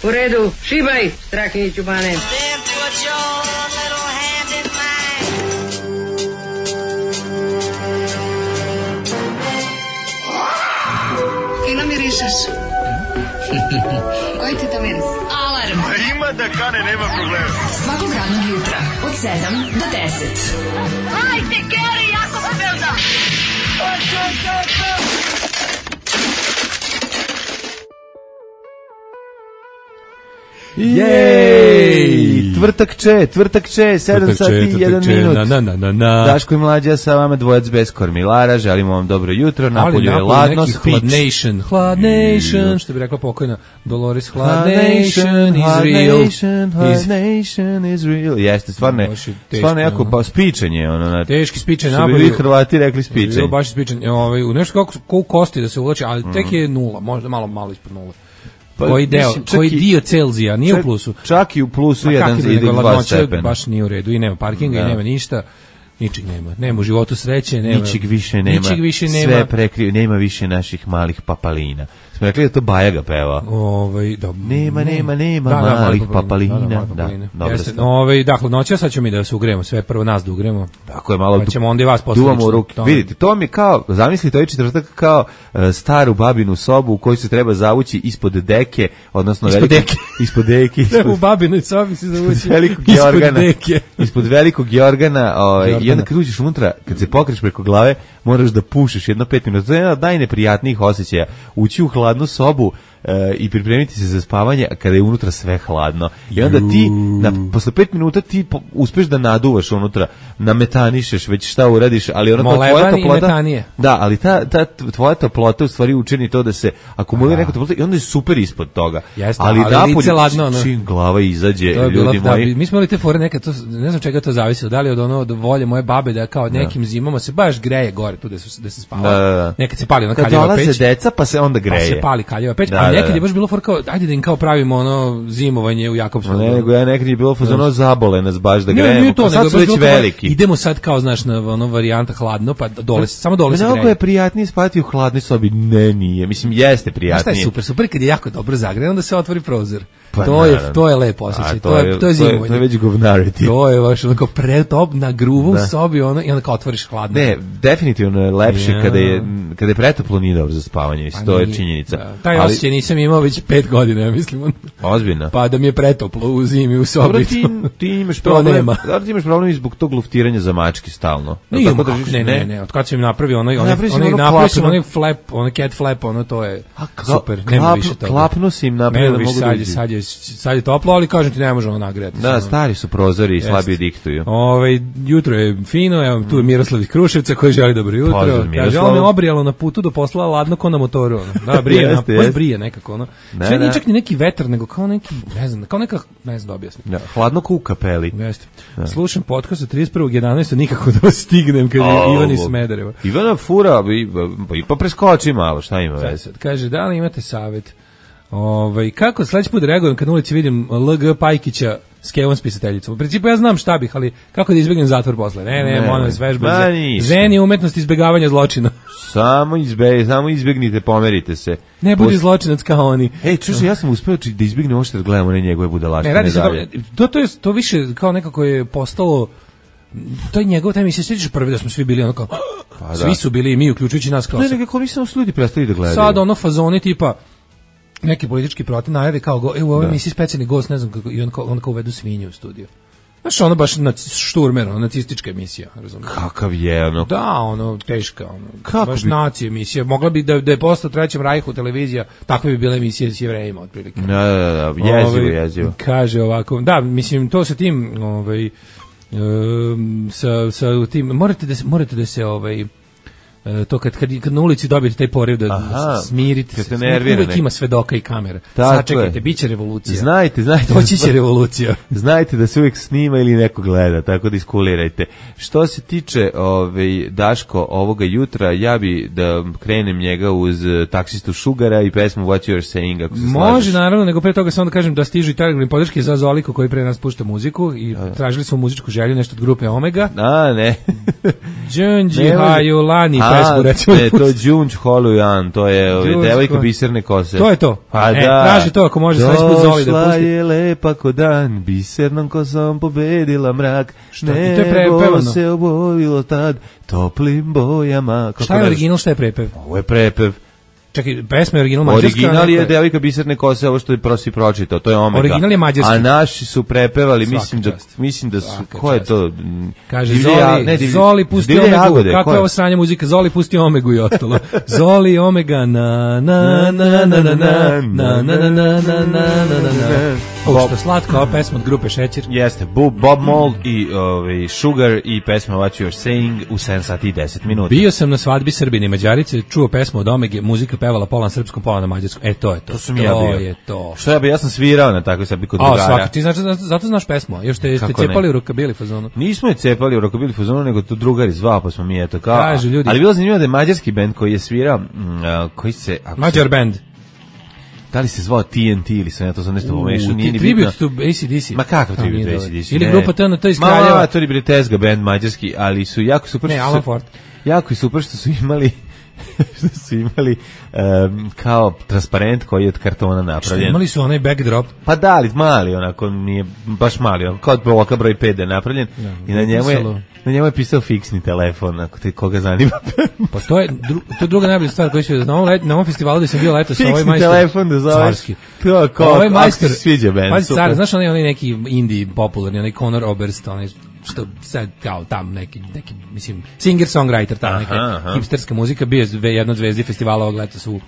U redu, šibaj, Strahinjiću Bane. Fino mirišeš. Koji ti to miris? Alarm. Ima da kane, nema problema. Svakog radnog jutra od 7 do 10. Hajde, Geri, jako se belda. Jej! Tvrtak če, 7 sati i 1 minut. Daško i Mlađa sa vama, dvojac bez kormilara, želimo vam dobro jutro, napolju je ladno, spič. Hladnation, što bi rekla pokojna Dolores, Hladnation is real. Jeste, stvarno jako pa spičanje, ono, znači. Teški spičanje, što bi vi Hrvati rekli spičanje. Baš spičanje, u nešto kako u kosti da se uvlači, ali tek je nula, možda malo ispod nula. Pa, koji dio Celzija, nije u plusu. Čak i u plusu 1,2 stepena. Baš nije u redu i nema parkinga i nema ništa. Ničeg nema. Nema u životu sreće, nema. Ničeg više nema. Sve prekriju, nema više naših malih papalina. Smo rekli da to Bajaga peva. Nema malih papalina. Da, hladnoća, sad ćemo mi da se ugremo, sve prvo nas da ugremo. Tako je, malo pa ćemo onda i vas duvamo u ruke. Vidite, to mi je kao, zamislite ovaj četvrtak kao staru babinu sobu u kojoj se treba zavući ispod deke, odnosno ispod deke. U babinoj sobi se zavući ispod velikog jorgana, i onda kad uđeš unutra, kad se pokriš preko glave, moraš da pušeš jedno 5 minuta. To je jedan od najneprijatnijih osjećaja. Ući u hladnu sobu i pripremiti se za spavanje kada je unutra sve hladno. I onda ti, posle 5 minuta ti uspeš da naduvaš unutra, nametanišeš, već šta uradiš, ali ona tvoja toplota... Da, ali ta tvoja toplota u stvari učini to da se akumulira neka toplota i onda je super ispod toga. Jeste, ali lice ladno, čim glava izađe, ljudi moji... Mi smo imali te fore nekad, ne znam čega to zavisi, da li od volje moje babe da kao nekim zimama se baš greje gore tu da se spava. Nekad se pali ona kaljeva peć. Kad dolaze deca pa se onda greje. Pa se pali kaljeva peć, nekad je baš bilo for kao, ajde da im kao pravimo ono zimovanje u Jakobskom. Nekad je bilo ono zabole nas baš da grejemo, pa sad su već veliki. Idemo sad kao, znaš, na ono varijanta hladno, pa samo dole se greje. Mnogo je prijatnije spati u hladnoj sobi, nije, mislim, jeste prijatnije. Šta je super kad je jako dobro zagreje, onda se otvori prozor. To je lepo osjećaj, to je zimovanje. To je već govnarity. To je baš onako pretop na gruvu u sobi, ono, i onda kao otvoriš hladno. Ne, definitivno je lepše kada je pretoplo, nije dobro za spavanje, to je činjenica. Taj osjećaj nisam imao već 5 godina, ja mislim. Ozbiljno. Pa da mi je pretoplo u zimi u sobi. Dobro, ti imaš problem. Da, ti imaš problem i zbog tog luftiranja za mački stalno. Ne, od kad sam im napravio onaj flap, onaj cat flap, ono to je super. Nema više toga. Klapno si im napravio da mogu sad je toplo, ali kažem ti ne može ono nagrejati. Da, stari su prozori i slabije diktuju. Jutro je fino, evo tu je Miroslav iz Kruševca koji želi dobro jutro. Kaže, on me obrijalo na putu do posla ladno ko na motoru. Da, brije nekako ono. Sve nije čak ni neki vetar, nego kao neki, ne znam da objasnim. Hladno ko u kapeli. Jeste. Slušam podcast od 31.11. nikako da stignem, kaže Ivan iz Smedereva. Ivana fura, pa preskoči malo, šta ima veze? Kaže, da li imate savjet? Kako sledeći put reagujem kad na ulici vidim LG Pajkića s Kevom spisateljicom? U principu ja znam šta bih, ali kako da izbjegnem zatvor posle? Ne, molim vas, vežba zen je umetnost izbjegavanja zločina. Samo izbjegnite, pomerite se. Ne budi zločinac kao oni. Ja sam uspeo da izbjegnem ovo što gledamo one njegove budalaštine dalje. To više kao nekako je postalo, to je njegov taj emisija, sjećaš prvi da smo svi bili onako, svi su bili i mi, uključujući nas kao. Ne, nekako nisam ljudi prestali da gledaju. Sad ono fazoni tipa, neki politički protiv najavi kao u ovoj emisiji specijalni gost, ne znam kako, i on kao uvedu svinju u studiju. Znaš, ono baš šturmer, nacistička emisija, razumiješ? Kakav je, ono? Da, ono, teška, ono, baš nacija emisija. Mogla bi da je postao Trećem Rajhu televizija, takva bi bila emisija s Jevrejima, otprilike. Da, jezivo. Kaže ovako, da, mislim, to sa tim, sa tim, morate da se, to kad na ulici dobijete taj poriv da smirite se, uvijek ima svedoka i kamera. Sačekajte, bit će revolucija. Znajte. Doći će revolucija. Znajte da se uvijek snima ili neko gleda, tako da iskulirajte. Što se tiče Daško ovoga jutra, ja bi da krenem njega uz taksistu Šugara i pesmu What You're Saying, ako se slažeš. Može, naravno, nego pre toga samo da kažem da stižu i telegram podrške za Zoliko koji pre nas pušta muziku i tražili smo muzičku želju, nešto od grupe Omega. Ne. Džunđi Hajulani, pesmu, recimo. Ne, to je Đunđ Holujan, to je devojka biserne kose. To je to. Pa traži to ako može sledeći put Zoli da pusti. Došla je lepa ko dan, bisernom kosom pobedila mrak. Nebo se obojilo tad toplim bojama. Šta je original, šta je prepev? Ovo je prepev. Čekaj, pesma je original mađarska. Original je devojka biserne kose, ovo što je prosi pročitao, to je Omega. Original je mađarski. A naši su prepevali, mislim da su, ko je to? Kaže Zoli pusti Omegu, kako je ovo sranje muzika, Zoli pusti Omegu i ostalo. Zoli Omega na na na na na na na na na na na na. Što slatko, ova pesma od grupe Šećer. Jeste, Bob Mould i Sugar i pesma What You're Saying u 7 sati i 10 minuta. Bio sam na svadbi Srbine i Mađarice, čuo pesmu od Omege, muzika pevala pola na srpskom, pola na mađarskom. To je to. To sam ja bio. To je to. Što ja sam svirao na takvoj svadbi kod drugara. Svaki, ti znači, zato znaš pesmu, još ste cepali u rokabili fazonu. Nismo je cepali u rokabili fazonu, nego to drugari zvao, pa smo mi eto kao. Kažu ljudi. Ali bilo zanimljivo da je mađarski bend koji je svirao, koji se... Mađar band. Da li se zvao TNT ili sam ja to sam nešto pomešao, nije ni bitno. Tribute to AC/DC. Ma kakav tribute to AC/DC? Ili grupa TNT iz Kraljeva. Ma, to je Tezga band mađarski, ali su jako super. Ne, Alan Ford. Jako je super što su imali kao transparent koji je od kartona napravljen. Imali su onaj backdrop. Pa da, ali mali, onako nije baš mali, onako kao od bloka broj 5 je napravljen i na njemu je pisao fiksni telefon, ako te koga zanima. Pa to je druga najbolja stvar koju se na ovom festivalu gde sam bio letos, ovaj majstor. Fiksni telefon da zoveš. Carski. To kao, ovaj majstor sviđa band. Pa car, znaš onaj neki indie popularni, onaj Conor Oberst, onaj što sad kao tam neki mislim singer-songwriter, ta neka hipsterska muzika, bio je jedna od zvezdi festivala ovog leta su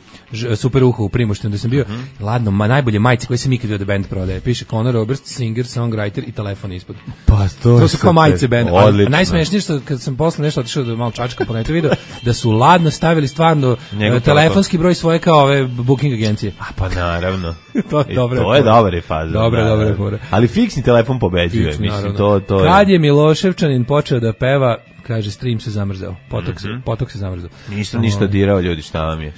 Super uho u Primoštenu gde sam bio, ladno, najbolje majice koje sam ikad vidio da band prodaje, piše Conor Oberst, singer-songwriter i telefon ispod. Pa to su kao majice band. A najsmešnije što kad sam posle nešto otišao da malo čačkam po netu video, da su ladno stavili stvarno telefonski broj svoje kao ove booking agencije. A pa naravno. To je dobra faza. Dobra fora. Ali fiksni telefon pobeđuje, mislim to kad je Miloševčanin počeo da peva, kaže stream se zamrzao, potok se zamrzao. Nisam ništa dirao, ljudi, šta vam je?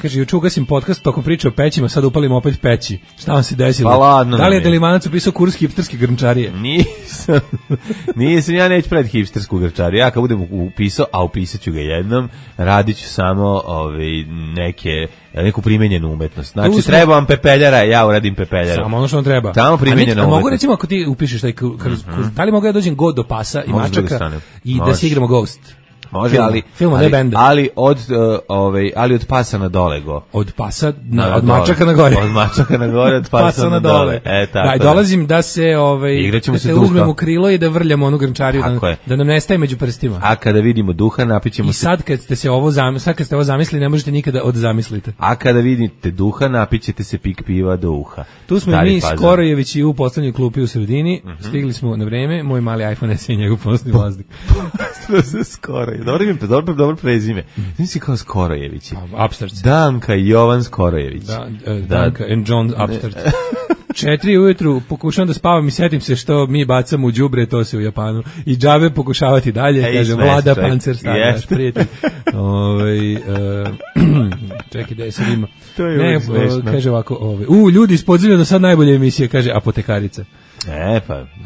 Kaže, juče ugasim podcast tokom priče o pećima, sad upalim opet peći. Šta vam se desilo? Pa ladno. Da li je Delimanac upisao kurs hipsterske grnčarije? Nisam, ja neću pred hipstersku grnčariju. Ja kad budem upisao, a upisat ću ga jednom, radit ću samo neku primenjenu umetnost. Znači, treba vam pepeljara, ja uradim pepeljara. Samo ono što vam treba. Samo primenjena umetnost. Mogu recimo, ako ti upišeš taj kurs, da li mogu ja dođem god do pasa i mačaka i da se igramo Ghost? Može, ali od pasa na dole go. Od pasa od mačaka na gore. Od mačaka na gore, od pasa na dole. Da, dolazim da se da se uzmemo krilo i da vrljamo onu grnčariju, da nam nestaje među prstima. A kada vidimo duha, napićemo se. I sad kad ste ovo zamislili, ne možete nikada odzamisliti. A kada vidite duha, napićete se pik piva do uha. Tu smo mi Skorojević i u poslednjoj klupi u sredini. Stigli smo na vreme, moj mali iPhone SE i njegov ponosni vazduh. Skoro. Dobro prezime. Nisi kao Skorojevići. Upstarts. Danka i Jovan Skorojević. Danka and John Upstarts. 4 ujutru pokušavam da spavam i setim se što mi bacamo u đubre, to se u Japanu. I džabe pokušavati dalje, kaže Vlada Pancer, naš prijatelj. Čekaj da je sad ima. Kaže ovako, ljudi iz podzemlja do sad najbolje emisije, kaže Apotekarica.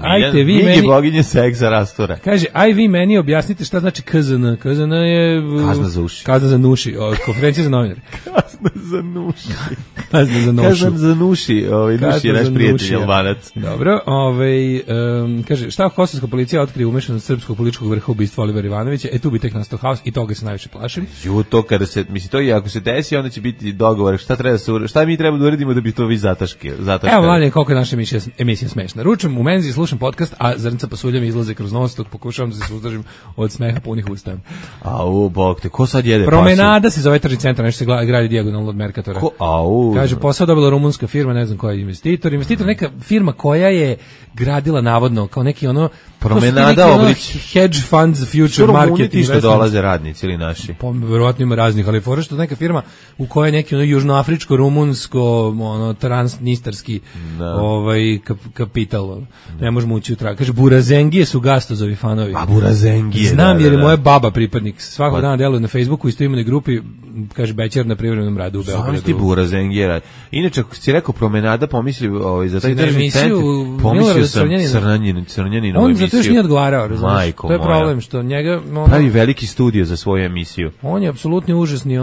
Ajte vi meni boginje seksa rastura. Kaže, aj vi meni objasnite šta znači KZN. KZN je kazna za uši. Kazna za nuši, konferencija za novinare. Kazna za nuši. Kazna za nošu. Kazna za nuši, nuši je naš prijatelj Albanac. Dobro, kaže, šta kosovska policija otkrije umešanost srpskog političkog vrha ubistva Olivera Ivanovića, tu bi tek nastao haos i toga se najviše plašim. To kada se, mislim, to i ako se desi, onda će biti dogovor, šta mi treba da uradimo da bi to vi zataškali. Evo, Mladen, koliko je naša emisija smešna. Ručam u menzi, slušam podcast, a zrnca pasuljam izlaze kroz nos, dok pokušavam da se suzdržim od smeha punih usta. Bog te, ko sad jede pasulj? Promenada se zove tržni centar, nešto se gradi dijagonalno od Merkatora. Kaže, posao dobila rumunska firma, ne znam koja je investitor. Investitor neka firma koja je gradila navodno kao neki Promenada Obrić. Hedge funds, future market. Što što dolaze radnici ili naši? Verovatno ima raznih, ali fora što neka firma u kojoj neki južnoafričko, rumunsko, transnistarski kapital hotel, ne možemo ući u trag. Kaže, Burazengije su Gastozovi fanovi. A Burazengije, znam jer je moja baba pripadnik. Svakog dana deluje na Facebooku, isto imenoj grupi, kaže, Bećer na privremenom radu u Beogradu. Znam ti Burazengije. Inače, ako si rekao promenada, pomislio za taj državni centar, pomislio sam Crnjaninu on zato još nije odgovarao, razumiješ? To je problem, što njega... Pravi veliki studio za svoju emisiju. On je apsolutni užasni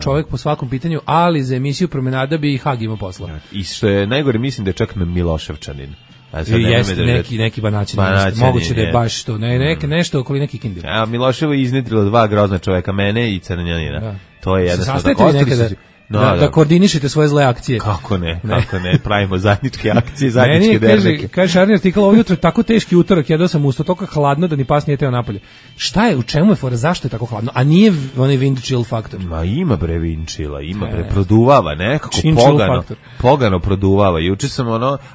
čovjek po svakom pitanju, ali za emisiju promenada bi i Hag imao posla. I što je najgore, mislim da je čak Miloševčanin. Jeste neki banaćin, moguće da je baš to, nešto okoli neki kindir. A Miloševo je iznedrilo dva grozna čoveka, mene i Crnjanina. Da. To je jednostavno. Sastanete nekada da koordinišete svoje zle akcije. Kako ne, pravimo zajedničke akcije, zajedničke derneke. Kaže Šarni artikal, ovo jutro je tako teški utorak, jedao sam usto, toliko hladno da ni pas nije teo napolje. Šta je, u čemu je fora, zašto je tako hladno? A nije onaj wind chill faktor? Ma ima bre wind chilla, ima bre, produvava nekako pogano produvava. Juče sam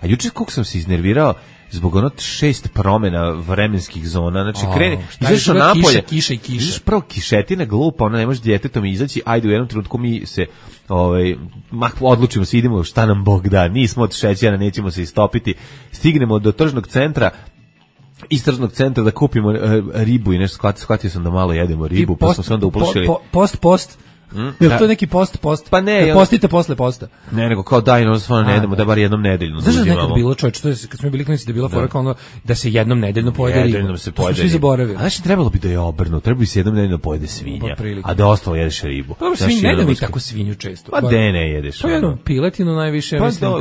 juče kako sam se iznervirao zbog 6 promena vremenskih zona, znači krene, izašao napolje, kiša. Izaš prvo kišetina glupa, ne može djetetom izaći, ajde u jednom trenutku mi se odlučimo se, idemo šta nam Bog da, nismo od šećera, nećemo se istopiti, stignemo do tržnog centra, iz tržnog centra da kupimo ribu i nešto, shvatio sam da malo jedemo ribu, pa smo se onda uplašili. Post. Jel to neki post? Pa ne, postite posle posta. Ne, nego kao daj, stvarno ne jedemo, da bar jednom nedeljno. Znaš da nekad bilo, čovječ, to je, kad smo bili klinici, da je bila fora kao da se jednom nedeljno pojede riba. Nedeljno se pojede riba. Svi zaboravili. Znači, trebalo bi da je obrnuto, trebalo bi se jednom nedeljno pojede svinja, a da ostalo jedeš ribu. Dobro, svinja, ne da mi tako svinju često. Pa de ne jedeš. Pa jedno, piletinu najviše, mislim.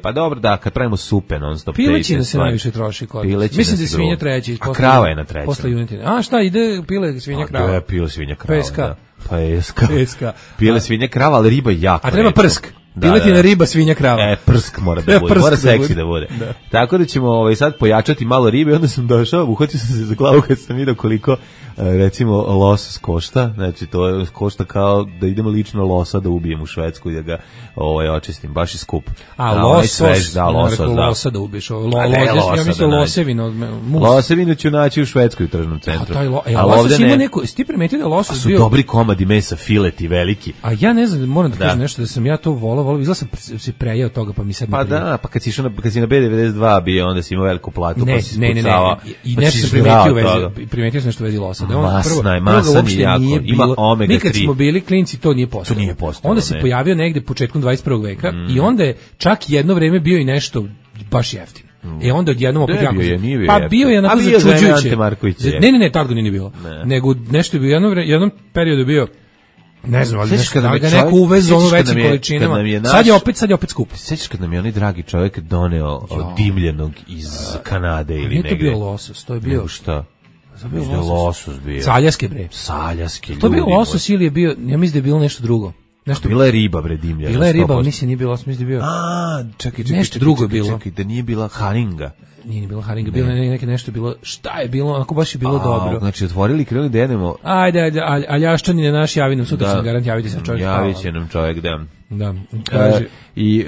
Pa dobro, da, kad pravimo supe non-stop. Pilećina se najviše troši kod. Mislim da je svinja treći. A krava je na trećem. Posle junetine. A šta, ide pile svinja krava? Da, pile svinja krava. Peska. Peska. Pile svinja krava, ali riba jako. A treba prsk. Piletina, riba, svinja, krava. Prsk mora da bude, mora seksi da bude. Tako da ćemo sad pojačati malo ribe, onda sam došao, uhvatio sam se za glavu kad sam vidio koliko recimo losos košta, znači to košta kao da idemo lično losa da ubijem u Švedsku i da ga očistim, baš je skup. Losa da ubiješ, ja mislim losevino. Losevino ću naći u Švedskoj u tržnom centru. A losos ima neko, si ti primetio da je losos bio? Su dobri komadi mesa, fileti veliki. A ja ne znam, moram da kažem nešto, da sam ja to volao, izgleda sam se prejao toga, pa mi sad ne prije. Pa da, pa kad si na B92 bio, onda si imao veliku platu, pa si spucavao. I nešto sam primetio nešto u vezi losa. Masan je jako, ima omega 3. Mi kad smo bili klinci, to nije postalo. Onda se pojavio negde početkom 21. veka i onda je čak jedno vreme bio i nešto baš jeftino. Onda odjednom opet jako... Pa bio je onako začuđujuće. Ne, tad ga nije bilo. Nego nešto je bio, jednom periodu bio, ne znam, ali ga neko uvezu ono većim količinama. Sad je opet skupo. Sećaš kad nam je onaj dragi čovjek doneo dimljenog iz Kanade ili negde? Nije to bio losos, to je bio... Šta? Losos bio. Saljaske bre. Saljaske. To je bio losos ili je bio, ja mislim da je bilo nešto drugo. Bila je riba bre dimljena. Bila je riba, mislim nije bilo, mislim da je bio. Čekaj, nešto drugo je bilo. Čekaj, da nije bila haringa. Nije bila haringa, bilo nešto bilo. Šta je bilo? Onako baš je bilo dobro. Znači otvorili, krenuli da jedemo. Ajde, a Ljaščanin je naš, javi nam sutra, sam garant javiti se čovjek. Javit će nam čovjek, da. Kaže. I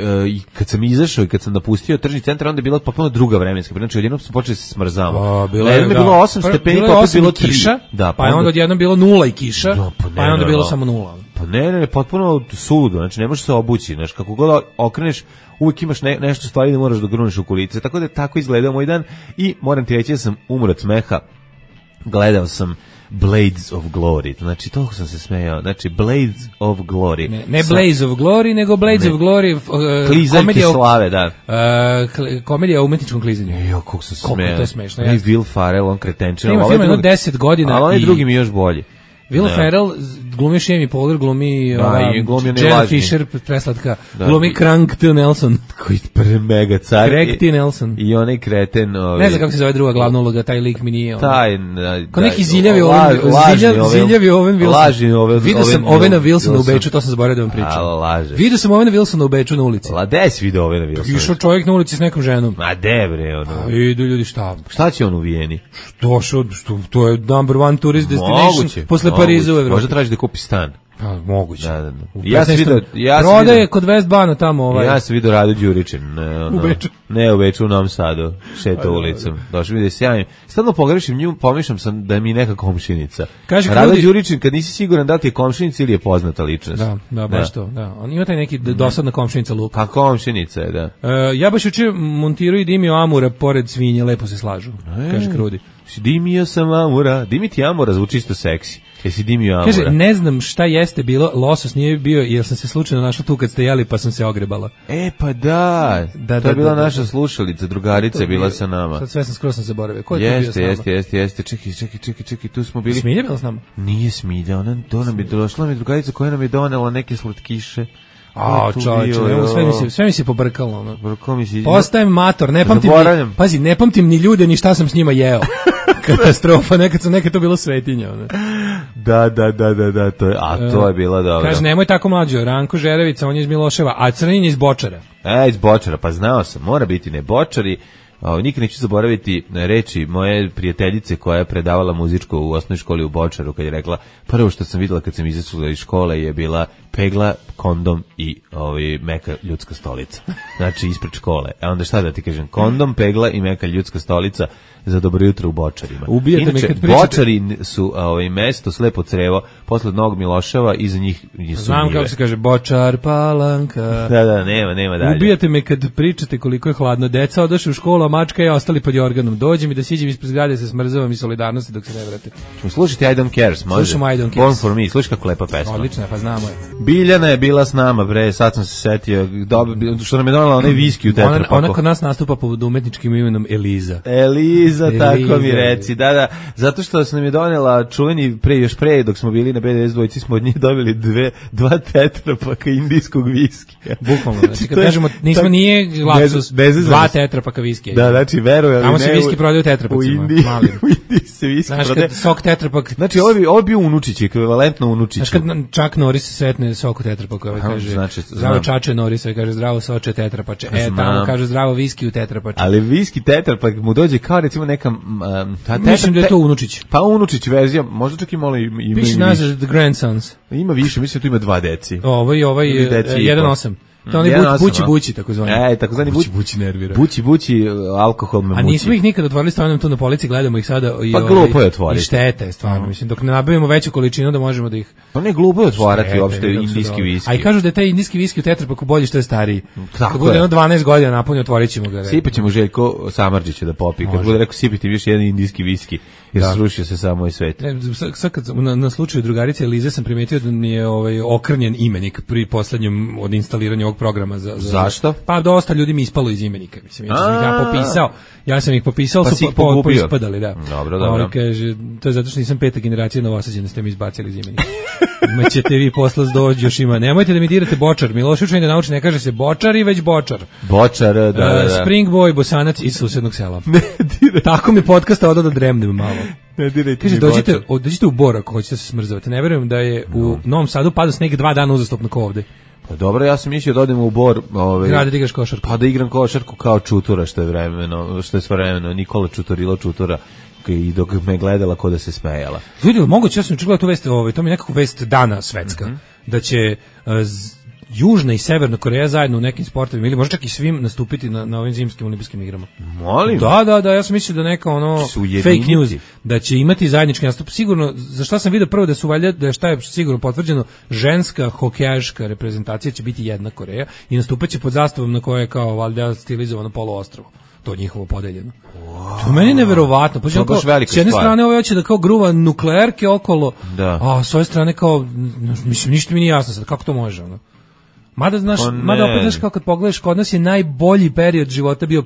kad sam izašao i kad sam napustio tržni centar, onda je bila potpuno druga vremenska. Znači odjednom smo počeli se smrzavamo. Bilo je bilo 8 stepeni, pa opet bilo kiša. Pa je onda odjednom bilo 0 i kiša. Pa je onda bilo samo 0. Pa ne, potpuno suludo, znači ne možeš se obući, znači kako god okreneš, uvijek imaš nešto stvari da moraš da gruneš u kulice, tako da tako izgledao moj dan i moram ti reći da sam umro od smeha, gledao sam Blades of Glory, znači toliko sam se smejao, znači Blades of Glory. Ne Blades of Glory, nego Blades of Glory, klizaljke slave, da. Komedija o umetničkom klizanju. Jo, kako sam se smejao. Koliko to je smešno. I Will Ferrell, on kretenčina. Ima film jedno 10 godina. Ali onaj drugi mi još bolji. Will Ferrell glumi Amy Poehler, glumi Jenna Fisher, preslatka, glumi Craig T. Nelson. Koji je mega car. Craig T. Nelson. I onaj kreten... Ne znam kako se zove druga glavna uloga, taj lik mi nije... Ko neki ziljavi Owen Wilson. Lažni Owen. Vidio sam Owena Wilsona u Beču, to sam zaboravio da vam pričam. Laže. Vidio sam Owena Wilsona u Beču na ulici. Gde si vidio Owena Wilsona? Išao čovjek na ulici s nekom ženom. Ma de bre, ono. Idu ljudi, šta? Šta će on u Vijeni? To je number one tourist destination posle Pariza u Evropi. Traži da kupi stan. Pa moguće. Da. Ja sam vidio, prodaje kod Westbana tamo Ja sam vidio Rado Đuričin, u Beču. Ne u Beču, u Novom Sadu, šeta ulicom. Došao mi da je sjajim. Stalno pogrešim nju, pomišljam sam da mi neka komšinica. Rado Đuričin, kad nisi siguran da li ti je komšinica ili je poznata ličnost. Da, baš to. Da. On ima taj neki dosadna komšinica Luka. Pa komšinica je, da. Ja baš juče montirao i dimio Amura pored svinje, lepo se slažu. Kaže Krudi. Dimio sam Amura. Dimiti Amura zvuči isto seksi. Jesi dimio Amura? Kaže, ne znam šta jeste bilo, losos nije bio, jer sam se slučajno našla tu kad ste jeli, pa sam se ogrebala. Pa da. To je bila naša slušalica, drugarica je bila sa nama. Sad sve sam skoro zaboravio. Ko je to bio s nama? Jeste. Čekaj, tu smo bili. Smilja bila s nama? Nije Smilja, ona došla mi drugarica koja nam je donela neke slatkiše. Čovječe, sve mi se pobrkalo. Brkalo mi se. Postajem mator, ne pamtim ni ljude, ni šta sam s njima jeo. Katastrofa, nekad to bilo svetinja. Da, to je bilo dobro. Kaže, nemoj tako mlađo, Ranko Žerevica, on je iz Miloševa, a Crnin je iz Bočara. Iz Bočara, pa znao sam, mora biti ne Bočari. Nikad neću zaboraviti reči moje prijateljice koja je predavala muzičko u osnovnoj školi u Bočaru, kad je rekla, prvo što sam videla kad sam izašla iz škole je bila pegla, kondom i meka ljudska stolica. Znači ispred škole. A onda šta da ti kažem, kondom, pegla i meka ljudska stolica za dobro jutro u Bočarima. Inače, Bočari su mesto slepo crevo posle Novog Miloševa, iza njih su njive. Znam kako se kaže, Bočar, Palanka. Da, nema dalje. Ubijate me kad pričate koliko je hladno. Deca odošli u školu, a mačka je ostali pod jorganom. Dođe mi da siđem ispred zgrade, se smrzavam i solidarnosti dok se ne vrate. Slušajte I Don't Cares, može? Slušamo I Don't Cares. Born for Me, slušaj kako lepa pesma. Odlična, pa znamo je. Biljana je bila s nama, bre, sad sam se setio, što nam je donala onaj viski u tetrapaku. Ona kod nas nastupa pod umetničkim imenom Eliza. Eliza, tako mi reci, da, zato što sam nam je donela čuveni još pre, dok smo bili na BDS dvojici, smo od njih dobili dva tetrapaka indijskog viskija. Bukvalno, znači kad kažemo, nije lapsus, dva tetrapaka viskija. Da, znači, veruj, ali ne. Tamo se viski prodaju tetrapacima, malim. U Indiji se viski prodaje. Znaš, kad sok tetrapak... Znači, ovo je bio unučić, ekvivalentno unučić. Znaš, kad Čak Norris se sretne sok u tetrapaku, kaže, zdravo Čače Norris, kaže, zdravo soče tetrapače. Tamo kaže, zdravo viski u tetrapače. Ali viski tetrapak mu dođe kao, recimo, neka... Mislim da je to unučić. Pa unučić verzija, možda čak i malo ima i više. Piše nazad The Grandsons. Ima više, mislim da tu ima 2 deci. Ovaj 1.8. To oni bući, tako zvani. Takozvani bući nervira. Bući, alkohol me muči. A nismo ih nikad otvorili, stavljamo tu na polici, gledamo ih sada. Pa glupo je otvoriti. I štete je stvarno, mislim, dok ne nabavimo veću količinu da možemo da ih... Pa ne, glupo je otvarati uopšte indijski viski. A i kažu da je taj indijski viski u tetrapaku bolji što je stariji. Kad bude 12 godina napunio, otvorit ćemo ga. Sipaćemo Željko Samardžića da popi. Kad bude rekao sipiti više jedan indijski viski, jer srušio se samo i svet. Sad kad na slučaju drugarice Elize sam primetio da mi je okrnjen imenik pri poslednjem od instaliranja ovog programa za zašto? Pa dosta ljudi mi ispalo iz imenika, mislim, ja sam ih popisao, pa su ispadali, da. Dobro. Kaže, to je zato što nisam 5. generacija Novosađena, ste mi izbacili iz imenika. Ćete vi posla dođi, još ima. Nemojte da mi dirate Bočar. Milošević da nauči, ne kaže se Bočari, već Bočar. Bočar, da. Spring Boy, Bosanac iz susednog sela. Ne dirajte. Tako mi podcasta odao da dremnem malo. Ne dirajte. Kaže, dođite u Bor ako hoćete se smrzavati. Ne verujem da je u Novom Sadu pada sneg 2 dana uzastopno kao ovde. Pa dobro, ja sam mislio da odem u Bor, grade da igraš košarku. Pa da igram košarku kao Čutura, što je svojevremeno Nikola Čutorilo Čutura, i dok me gledala ko da se smejala. Vidio, moguće, ja sam čuo tu vest, to mi je nekako vest dana svetska, da će Južna i Severna Koreja zajedno u nekim sportovima ili možda čak i svim nastupiti na ovim zimskim olimpijskim igrama. Molim? Da, ja sam mislio da neka fake news, da će imati zajednički nastup. Sigurno, za šta sam vidio prvo da su valjda, da je šta je sigurno potvrđeno, ženska hokejaška reprezentacija će biti jedna Koreja i nastupat će pod zastavom na kojoj je kao valjda stilizovano poluostrvo. To njihovo podeljeno. Wow. To meni je neverovatno. S jedne strane ovo hoće da kao gruva nuklearke okolo, a s ove strane kao, mislim, ništa mi nije jasno sad, kako to može, ono. Mada opet znaš kao kad pogledaš, kod nas je najbolji period života bio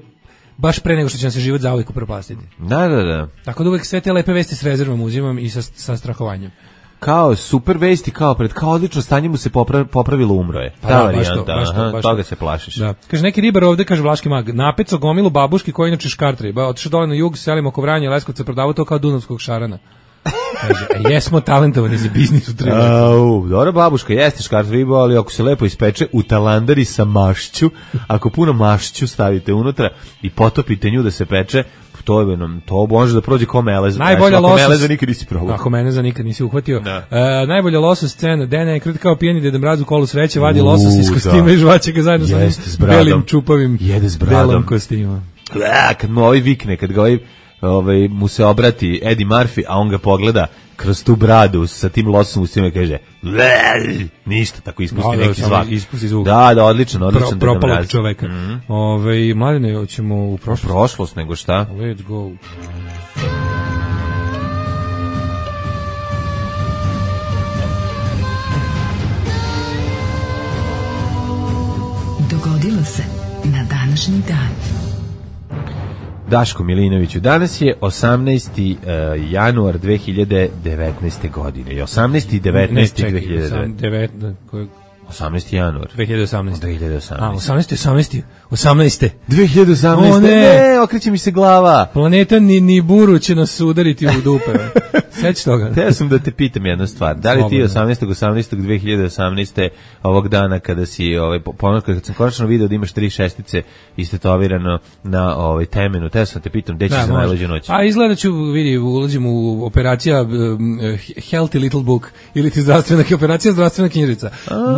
baš pre nego što će nam se život zauvijek upropastiti. Da. Tako da uvijek sve te lepe vesti s rezervom uzimam i sa strahovanjem. Kao super vesti, kao odlično stanje mu se popravilo, umro je. Pa ta varijanta, toga se plašiš. Da. Kaže, neki ribar ovde, kaže Vlaški mag, napeco gomilu babuški koji inače škartri, otišao dole na jug, selimo oko Vranja, Leskovca, prodavao to kao dunavskog šarana. Kaže, jesmo talentovani za biznis u Triletu. Dobra babuška, jeste škart riba, ali ako se lepo ispeče u talandari sa mašću, ako puno mašću stavite unutra i potopite nju da se peče, to može da prođe ko melez. Najbolja losos. Ako meleza nikad nisi probao. Ako meleza nikad nisi uhvatio. Najbolja losos scena, Dena je kao pijeni Deda Mraz u Kolu sreće, vadi losos iz kostima i žvaće ga zajedno sa belim čupavim belom kostimom. Kad mu ovaj vikne, kad ga mu se obrati Eddie Murphy, a on ga pogleda kroz tu bradu sa tim losom u svima i kaže ništa, tako ispusti neki zvak. Ispusti zvuk. Da, odlično propalog čoveka. Mladine, hoćemo u prošlost nego šta? Let's go. Dogodilo se na današnji dan. Daško Milinoviću, danas je 18. januar 2019. godine. 18. i 19. 18. januar 2018. A, 18. 2018. Ne, okreće mi se glava. Planeta ni buru će nas udariti u dupe. Seć toga. Teo sam da te pitam jednu stvar. Da li ti 18.18.2018. ovog dana kada si kad sam konačno video da imaš 3 šestice istetovirano na temenu. Teo sam te pitam gde ćeš za najluđu noć. A izgleda ću ulazim u operacija Healthy Little Book ili ti zdravstvena knjižica.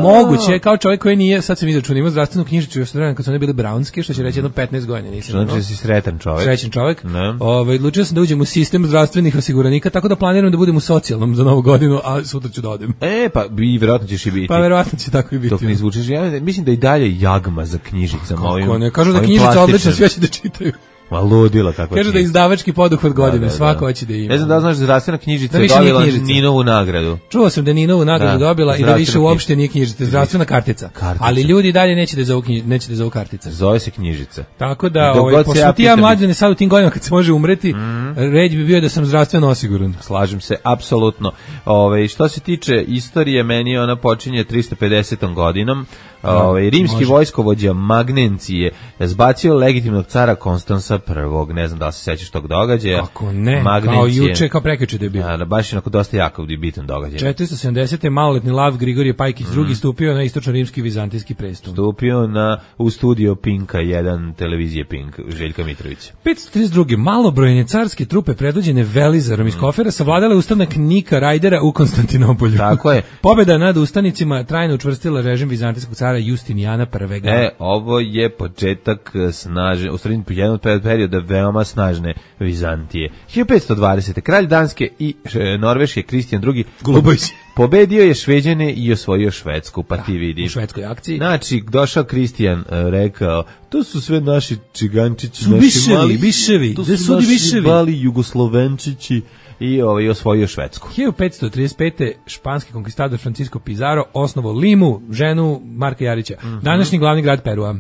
Moguće, kao čovjek koji nije, sad sam izračunao, ima zdravstvenu knjižicu još vremena kad su one bile brownske, što će reći jedno 15 godina. Znači da si srećan čovjek. Odlučio sam da uđem u sistem zdravstvenih osiguranika, tako da planiram da budem u socijalnom za novu godinu, a sutra ću da odem. Pa vjerojatno ćeš i biti. Pa vjerojatno će tako i biti. Dok ne izvučeš, ja mislim da i dalje jagma za knjižicama. Kako ne, kažu da knjižica odlična, sve će da čitaju. Ma ludilo kako. Kaže da je izdavački poduhvat godine, svako hoće da ima. Ne znam da znaš da zdravstvena knjižica je dobila Ninovu nagradu. Čuo sam da je Ninovu nagradu dobila i da više uopšte nije knjižica, zdravstvtvena kartica. Ali ljudi dalje neće da zovu kartica. Zove se knjižica. Tako da, pošto ti ja mlađe ne sad u tim godinama kad se može umreti, red bi bio da sam zdravstveno osiguran. Slažem se, apsolutno. Što se tiče istorije, meni ona počinje 350. godinom. Rimski vojskovođa Magnencije zbacio legitimnog cara Konstansa I. Ne znam da li se sećaš tog događaja. Kako ne, kao juče, kao prekjuče da je bio. Baš je dosta jako i bitan događaj. 470. maloletni Lav Grigorije Pajkić II stupio na istočno-rimski vizantijski presto. Stupio u studio Pinka 1, televizije Pink, Željka Mitrovića. 532. Malobrojne carske trupe predvođene Velizarom iz Kofera savladale ustanak Nika Rajdera u Konstantinopolju. Tako je. Pobjeda nad ustanicima trajno učvrstila režim vizantijskog cara Justinijana I. Ovo je početak snažne, u stvari jedan perioda veoma snažne Vizantije. 1520. Kralj Danske i Norveške Kristijan II. Pobedio je Šveđane i osvojio Švedsku, pa ti vidi. U švedskoj akciji. Znači, došao Kristijan, rekao, to su sve naši čigančići, naši biševi, to su naši mali jugoslovenčići. I osvojio Švedsku. 1535. španski konkistador Francisco Pizarro osnovao Limu, ženu Marka Jarića. Današnji glavni grad Perua.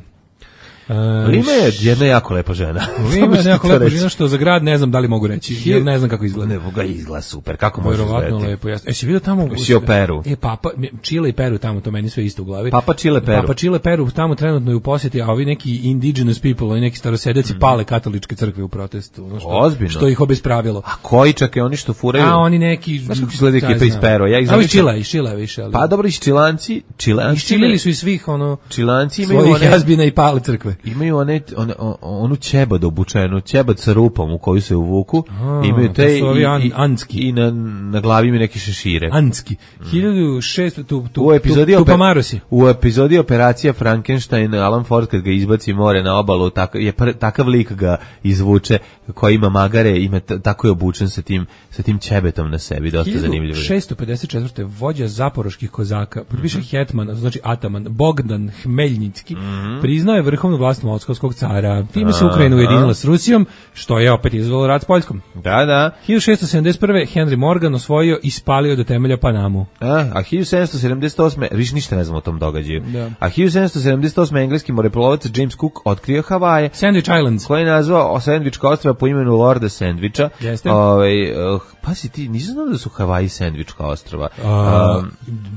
Lima je jedna jako lepa žena. Lima je jako lepa žena, što za grad ne znam da li mogu reći, jer ne znam kako izgleda. Ne, ga izgleda super, kako može izgledati. Vjerovatno lepo, jasno. Si vidio tamo? Si o Peru. Papa, Čile i Peru tamo, to meni sve isto u glavi. Papa Čile Peru tamo trenutno je u posjeti, a ovi neki indigenous people, ovi neki starosedeći pale katoličke crkve u protestu. Ozbiljno. Što ih obespravilo. A koji čak je oni što furaju? A oni neki... Znaš kako izgleda ekipa iz Peru? A iz Čila više. Pa dobro, iz Čilanci. Iščilili su i svih Čilanci imaju svojih jazbina i pale crkve. Imaju onu ćebad obučenu, ćebad sa rupom u koju se uvuku, imaju te i na glavi imaju neke šešire. Anski. 1600 u epizodi Operacija Frankenstein, Alan Ford kad ga izbaci more na obalu, takav lik ga izvuče, koji ima magare, tako je obučen sa tim ćebetom na sebi, dosta zanimljivo. 1654. vođa zaporoških kozaka, pripiše hetman, znači ataman, Bogdan Hmeljnicki, priznao je vrhovnu vlast moskovskog cara. Time se Ukrajina ujedinila s Rusijom, što je opet izazvalo rat s Poljskom. Da. 1671. Henry Morgan osvojio i spalio do temelja Panamu. A 1778. Više ništa ne znam o tom događaju. Da. A 1778. engleski moreplovac James Cook otkrio Havaje. Sandwich Islands. Koji je nazvao Sandvička ostrva po imenu Lorda Sandviča. Jeste. Pa si ti, nisam znao da su Havaji Sandvička ostrva.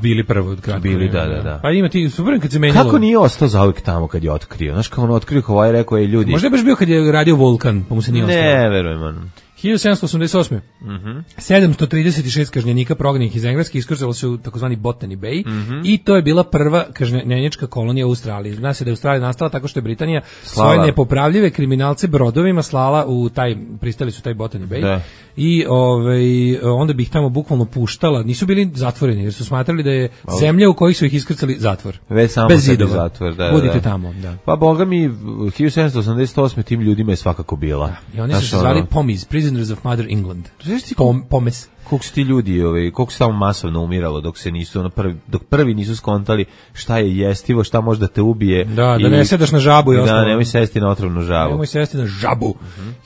Bili prvo od kratka. Bili, da. Pa ima ti, super kad se menjalo. Kako nije ostao zauvijek tamo kad je otkrio? Znaš, kao on otkrio Havaje, rekao je ljudi. Možda je baš bio kad je radio Vulkan, pa mu se nije ostao. Ne, verujem. 1788. 736 kažnjenika prognanih iz Engleske iskrcalo se u takozvani Botany Bay i to je bila prva kažnjenička kolonija u Australiji. Zna se da je Australija nastala tako što je Britanija svoje nepopravljive kriminalce brodovima slala u pristali su taj Botany Bay. Da. I onda bi ih tamo bukvalno puštala, nisu bili zatvoreni jer su smatrali da je zemlja u kojoj su ih iskrcali zatvor. Već samo bez zidova. Zatvor, da. Budite tamo, da. Pa boga mi 1788 tim ljudima je svakako bila. Da. I oni su se zvali POMES, Prisoners of Mother England. POMES. Koliko su ti ljudi, koliko se tamo masovno umiralo dok se nisu dok prvi nisu skontali šta je jestivo, šta može da te ubije. Da ne sedaš na žabu i ostalo. Da, nemoj sesti na otrovnu žabu. Nemoj sesti na žabu.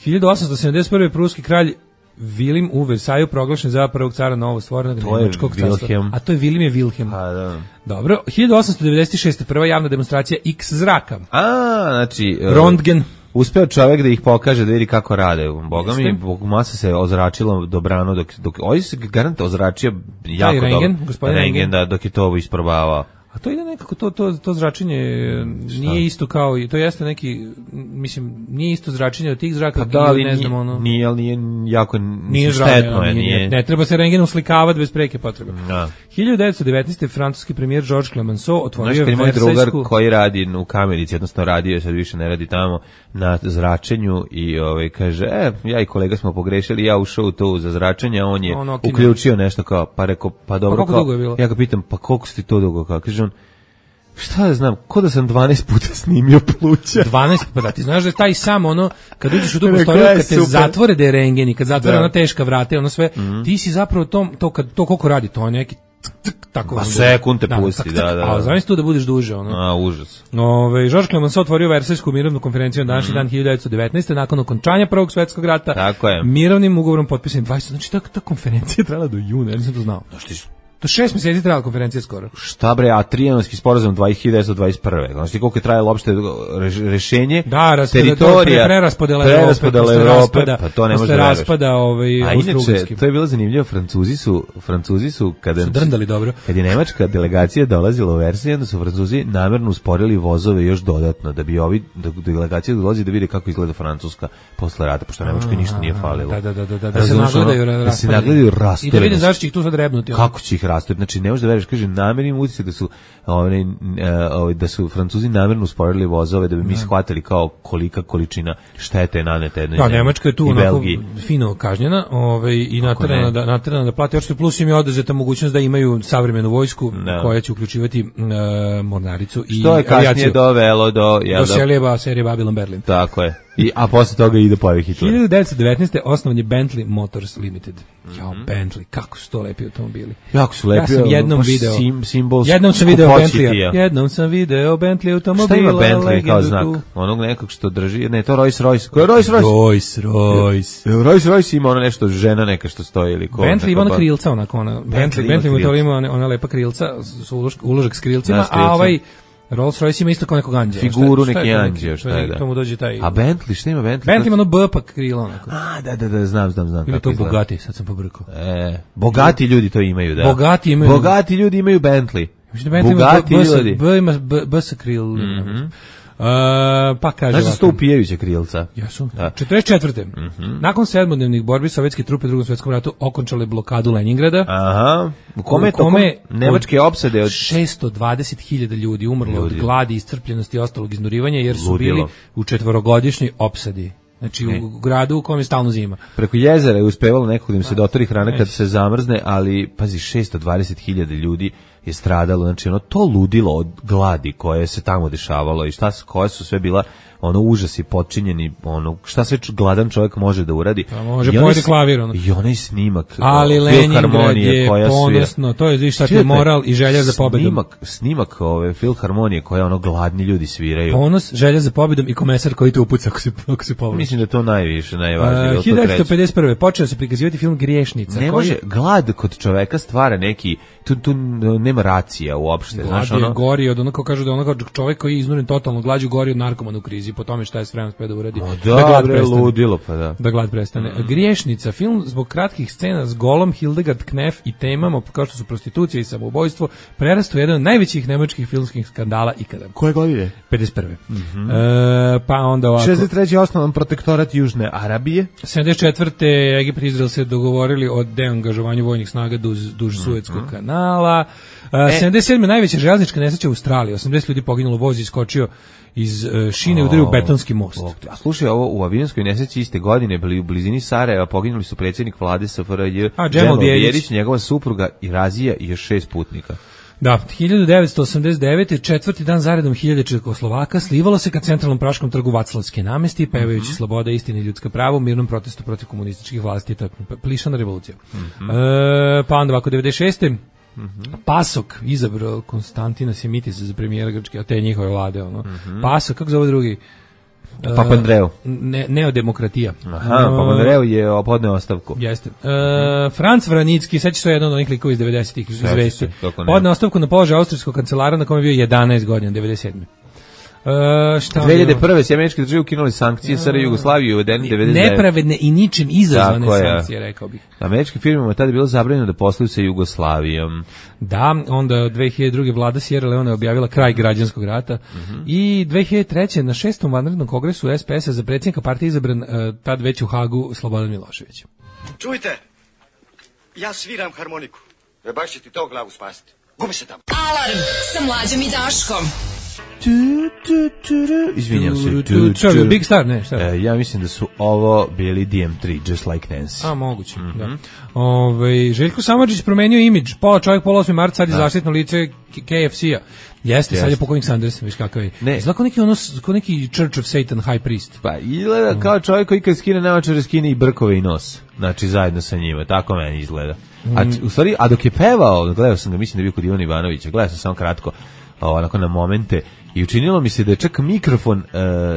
1871. pruski kralj Vilim u Versaju proglašen za prvog cara novo stvorenog nemačkog carstva. A to je Wilhelm. Da. Dobro, 1896. prva javna demonstracija X zraka. Znači Röntgen. Uspeo čovjek da ih pokaže, da vidi kako rade. Boga mi, masa se ozračila dobrano, dok ovdje se garant ozračio jako dobro. Rengen, da, dok je to isprobavao. A to ide nekako, to zračenje nije isto kao, to jeste neki, mislim, nije isto zračenje od tih zraka, ne znam, ono. Nije, ali nije jako štetno. Ne treba se rengen uslikavati bez preke potrebe. 1919. francuski premijer Georges Clemenceau otvorio Versajsku... Moj drugar koji radi u Kamenici, odnosno radio, sad više ne radi tamo, na zračenju i kaže, ja i kolega smo pogrešili, ja ušao u to za zračenje, a on je uključio nešto kao, pa rekao, pa dobro, ja ga pitam, pa koliko si ti to dugo, kao, kaže on, šta da znam, ko da sam 12 puta snimio pluća. 12 puta, ti znaš da je taj sam kad uđeš u tu prostoriju, kad te zatvore da je rengen i kad zatvore ona teška vrata i ono sve, ti si zapravo to koliko radi, to je neki tako. Pa sekund te pusti, da. A znaš tu da budeš duže, užas. Georges Clemenceau otvorio Versajsku mirovnu konferenciju na današnji dan 1919. nakon okončanja Prvog svjetskog rata. Tako je. Mirovnim ugovorom potpisan 20. Znači ta konferencija trajala do juna, ja nisam to znao. To 6 mjeseci trajala konferencija skoro. Šta bre, a Trijanonski sporazum 1921. Znači koliko je trajalo uopšte rešenje teritorija, preraspodela Evrope, pa to ne može da raspada a inače, to je bilo zanimljivo, Francuzi su kada drndali dobro. Kad je nemačka delegacija dolazila u Versaj, onda su Francuzi namerno usporili vozove još dodatno, da bi delegacija dolazi da vide kako izgleda Francuska posle rata, pošto Nemačkoj ništa nije falilo. Da se nagledaju rastoreni. I da vidim zašto će ih tu sad rebnuti. Kako će ih rastoriti? Znači, ne možeš da veriš, kaže, namernim utisak da su Francuzi namerno usporili vozove, da bi mi shvatili kao kolika količina štete je naneta jednoj zemlji. Nemačka je tu onako fino kažnjena i naterana da plati. Još plus im je oduzeta mogućnost da imaju savremenu vojsku koja će uključivati mornaricu i avijaciju. Što je kasnije dovelo do serije Babylon Berlin. Tako je. A posle toga ide pojavi Hitler. 1919. osnovan je Bentley Motors Limited. Bentley, kako su to lepi automobili. Jako su lepi. Ja sam jednom video Bentley automobila. Šta ima Bentley kao znak? Onog nekog što drži, ne, to Rolls Royce. Ko je Rolls Royce? Rolls Royce ima ono nešto, žena neka što stoji ili ko. Bentley ima ona krilca, onako ona. Bentley ima ona lepa krilca, uložak s krilcima, a Rolls Royce ima isto kao nekog anđela. Figuru neki anđeo, šta je da. To mu dođe taj... A Bentley, šta ima Bentley? Bentley ima ono B pa krilo onako. Da, znam. Ili to bogati, sad sam pobrkao. Bogati ljudi to imaju, da. Bogati ljudi imaju Bentley. Bogati ljudi. B ima B sa kril. Pa kaže ovako. Znaš da su to upijajuća krilca? Jesu. 44. Nakon 7-dnevnih borbi sovjetske trupe u Drugom svjetskom ratu okončale blokadu Leningrada. U kome je tokom nemačke opsade od 620.000 ljudi umrlo od gladi, iscrpljenosti i ostalog iznurivanja jer su bili u 4-godišnjoj opsadi. Znači u gradu u kojem je stalno zima. Preko jezera je uspevalo nekog da im se dotori hrana kad se zamrzne, ali pazi 620.000 ljudi je stradalo, znači to ludilo od gladi koje se tamo dešavalo i koje su sve bila užasi počinjeni, šta sve gladan čovjek može da uradi. Može pojeti klavir. I onaj snimak ali Leningrad je ponosno, to je viš je moral i želja za pobedom. Snimak filharmonije koje gladni ljudi sviraju. Ponos, želja za pobedom i komesar koji te upuca ako se povlači. Mislim da to najvažnije. 1951. počeo se prikazivati film Griješnica. Ne može, glad kod čoveka stvara neki, tu nema racija uopšte. Glad je gori od onako kažu da čovjek koji je iznuren totalno glađu gori od narkomana u krizi. Americi po tome šta je spreman da uradi. Da glad prestane. Ludilo, pa da. Da glad prestane. Griješnica, film zbog kratkih scena s golom Hildegard Knef i temama kao što su prostitucija i samoubojstvo prerastao jedan od najvećih nemačkih filmskih skandala ikada. Koje godine? 51. Pa onda ovako. 63. osnovan protektorat Južne Arabije. 74. Egipat i Izrael se dogovorili o deangažovanju vojnih snaga duž Suetskog kanala. 77. najveća železnička nesreća u Australiji. 80 ljudi poginulo, voz iskočio iz šine i udario u betonski most. A slušaj, ovo u avionskoj nesreći iste godine bili u blizini Sarajeva, poginuli su predsjednik vlade SFRJ Džemal Bijelić, njegova supruga Irazija i još 6 putnika. Da, 1989. četvrti dan zaredom 1000 Čekoslovaka slivalo se ka centralnom praškom trgu Vaclavske namesti, pevajući sloboda, istina i ljudska prava u mirnom protestu protiv komunističkih vlasti. Plišana revolucija. Pa onda ovako, 96. Pasok izabrao Konstantina Simitis za premijera Grčke, a te njihove vlade. Pasok, kako zove drugi? Papandreou. Neodemokratija. Aha, Papandreou je podneo ostavku. Jeste. Franc Vranicki, sad će to jedan od onih likova iz 90-ih izvesti. Podneo ostavku na položaj austrijskog kancelara na kome je bio 11 godina, 97. 2001. se američke države ukinuli sankcije SR Jugoslavije uvedeni 99. Nepravedne i ničim izazvane sankcije, rekao bih. Američkim firmama tada je bilo zabranjeno da posluju sa Jugoslavijom. Da, onda 2002. vlada Sierra Leone je objavila kraj građanskog rata i 2003. na 6. vanrednom kongresu SPS-a za predsjednika partije izabran tad već u Hagu Slobodan Milošević. Čujte, ja sviram harmoniku. Baš će ti to glavu spasiti. Gubi se tamo. Alarm sa Mlađom i Daškom. Izvinjam se. Big Star, ne, šta? Ja mislim da su ovo bili DM3, Just Like Nancy. A, moguće, da. Željko Samardžić promenio imidž, pola čovjek, pola 8. marta, sad je zaštitno lice KFC-a. Jeste, sad je pokojnik Sanders, viš kakav je. Izgleda kao neki Church of Satan High Priest. Pa, izgleda kao čovjek koji kad skine naočare, skine i brkove i nos. Znači, zajedno sa njima, tako meni izgleda. U stvari, a dok je pevao, gledao sam ga, mislim da je bio kod Ivana Ivanovića, gledao sam samo kratko, onako na momente, i učinilo mi se da je čak mikrofon,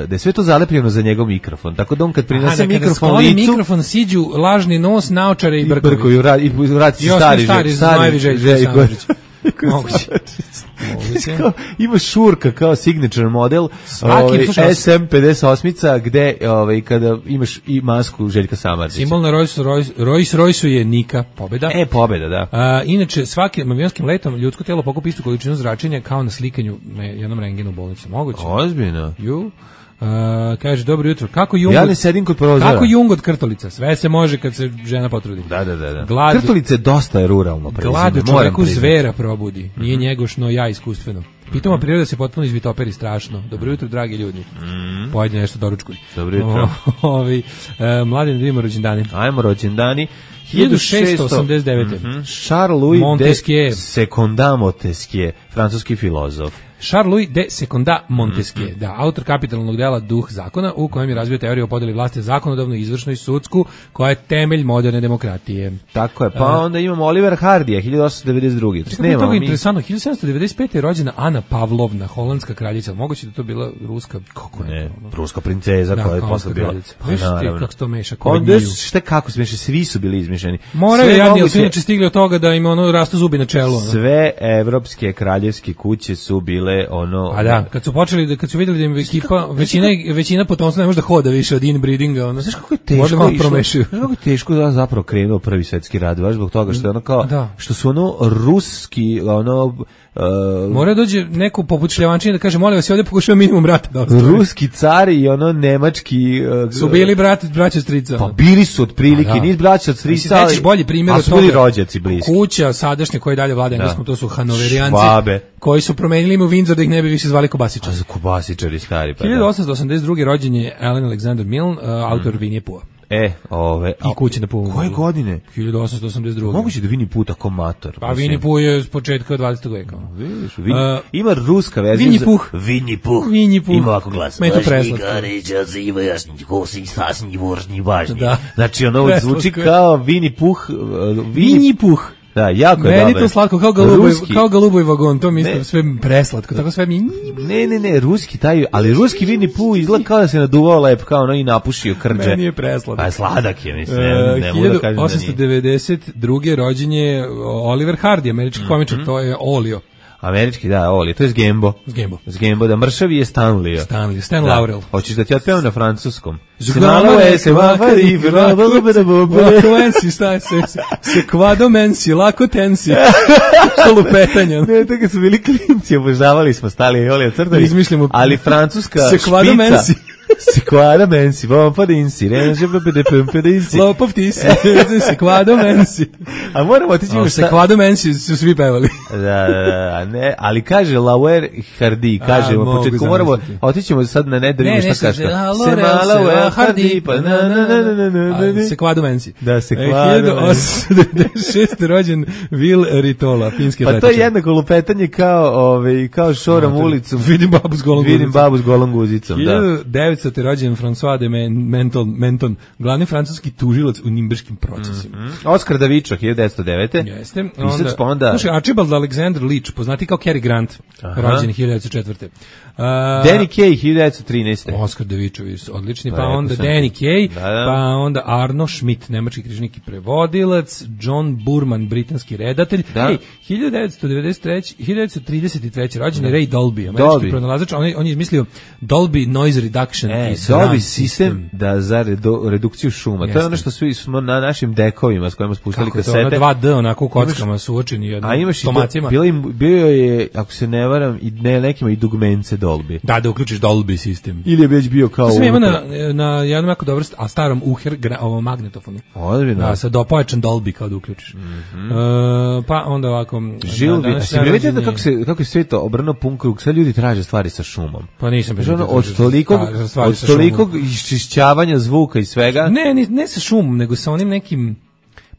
da je sve to zalepljeno za njegov mikrofon, tako da on kad prinese mikrofon licu... mikrofon siđu lažni nos, naočare i brkovi. I vrati se stari Željko. Moguće. Ima šurka kao signature model SM58 gde kada imaš i masku Željka Samardžića. Simbol na Rolls-Royce je Nika, pobeda. Pobeda, da. Inače, svakim avionskim letom ljudsko telo pokupi istu količinu zračenja kao na slikanju na jednom rengenu u bolnici. Moguće. Ozbiljno. Kaže, dobro jutro. Kako Jung, ja ne sedim kod prozora. Kako Jung od krtolica? Sve se može kad se žena potrudi. Da. Krtolice dosta je ruralno prezime. Glad čoveku zvera probudi. Nije njegošno, ja iskustveno. Pitoma priroda se potpuno izvitoperi strašno. Dobro jutro, dragi ljudi. Pojedi nešto doručkuj. Dobro jutro. Mladen, da vidimo rođendane. Ajmo rođendani. 1689. Charles-Louis de Secondat Montesquieu, francuski filozof. Charles-Louis de Secondat Montesquieu, da, autor kapitalnog dela Duh zakona, u kojem je razvio teoriju o podeli vlasti zakonodavnu, izvršnu i sudsku, koja je temelj moderne demokratije. Tako je, pa onda imamo Oliver Hardija, 1892. Tako je interesantno, 1795. je rođena Ana Pavlovna, holandska kraljica. Moguće da to bila ruska... Kako ne, ruska princeza koja je posle bila. Viš ti kako se to meša? Šta kako se meša? Svi su bili izmišljeni. Moraju jadni, ali su inače stigli od toga da im rastu zubi na čelu. Sve evropske kraljevske kuće su bile a da, kad su vidjeli da im ekipa, većina potomstva ne može da hoda više od inbreedinga, znaš kako je teško kako je teško da zapravo krenuo Prvi svjetski rat, baš zbog toga što je što su ruski, mora dođe neko poput Šljevančine da kaže, molim vas, ovdje pokušava minimum rata. Ruski cari i nemački... su bili braća strica. Pa bili su otprilike, nisu braća od strica, ali... bolji primjer od toga. A su bili rođaci bliski. Kuća sadašnje koje dalje vlada engleskom, to su Hanoverijanci, koji su promenili ime u Windsor da ih ne bi više zvali Kobasičari. A za Kobasičari stari. 1882. rođen je Allen Alexander Milne, autor Winnie Pooha. I Kuće na Pooh. Koje godine? 1882. Moguće da Winnie Pooh tako mator. Pa Winnie Pooh je s početka 20. veka. Ima ruska verzija. Winnie Pooh. Ima ovako glas. Meni to preslatko. Znači ono zvuči kao Winnie Pooh. Winnie Pooh. Da, jako je dobro. Meni to slatko, kao galuboj vagon, to mi isto sve preslatko, tako sve mi... Ne, ruski ali ruski Winnie Pooh izgleda kao da se naduvao lep, kao i napušio krđe. Meni je preslatko. Pa sladak je, mislim, ne mogu da kažem da nije. 1892. rođen je Oliver Hardy, američki komičar, to je Olio. Američki, da, Oli, to je Zgembo, da mršavi je Stanlio. Stan Laurel. Hoćeš da ti otpevam na francuskom? Se kvado mensi, lako tensi. Lupetanja. Ne, tako su bili klinci, obožavali smo stali i Oli ocrtali. Izmišljamo. Ali francuska se kvado mensi. Se kvado mensi, pompa dinsi, reže pompa dinsi. Lopov ti si, se kvado mensi. A moramo otići u se kvado mensi su svi pevali. Da, ne, ali kaže Lauer Hardy, kaže u početku moramo, otićemo sad na da vidimo šta kaže. Se Lauer Hardy, pa na. Se kvado mensi. Da, se kvado. 1896. rođen Will Ritola, finski atletičar. Pa to je jednako lupetanje kao šorom ulicom. Vidim babu s golom guzicom, da. 1900. rođen François de Menton, glavni francuski tužilac u nimberškim procesima. Oscar Davičo, 1909. Jeste. Onda... Slušaj, Archibald Alexander Leach, poznati kao Cary Grant, rođen 1904. Danny Kaye, 1913. Oscar Davičović, odlični, pa onda Danny Kaye, pa onda Arno Schmidt, nemački knjižnik i prevodilac, John Burman, britanski redatelj. Ej, 1933. rođen je Ray Dolby, američki pronalazač, on je izmislio Dolby Noise Reduction i Dolby sistem za redukciju šuma. To je ono što smo na našim dekovima s kojima spuštali kasete. Kako je to, 2D, onako u kockama suočeni jednim stomacima. Bio je, ako se ne varam, nekima i dugmence Dolby. Da uključiš Dolby sistem. Ili je već bio kao... To sam ima na jednom jako dobro, a starom Uher magnetofonu. Ozbiljno. Sa dopojačan Dolby kao da uključiš. Pa onda ovako... Žilvi, a si vidite kako je sve to obrnuo pun krug, sve ljudi traže stvari sa šumom. Pa nisam od tolikog iščišćavanja zvuka i svega. Ne sa šumom, nego sa onim nekim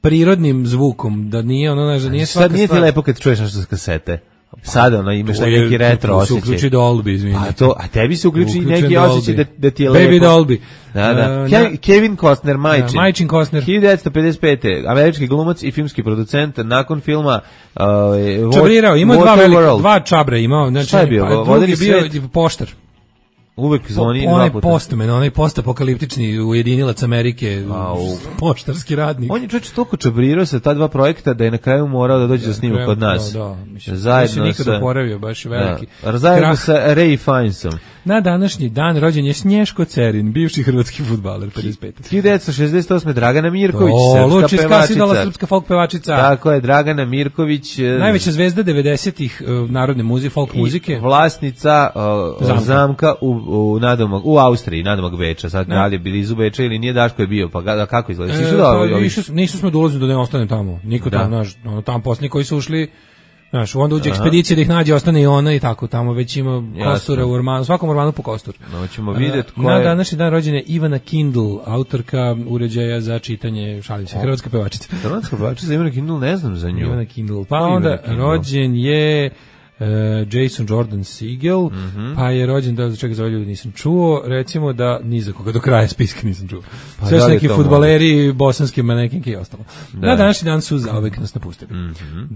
prirodnim zvukom, da nije ono, da nije svaka stvar. Sad nije ti lepo kad čuješ nešto s kasete. Sada imaš neki retro osjećaj. Se uključi Dolby, izvini. A tebi se uključi neki osjećaj da ti je lepo. Baby Dolby. Da. Kevin Costner, Majčin Costner. 1955. Američki glumac i filmski producent, nakon filma Čabrirao, imao dva čabre imao. Šta je bio? Drugi je bio poštar. Uvek zvoni dva puta. Onaj postapokaliptični ujedinilac Amerike, poštarski radnik. On je čovječ toliko čabrirao sa ta dva projekta da je na kraju morao da dođe da snima kod nas. Zajedno nikad oporavio, baš veliki. Zajedno sa Ray Finesom. Na današnji dan rođen je Snješko Cerin, bivši hrvatski fudbaler, 55. 1968. Dragana Mirković, srpska folk pevačica. Tako je, Dragana Mirković. Najveća zvezda 90-ih narodne muzike, folk muzike. Vlasnica zamka u Austriji, nadomak Beča. Sad radi blizu Beča ili nije, Daško je bio, pa kako izgleda? Nisu smo dolazili da ne ostane tamo. Niko tamo, tamo posljednji koji su ušli. Znaš, onda uđe ekspedicija da ih nađe, ostane i ona i tako, tamo već ima kostura u ormanu, svakom ormanu po kostur. No, ćemo vidjeti ko je... Na današnji dan rođena Ivana Kindle, autorka uređaja za čitanje, šalim se, hrvatska pevačica. Hrvatska pevačica Ivana Kindle, ne znam za nju. Ivana Kindle, pa onda rođen je... Jason Jordan Segel, pa je rođen, da čega za ljudi nisam čuo, recimo da ni za koga do kraja spiska nisam čuo. Sve su neki fudbaleri, bosanski manekinke i ostalo. Na današnji dan su zauvek nas napustili.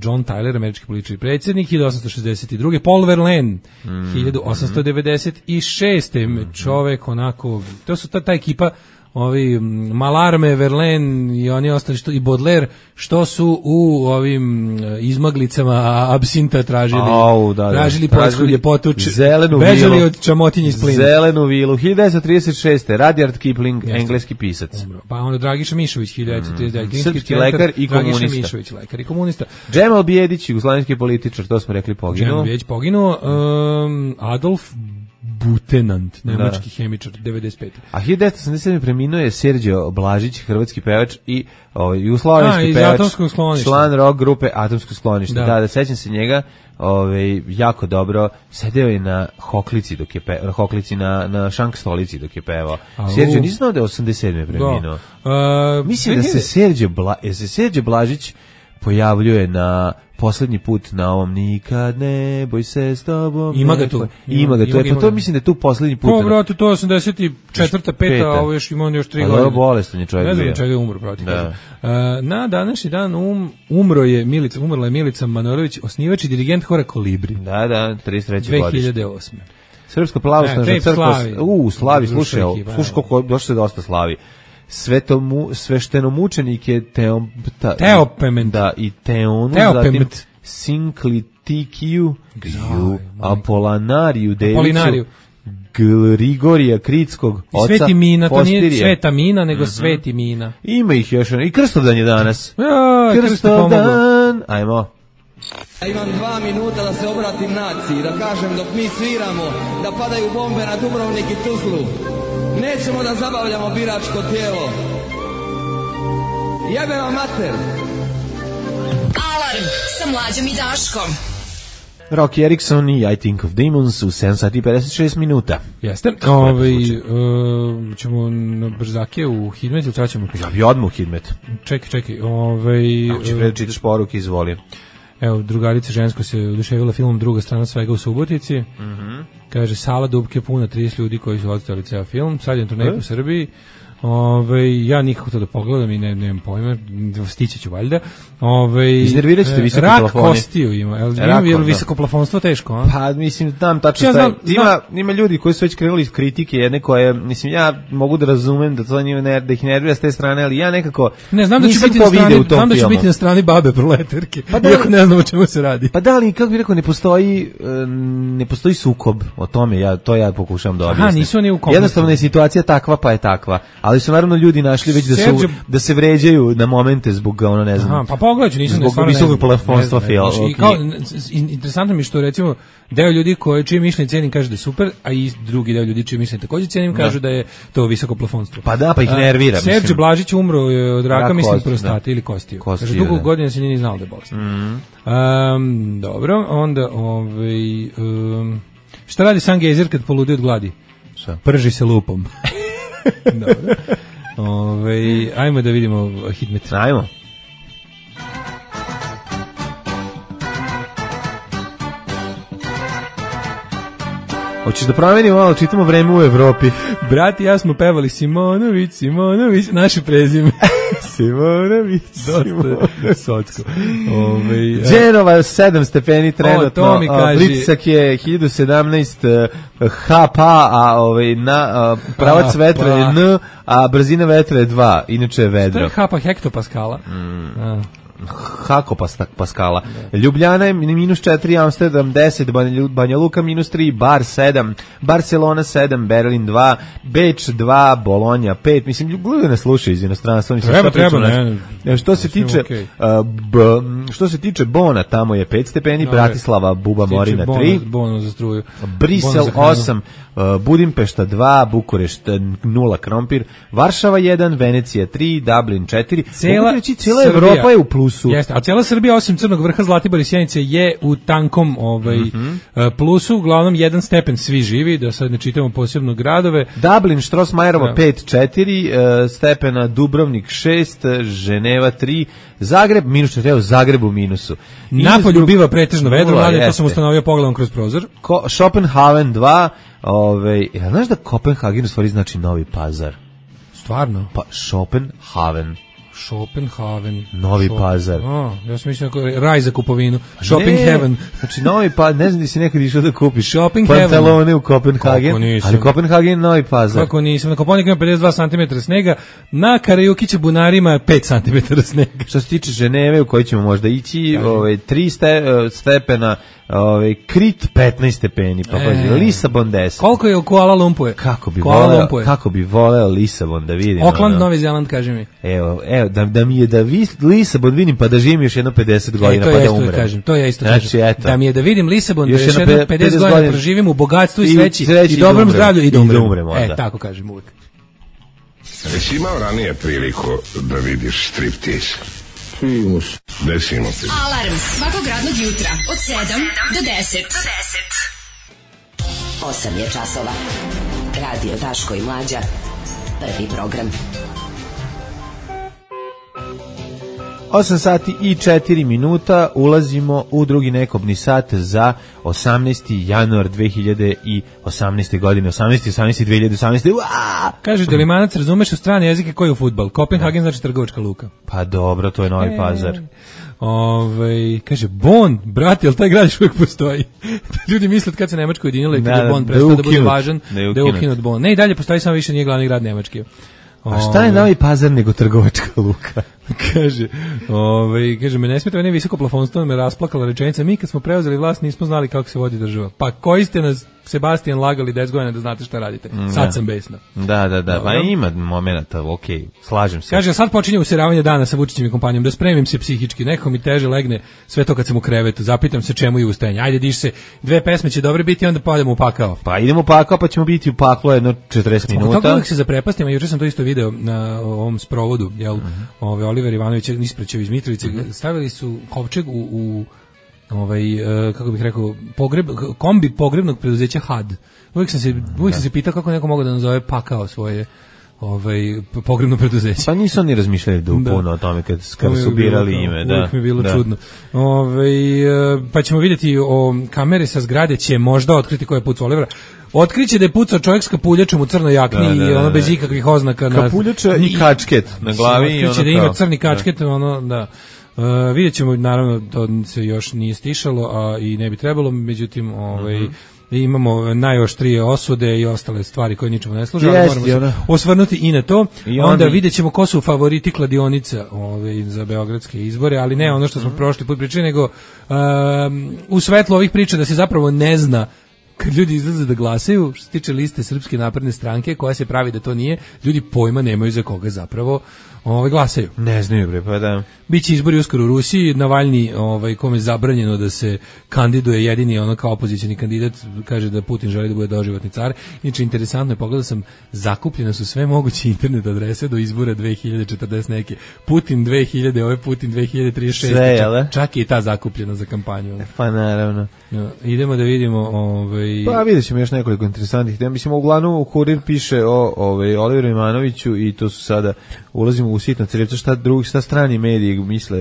John Tyler, američki politički predsjednik, 1862. Paul Verlaine, 1896. Čovek onako, to su ta ekipa, ovi Malarme, Verlaine i oni ostali i Baudelaire, što su u ovim izmaglicama absinta tražili poljsku ljepotu, bežali od čamotinja iz plina. Zelenu vilu, 1936. Rudyard Kipling, engleski pisac. Pa onda Dragiša Mišović, 1939. Srpski lekar i komunista. Dragiša Mišović, lekar i komunista. Džemal Bijedić, jugoslavijski političar, to smo rekli, poginuo. Džemal Bijedić poginuo. Adolf Butenant, nemački hemičar, 95. A 1987. preminuo je Serđo Blažić, hrvatski pevač i jugoslovenski pevač, član rock grupe Atomsko sklonište. Da, sećam se njega, jako dobro, sedeo je na hoklici dok je hoklici na šank stolici dok je pevao. Serđo, nisam znao da je 87. preminuo. Mislim da se Serđo Blažić pojavljuje na poslednji put na ovom Nikad ne boj se s tobom. Ima ga tu. To mislim da je tu poslednji put. Pa brate, to 84. 5. a ovo još ima on još 3 godine. Bolestan je čovjek bio. Ne znam čega je umro, brate. Na današnji dan umrla je Milica Manojlović, osnivač i dirigent hora Kolibri. Da, 33. godište. 2008. Srpska pravoslavna crkva. Slavi, slušaj kako došlo dosta slavi. Sveštenomučenike Teopement. Da, i Teonu, zatim Sincliticiju, Apolinariju Devicu, Grigorija Kritskog, oca Sveti Mina, to Postirije. nije Sveta Mina, nego Sveti Mina. Ima ih još, i Krstovdan je danas. Ja, Krstovdan, ajmo. Ja imam 2 minuta da se obratim naciji, da kažem dok mi sviramo, da padaju bombe na Dubrovnik i Tuzlu. Nećemo da zabavljamo biračko tijelo. Jebe vam mater! Alarm sa Mlađom i Daškom. Rocky Erickson i I Think of Demons u 7 sati i 56 minuta. Jeste. Ćemo na brzake u Hidmet ili ćemo? Ja bi odmah u Hidmet. Čekaj. Ako će prečitaš poruke, izvoli. Evo, drugarica žensko se oduševila filmom Druga strana svega u Subotici. Kaže, sala Dubke puna 30 ljudi koji su odstavili ceo film. Sad je turnej po Srbiji. Ja nikako to da pogledam i nemam pojma, stići ću valjda. Iznervirat ćete visoki rak plafoni. Rak kostiju ima, je li visoko plafonstvo teško? A? Pa mislim, tam tačno ja staje. Ima ljudi koji su već krenuli iz kritike jedne koje, mislim, ja mogu da razumem da to njima da ih nervira s te strane, ali ja nekako ne znam da će biti na strani babe proletarke, pa iako ne znam o čemu se radi. Pa da li, kako bih rekao, ne postoji sukob o tome, ja pokušavam da objasnim. Nisu oni u kompleksu. Jednostavno je situacija takva pa je takva. Ali su naravno ljudi našli već da se vređaju na momente zbog ono ne znam. Pa pogledaj, nisam zbog visokog plafonstva film. Interesantno mi što recimo deo ljudi koji čije mišljenje cenim kaže da je super, a i drugi deo ljudi čije mišljenje takođe cenim kažu da je to visoko plafonstvo. Pa da, pa ih nervira. Serđe Blažić umro od raka, mislim prostate ili kostiju. Kaže dugo godina se nije ni znao da je bolest. Dobro, onda šta radi Sangezer kad poludi od gladi? Prži se lupom. Dobro. Ajmo da vidimo Hidmet. Ajmo. Hoćeš da promenimo malo, čitamo Vreme u Evropi. Brat i ja smo pevali Simonović, naše prezime. Simonović. Dosta socko. Dženova 7 stepeni trenutno. To mi kaži. Pritisak je 1017 HPA, a pravac vetra je N, a brzina vetra je 2. Inače je vedro. To je HPA hektopaskala. Hako Paskala. Ljubljana je -4, Amsterdam 10, Banja Luka -3, Bar 7, Barcelona 7, Berlin 2, Beč 2, Bolonja 5. Mislim, ljudi ne slušaju iz inostranstva. Treba. Što se tiče Bona, tamo je 5 stepeni, Bratislava, Buba Morina 3, Bona za struju. Brisel 8, Budimpešta 2, Bukurešt 0, Krompir, Varšava 1, Venecija 3, Dublin 4. Cijela Evropa je u plusu. Jeste, a cijela Srbija osim Crnog vrha, Zlatibor i Sjenice je u tankom plusu, uglavnom 1 stepen svi živi, da sad ne čitamo posebno gradove. Dublin, Štrosmajerova 5, 4 stepena, Dubrovnik 6, Ženeva 3, Zagreb -4, u Zagrebu minusu. Napolju biva pretežno vedro, to sam ustanovio pogledom kroz prozor. Schopenhaven 2, znaš da Kopenhagen u stvari znači Novi Pazar? Stvarno? Pa Schopenhaven. Novi Pazar. Ja sam mislio raj za kupovinu. Shopping heaven. Znači Novi Pazar, ne znam da si nekad išao da kupiš Shopping pantalone heaven. U Kopenhagen, ali Kopenhagen Novi Pazar. Kako nisam? Na Koponik ima 52 cm snega, na Karajukiće bunarima 5 cm snega. Što se tiče Ženeve u kojoj ćemo možda ići, 3 stepena, Krit 15 stepeni, pa Lisabon 10. Koliko je u Kuala Lumpur? Kako bi voleo Lisabon da vidim. Auckland, Novi Zeland, kaži mi. Evo, da mi je da Lisabon vidim pa da živim još jedno 50 godina pa da umrem. To ja isto kažem. Da mi je da vidim Lisabon, da još jedno 50 godina proživim u bogatstvu i sreći i dobrom zdravlju i da umrem. Tako kažem uvijek. Jesi imao ranije priliku da vidiš striptease? Desimo ti. Alarm svakog radnog jutra od 7 do 10. 8 je časova. Radio Daško i Mlađa. Prvi program. 8 sati i 4 minuta, ulazimo u drugi nekobni sat za 18. januar 2018. godine. 18. Kaže, da li Manac razumeš u strane jezike koji je u fudbal? Kopenhagen znači trgovačka luka. Pa dobro, to je Novi Pazar. Kaže, Bonn, brate, jel taj grad još uvijek postoji? Ljudi misle kad se Nemačko ujedinilo i kad je Bonn prestao da bude važan, da je ukinut Bonn. Ne, i dalje postoji, samo više nije glavni grad Nemačke. A šta je Novi Pazar nego trgovačka luka? kaže, me ne smeta, ne visoko plafonstvo, me rasplakala rečenica, mi kad smo preuzeli vlast nismo znali kako se vodi država. Pa koji ste nas, Sebastian, lagali 10 godina da znate šta radite? Sad sam besna. Da, pa ima momenata, okej, slažem se. Kaže, sad počinje useravanje dana sa Vučićem i kompanijom, da spremim se psihički, neko mi teže legne sve to kad sam u krevetu, zapitam se čemu je ustajanje. Ajde, diš se, 2 pesme će dobre biti, onda idemo u pakao. Pa idemo u pakao, pa ćemo biti u paklo jedno 40 minuta. Kako uvijek se zaprepastimo, juče sam to isto video na ovom sprovodu, jel, Oliver Ivanović ispraćao iz Mitrovice, stavili su kovčeg u kako bih rekao, kombi pogrebnog preduzeća HAD. Uvijek sam se pitao kako neko mogu da nazove pakao svoje pogrebno preduzeće. Pa nisu oni razmišljali puno o tome kad su birali ime. Uvijek mi je bilo čudno. Pa ćemo vidjeti kamere sa zgrade će možda otkriti ko je pucao Olivera. Otkriće da je pucao čovjek s kapuljačom u crnoj jakni i ono bez ikakvih oznaka. Kapuljača i kačket na glavi. Otkriće da ima crni kačket, vidjet ćemo, naravno, to se još nije stišalo, a i ne bi trebalo, međutim, imamo najoštrije osude i ostale stvari koje ničemu ne služe, ali moramo se osvrnuti i na to. Onda vidjet ćemo ko su favoriti kladionica za beogradske izbore, ali ne ono što smo prošli put pričali, nego u svetlu ovih priča da se zapravo ne zna kad ljudi izlaze da glasaju, što se tiče liste Srpske napredne stranke, koja se pravi da to nije, ljudi pojma nemaju za koga zapravo glasaju. Ne znaju, bre, pa da. Biće izbori uskoro u Rusiji, Navalni, kome je zabranjeno da se kandiduje, jedini kao opozicioni kandidat, kaže da Putin želi da bude doživotni car. Inače, interesantno je, pogledao sam, zakupljene su sve moguće internet adrese do izbora 2040 neke. Putin 2000, Putin 2036. Sve, čak je i ta zakupljena za kampanju. Pa naravno. Idemo da vidimo. Pa vidjet ćemo još nekoliko interesantnih tema. Mislim, uglavnom Kurir piše o Oliveru Ivanoviću i to su sada, ulazimo u sitno crevce, šta strani mediji misle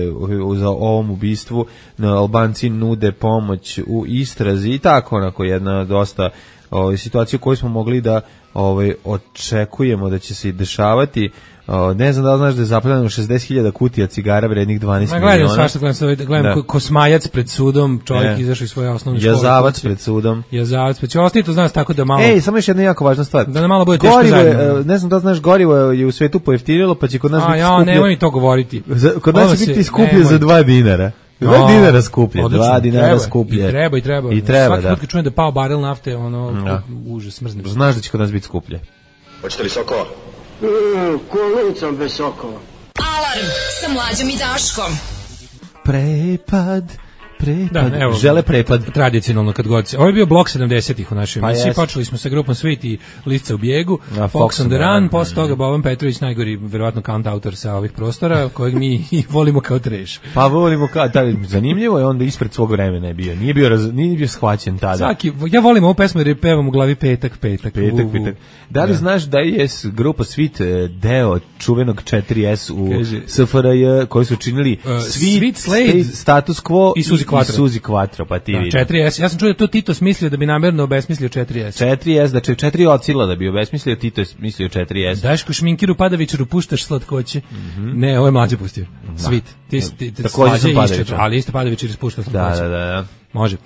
za ovom ubistvu. Albanci nude pomoć u istrazi i tako, onako jedna dosta situacija koju smo mogli da očekujemo da će se i dešavati. Ne znam da li znaš da je zapaljeno 60.000 kutija cigara vrednih 12 miliona. Gledam Kosmajac pred sudom, čovjek izašao iz svoje osnovne škole. Jazavac pred sudom. Ostaje to znaš tako da malo... samo još jedna jako važna stvar. Da nam malo bude teško zajedno. Ne znam da li znaš, gorivo je u svetu pojeftinilo, pa će kod nas biti skuplje. Nemoj mi to govoriti. Kod nas će biti skuplje za 2 dinara. 2 dinara skuplje, 2 dinara skuplje. I treba, svaki put kad čujem da pao barel nafte, užas, smrznem. Znaš da će kod nas biti skuplje. Hoćete li sokova? Kolicom bez sokova. Alarm sa Mlađom i Daškom. Prepad. Evo, žele prepad. Tradicionalno kad god se. Ovo je bio blok 70-ih u našoj emisiji. Počeli smo sa grupom Sweet i Lisca u bijegu, Fox on the Run, posle toga Boban Petrović, najgori verovatno kantautor sa ovih prostora, kojeg mi volimo kao treš. Pa volimo zanimljivo je, onda ispred svog vremena je bio. Nije bio shvaćen tada. Ja volim ovu pesmu jer je pevam u glavi petak. Da li znaš da je grupa Sweet deo čuvenog 4S u SFRJ koji su činili Sweet, Slade, Status Quo i Suzi Quattro, pa ti vidi. 4S, ja sam čuo da to Tito smislio da bi namjerno obesmislio 4S. 4S, znači 4 ocila da bi obesmislio, Tito je mislio 4S. Daško Šminkiru Padavićaru puštaš slatkoće. Ne, ovo je Mlađe pustio. Sweet. Ti takođe sam Padavićar. Ali isto Padavićar ispušta slatkoće. Da. Može.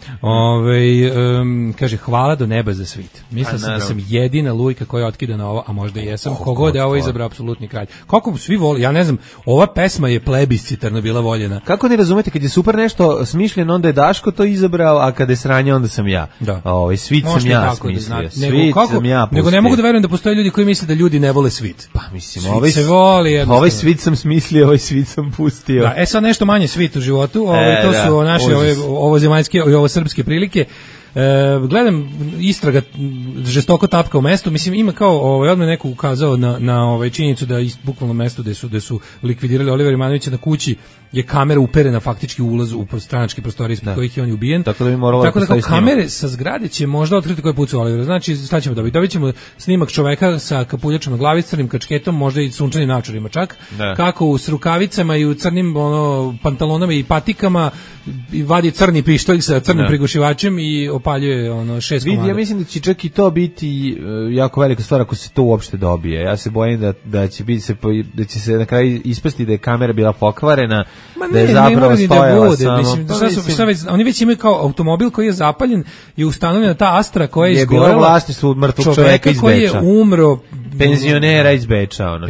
Kaže, hvala do neba za Sweet. Mislim da sam jedina lujka koja otkida na ovo, a možda i jesam. Kogod je ovo izabrao apsolutni kralj. Kako svi voli, ja ne znam, ova pesma je plebiscitarno bila voljena. Kako ne razumete, kad je super nešto smišljeno, onda je Daško to izabrao, a kada je sranje, onda sam ja. Da. Sweet sam ja smislio. Sweet sam ja pustio. Nego ne mogu da verujem da postoje ljudi koji misle da ljudi ne vole Sweet. Pa mislim, ovaj Sweet sam smislio, ovaj Sweet sam pustio. Da, sad nešto manje Sweet u životu, to su naše ovozemaljske i ovo srpske prilike. Gledam, istraga žestoko tapka u mestu, mislim ima kao odmah neko ukazao na činjenicu da bukvalno mesto gde su likvidirali Olivera Ivanovića na kući je kamera uperena faktički u ulaz u stranačke prostorije ispod kojih je on ubijen. Tako da bi moralo kao kamere sa zgrade će možda otkriti ko je pucao Olivera. Znači, šta ćemo dobiti? Dobit ćemo snimak čoveka sa kapuljačom na glavi, crnim kačketom, možda i sunčanim naočarima čak. Kako s rukavicama i u crnim pantalonama i patikama vadi crni pištolj sa crnim prigušivačem i opaljuje 6 komada. Ja mislim da će čak i to biti jako velika stvar ako se to uopšte dobije. Ja se bojim da će se na kraju ispasti da je kamera bila pokvarena, da je zapravo stojala samo. Oni već imaju kao automobil koji je zapaljen i ustanovljena ta Astra koja je bila vlasništvo mrtvog čoveka iz Beča. Koji je umro penzionera iz Beča, ono.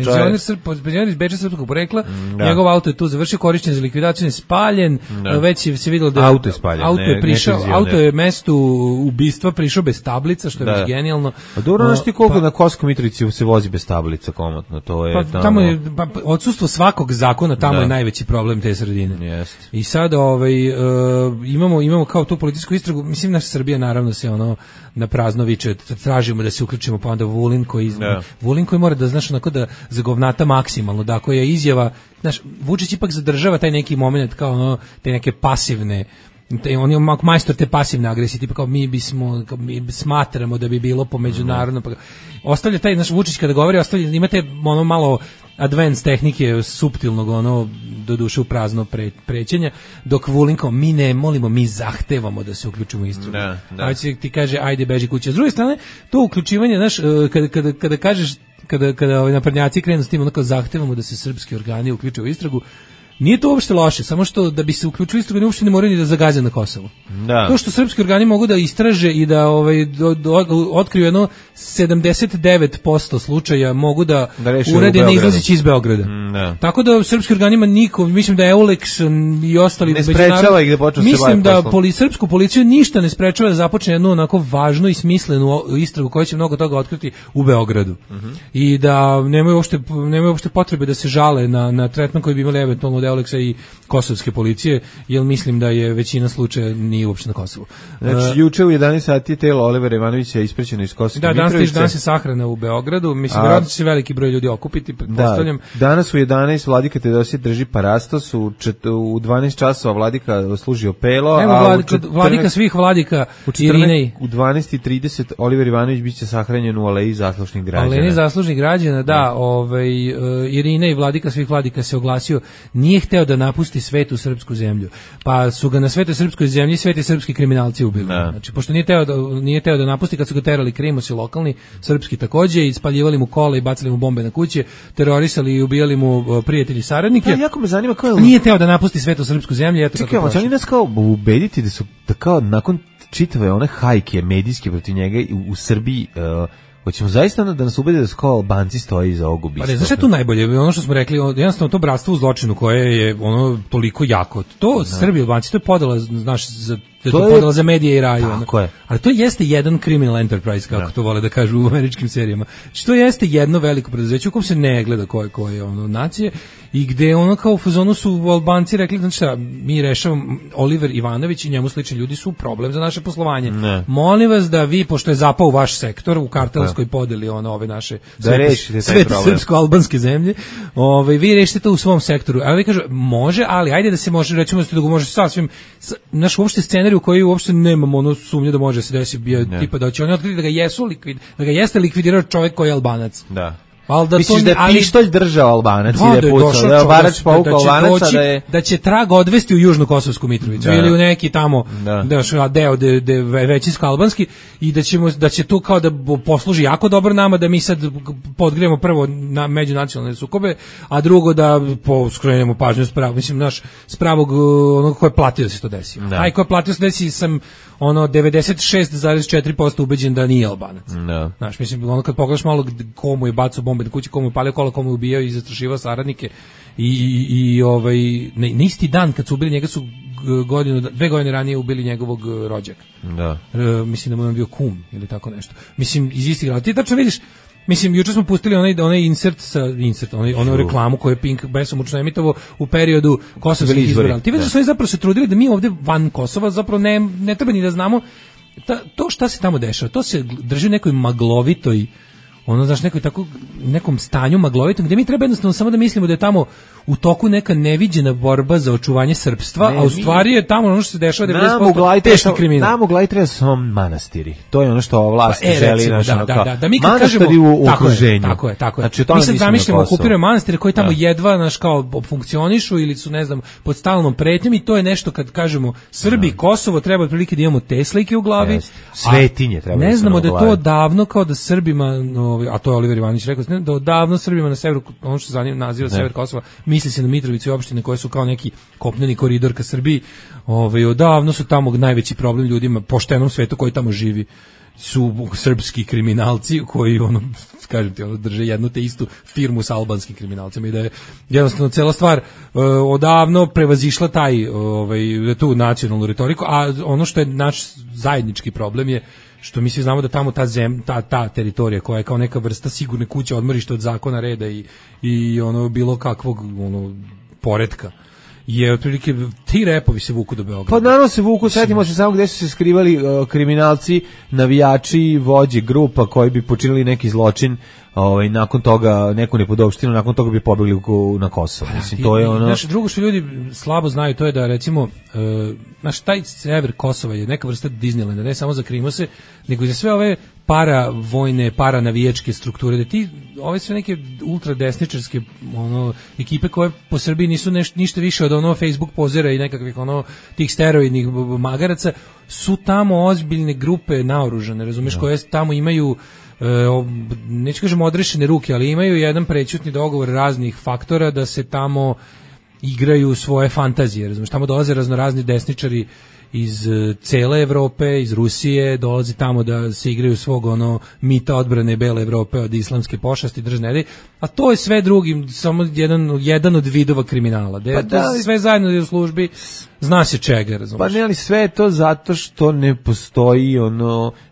Penzioner iz Beča srpskog porekla. Njegov auto je tu završio, korišćen za likvidaciju, spaljen. Već je se videlo da auto je spaljen. Auto je mestu ubistva prišao bez tablica, što je već genijalno. A dobro, znaš ti koliko na Kosovskoj Mitrovici se vozi bez tablica komotno, to je tamo je odsustvo svakog zakona, tamo je najveći problem te sredine. I sad imamo kao tu policijsku istragu, mislim naša Srbija naravno se na prazno viče, tražimo da se uključimo, pa onda Vulin koji mora da znaš onako da zagovnata maksimalno, da ako je izjava, znaš, Vučić ipak zadržava taj neki moment kao te neke pasivne, on je majstor te pasivne agresije, tipa kao mi smatramo da bi bilo po međunarodno, pa ostavlja taj naš Vučić kada govori, imate malo advanced tehnike suptilnog do duše u prazno prećenja, dok Vulin kao mi ne molimo, mi zahtevamo da se uključimo u istragu. A ti kaže ajde beži kuće. S druge strane, to uključivanje, znaš, kada kažeš, kada naprednjaci krenu s tim, kao zahtevamo da se srpski organi uključe u istragu, nije to uopšte loše, samo što da bi se uključili istragu uopšte ne moraju ni da zagaze na Kosovu. To što srpski organi mogu da istraže i da otkriju jedno 79% slučaja mogu da urede ne izlazeći iz Beograda. Tako da srpski organima niko, mislim da Eulex i ostali ne sprečava ih da počnu se baviti poslom. Mislim da srpsku policiju ništa ne sprečava da započne jednu onako važnu i smislenu istragu koja će mnogo toga otkriti u Beogradu. I da nemaju uopšte potrebe da se žale na tretman koji bi imali eventualno od Eulexa i kosovske policije, jer mislim da je većina slučaja nije uopšte na Kosovu. Znači, juče u 11 sati telo Olivera Ivanovića je isprećeno iz Kosovske Mitrovice. Danas je sahrana u Beogradu, mislim da će se veliki broj ljudi okupiti, pretpostavljam. Danas u 11 vladika Teodosije drži parastos, u 12 časova vladika služi opelo, vladika svih vladika Irinej. U 12:30 Oliver Ivanović biće sahranjen u Aleji zaslužnih građana. Aleji zaslužnih građana, Irinej, vladika svih vladika, se oglasio, nije hteo da napusti svetu srpsku zemlju. Pa su ga na svetoj srpskoj zemlji sveti srpski kriminalci ubili. Znači, pošto nije teo da napusti, kad su ga terali krimosi lokalni, srpski takođe, ispaljivali mu kola i bacali mu bombe na kuće, terorisali i ubijali mu prijatelji i saradnike. Jako me zanima kao nije teo da napusti svetu srpsku zemlju. Čekaj, hoće oni nas kao ubediti da kao nakon čitave one hajke medijske protiv njega u Srbiji hoćemo zaista da nas ubede da su kao Albanci stoji iza ovog ubistva. Pa znaš je tu najbolje? Ono što smo rekli, jednostavno to bratstvo u zločinu koje je toliko jako. To Srbi i Albanci, to je podela, znaš, to je podela za medije i raju. Tako je. Ali to jeste jedan criminal enterprise, kako to vole da kažu u američkim serijama. Znači, to jeste jedno veliko preduzeće u kom se ne gleda koje je nacije i gde kao u fazonu su Albanci rekli, znači šta, mi rešavamo, Oliver Ivanović i njemu slični ljudi su problem za naše poslovanje. Molim vas da vi, pošto je zapao u vaš sektor, u kartelskoj podeli ove naše sve srpsko-albanske zemlje, vi rešite to u svom sektoru. A vi kažu, može, ali ajde da se može, recimo da može sasvim, naš uopšte scenarij u koji uopšte nemamo sumnje da može se desiti, tipa da će oni otkriti da ga jeste likvidirao čovjek koji je Albanac. Da. Misliš da je pištolj držao Albanac i da je pucao, da je barač pauk Albanaca, da će trag odvesti u Južnu Kosovsku Mitrovicu ili u neki tamo deo većinsko albanski i da će tu kao da posluži jako dobro nama, da mi sad podgrijemo prvo na međunacionalne sukobe, a drugo da skrenemo pažnju s pravog onoga ko je platio da se to desi. Aj ko je platio da se desi sam 96,4% ubeđen da nije Albanac. Znaš, mislim, kad pogledaš malo komu je bacao bombe na kući, komu je palio kola, komu je ubijao i zastrašivao saradnike i na isti dan kad su ubili njega su 2 godine ranije ubili njegovog rođaka. Mislim da mu je bio kum ili tako nešto. Mislim, iz istih grada. Ti tačno vidiš, mislim, juče smo pustili onaj onu reklamu koju je Pink besomučno emitovao u periodu kosovskih izbora. Ti vidiš da su oni zapravo se trudili da mi ovde van Kosova zapravo ne treba ni da znamo to šta se tamo dešava. To se drži u nekoj maglovitoj, znaš, nekom stanju maglovitom, gde mi treba jednostavno samo da mislimo da je tamo u toku neka neviđena borba za očuvanje srpstva, a u stvari je tamo ono što se dešava 90% teški kriminal. Nam u glavi treba samo manastiri. To je ono što ova vlast želi. Da mi kad kažemo u okruženju. Tako je. Znači, mi sad zamišljamo okupirane manastire koji tamo jedva funkcionišu ili su, ne znam, pod stalnom pretnjom i to je nešto kad kažemo Srbi, Kosovo, treba otprilike da imamo te slike u glavi. Svetinje treba. Ne znamo da je to davno kao da Srbima, a to je Oliver Ivanović rekao, da odavno Srbima na severu, ono što se naziva sever Kosova, misli se na Mitrovicu i opštine koje su kao neki kopneni koridor ka Srbiji, odavno su tamo najveći problem ljudima, poštenom svetu koji tamo živi. su srpski kriminalci koji kažem ti, drže jednu te istu firmu sa albanskim kriminalcima i da je jednostavno cela stvar odavno prevazišla tu nacionalnu retoriku, a ono što je naš zajednički problem je što mi svi znamo da tamo ta teritorija koja je kao neka vrsta sigurne kuće, odmorište od zakona, reda i bilo kakvog poretka, je otprilike ti repovi se vuku do Beograda. Pa naravno se vuku, setimo se samo gde su se skrivali kriminalci, navijači, vođe grupa koji bi počinili neki zločin, nakon toga neku nepodopštinu, nakon toga bi pobegli na Kosovo. Mislim, to je ono... Drugo što ljudi slabo znaju, to je da recimo taj sever Kosova je neka vrsta Disneylanda, ne samo za Krimose, nego i za sve ove paravojne, paranavijačke strukture, da ti ove sve neke ultradesničarske ekipe koje po Srbiji nisu ništa više od Facebook pozera i nekakvih tih steroidnih magaraca, su tamo ozbiljne grupe naoružane, razumeš, koje tamo imaju neću kažem odrešene ruke, ali imaju jedan prećutni dogovor raznih faktora da se tamo igraju svoje fantazije, razumiješ, tamo dolaze raznorazni desničari iz cele Evrope, iz Rusije, dolazi tamo da se igraju svog mita odbrane bele Evrope od islamske pošasti, držne, a to je sve drugi, samo jedan od vidova kriminala, sve zajedno je u službi, zna se čega, razumiješ. Pa ne, ali sve je to zato što ne postoji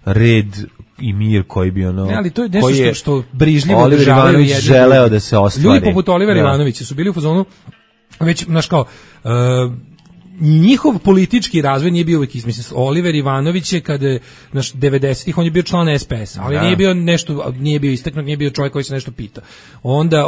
red i mir koji bi ne, ali to je nešto što brižljivo Oliver Ivanović želeo da se ostvari. Ljudi poput Olivera Ivanovića su bili u fazonu već, znaš kao, njihov politički razvoj nije bio uvijek mislim, Oliver Ivanović je kada 90-ih on je bio član SPS, ali nije bio istaknut, nije bio čovjek koji se nešto pita. Onda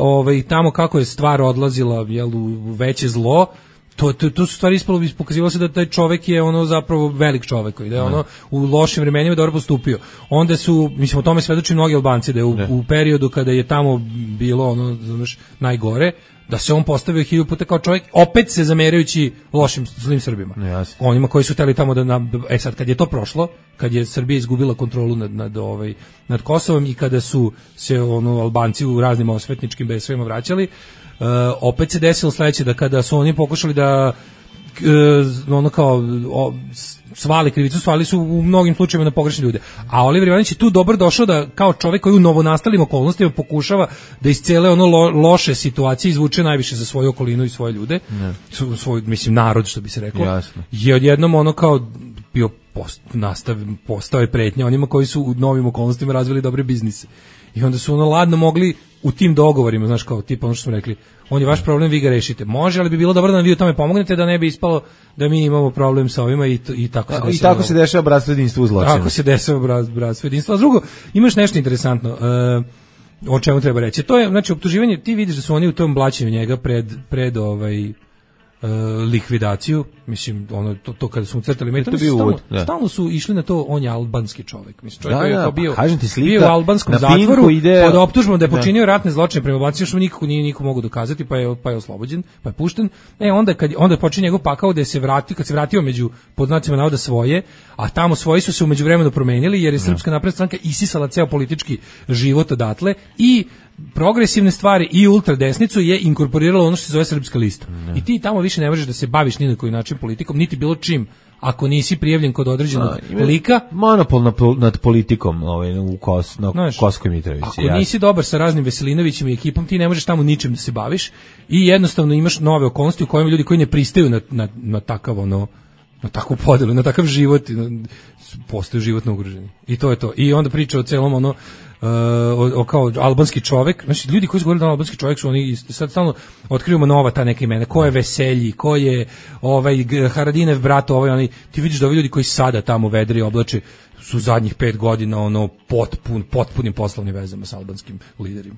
tamo kako je stvar odlazila u veće zlo, to su stvari ispalo, pokazivalo se da taj čovjek je zapravo velik čovjek i da je u lošim vremenima dobro postupio. Onda su, mislim, o tome svedoči mnogi Albanci, da je u periodu kada je tamo bilo najgore, da se on postavio 1000 puta kao čovjek, opet se zamerajući lošim zlim Srbima. Onima koji su hteli tamo sad kad je to prošlo, kad je Srbija izgubila kontrolu nad Kosovom i kada su se Albanci u raznim osvetničkim besovima vraćali, opet se desilo sledeće, da kada su oni pokušali da svali krivicu, svali su u mnogim slučajevima na pogrešne ljude. A Oliver Ivanović je tu dobro došao da kao čovjek koji u novonastalim okolnostima pokušava da iz cele loše situacije izvuče najviše za svoju okolinu i svoje ljude, svoj, mislim, narod, što bi se reklo. Jasno. Je odjednom kao bio postao je pretnja onima koji su u novim okolnostima razvili dobre biznise. I onda su ladno mogli u tim dogovorima, znaš, kao tipa ono što smo rekli, on je vaš problem, vi ga rešite. Može, ali bi bilo dobro da nam vi u tome pomognete, da ne bi ispalo da mi imamo problem sa ovima i tako se dešava. I tako se dešava bratstvo jedinstvo u zločinu. Tako se dešava bratstvo jedinstvo. A drugo, imaš nešto interesantno, o čemu treba reći. To je, znači, optuživanje, ti vidiš da su oni u tom blaćenju njega pred likvidaciju, mislim, to kada su mu crtali metom, stalno su išli na to, on je albanski čovjek, mislim, čovjek koji je kao bio u albanskom zatvoru pod optužbom da je počinio ratne zločine prema Albancima, što niko mogu dokazati, pa je oslobođen, pa je pušten. Onda počinje njegov pakao da se vratio, kad se vratio među pod znacima navoda svoje, a tamo svoji su se u međuvremenu promenili, jer je Srpska napredna stranka isisala ceo politički život odatle i progresivne stvari i ultradesnicu je inkorporiralo ono što se zove Srpska lista. I ti tamo više ne možeš da se baviš ni na koji način politikom, niti bilo čim, ako nisi prijavljen kod određenog lika. Monopol nad politikom u Kosovskoj Mitrovici. Ako nisi dobar sa raznim Veselinovićima i ekipom, ti ne možeš tamo ničim da se baviš i jednostavno imaš nove okolnosti u kojima ljudi koji ne pristaju na takav na takvu podelu, na takav život, postaju životno ugroženi. I to je to. I onda priča o celom kao albanski čovjek, znači ljudi koji su govorili da albanski čovjek su oni, sad stalno otkrivamo nova ta neka imena, ko je Veselji, ko je Haradinev brat, ti vidiš da ovi ljudi koji sada tamo vedri oblače su zadnjih 5 godina potpunim poslovnim vezama sa albanskim liderima.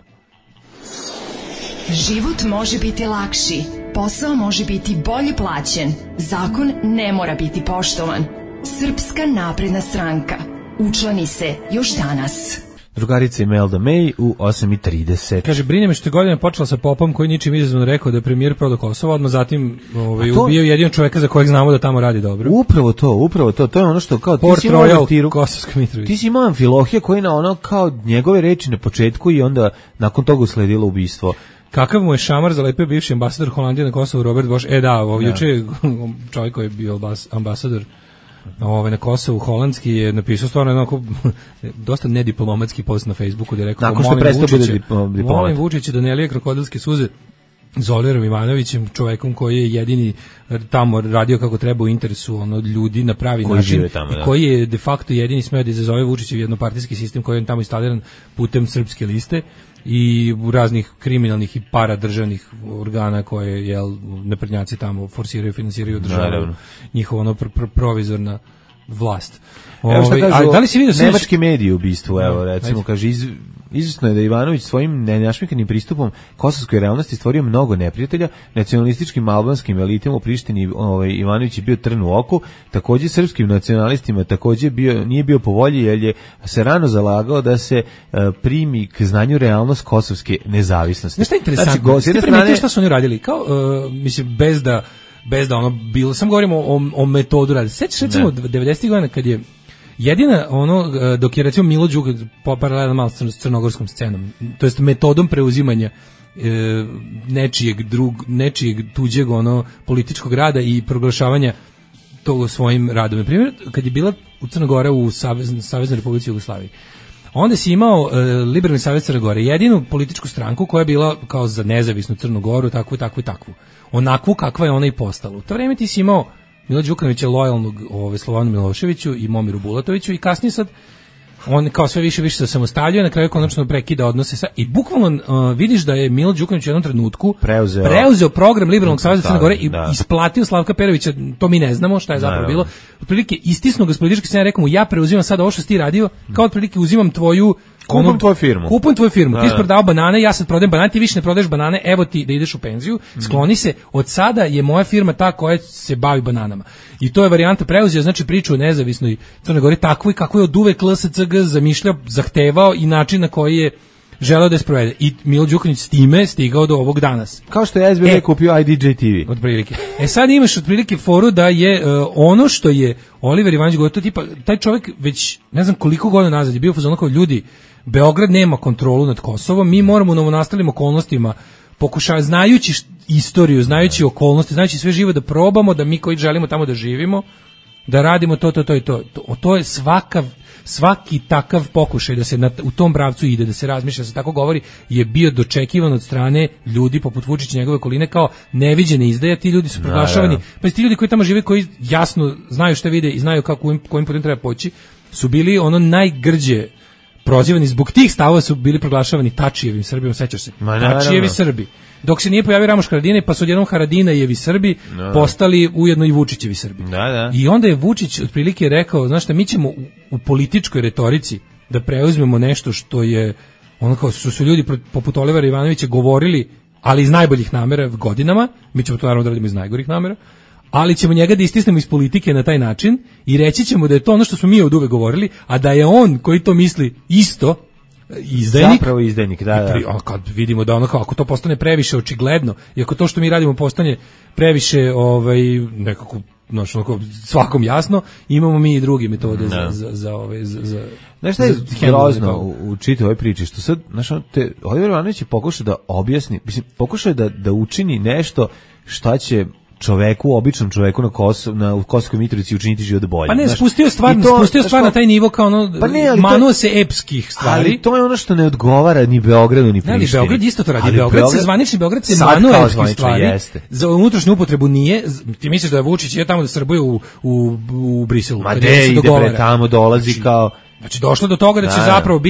Život može biti lakši, posao može biti bolje plaćen, zakon ne mora biti poštovan. Srpska napredna stranka. Učlani se još danas. Drugarica Imelda May u 8:30. Kaže, brine me što je godina počela sa popom koji ničim izazvano rekao da je premijer prodao Kosovo, odmah zatim ubio jedino čovjeka za kojeg znamo da tamo radi dobro. Upravo to je ono što kao Port Royal, Kosovska Mitrovica. Ti si imao Amfilohija koji na kao njegove reči na početku i onda nakon toga usledilo ubistvo. Kakav mu je šamar zalepio bivši ambasador Holandije na Kosovu, Robert Bosch. Juče čovjek koji je bio ambasador na Kosovu holandski je napisao stvarno onako dosta nediplomatski post na Facebooku da je rekao molim Vučića da ne lije krokodilske suze s Oliverom Ivanovićem, čovekom koji je jedini tamo radio kako treba u interesu ljudi na pravi koji način tamo, i koji je de facto jedini smeo da izazove Vučićev jednopartijski sistem koji je tamo instaliran putem Srpske liste i raznih kriminalnih i paradržavnih organa koje naprednjaci tamo forsiraju, finansiraju, održavaju njihovo provizorna vlast. Evo šta kažu, da li si vidio nemački mediji u bistvu, evo recimo, kaže izvjesno je da Ivanović svojim nenašmikanim pristupom kosovskoj realnosti stvorio mnogo neprijatelja, nacionalističkim albanskim elitima u Prištini Ivanović je bio trn u oku, takođe srpskim nacionalistima takođe nije bio po volji jer je se rano zalagao da se primi k znanju realnost kosovske nezavisnosti. Nešto je interesantno, ste primetili šta su oni radili, kao, mislim, bez da bilo, sam govorimo o metodu rada. Sećaš recimo 90. godina kad je jedina dok je recimo Milo Đukanović paralelno malo s crnogorskom scenom, to jest metodom preuzimanja nečijeg tuđeg političkog rada i proglašavanja toga svojim radom. Na primjer, kad je bila u Crna Gora u Saveznoj Republici Jugoslaviji, onda si imao Liberalni savez Crne Gore, jedinu političku stranku koja je bila kao za nezavisnu Crnu Goru, takvu. Onakvu kakva je ona i postala. U to vreme ti si imao Milo Đukanovića lojalnog Slovanu Miloševiću i Momiru Bulatoviću i kasnije sad on kao sve više se samostaljuje, na kraju konačno prekida odnose i bukvalno vidiš da je Milo Đukanović u jednom trenutku preuzeo program Liberalnog saveza Crne Gore i isplatio Slavka Perovića, to mi ne znamo šta je zapravo bilo. Otprilike istisnuo ga s političke scene, rekao mu ja preuzimam sad ovo što si ti radio, kao otprilike uzimam tvoju Kupujem tvoju firmu. Ti si prodao banane, ja sad prodajem banane, ti više ne prodaješ banane, evo ti da ideš u penziju, skloni se, od sada je moja firma ta koja se bavi bananama. I to je varijanta preuzeo, znači priču o nezavisnoj Crnoj Gori, takvoj kako je od uvek LSCG zamišljao, zahtevao i način na koji je želeo da je sprovede. I Milo Đukanović s time stigao do ovog danas. Kao što je SBB kupio IDJ TV. Otprilike. Sad imaš otprilike foru da je ono što je Oliver Ivanović govorio, to tipa, taj čovjek već ne znam koliko godina nazad je bio fazon kao ljudi, Beograd nema kontrolu nad Kosovom, mi moramo u novonastalim okolnostima znajući istoriju, znajući okolnosti, znajući sve živo da probamo, da mi koji želimo tamo da živimo, da radimo to i to. To je svaki takav pokušaj da se u tom pravcu ide, da se razmišlja, da se tako govori, je bio dočekivan od strane ljudi poput Vučića i njegove okoline kao neviđene izdaje. Ti ljudi su proglašavani, pa ti ljudi koji tamo žive, koji jasno znaju šta vide i znaju kojim putem treba poći, su bili najgrđe prozivani, zbog tih stavova su bili proglašavani Tačijevim Srbijom, sećaš se? Tačijevi Srbi. Dok se nije pojavio Ramoš Haradinaj, pa su odjednom Haradinajevi Srbi postali ujedno i Vučićevi Srbi. I onda je Vučić otprilike rekao, znaš šta, mi ćemo u političkoj retorici da preuzmemo nešto što je, kao su ljudi poput Olivera Ivanovića govorili, ali iz najboljih namera godinama, mi ćemo to naravno da radimo iz najgorih namera, ali ćemo njega da istisnemo iz politike na taj način i reći ćemo da je to ono što smo mi od uvek govorili, a da je on koji to misli isto izdajnik. Zapravo izdajnik, da. Kad vidimo da ako to postane previše očigledno i ako to što mi radimo postane previše nekako svakom jasno, imamo mi i druge metode za znaš šta je grozno u čitavoj priči, što sad, Oliver Ivanović je pokušao da objasni, pokušao je da učini nešto šta će običnom čoveku u Kosovskoj Mitrovici učiniti život bolje. Pa ne, spustio stvar na taj nivo kao manuo se epskih stvari. Ali to je ono što ne odgovara ni Beogradu ni Prištini. Ne, Beograd isto to radi. Zvanični Beograd se manuo epskih stvari. Za unutrašnju upotrebu nije. Ti misliš da je Vučić je tamo da srbuje u Briselu? Ma ide tamo, dolazi kao... Znači došlo do toga da će zapravo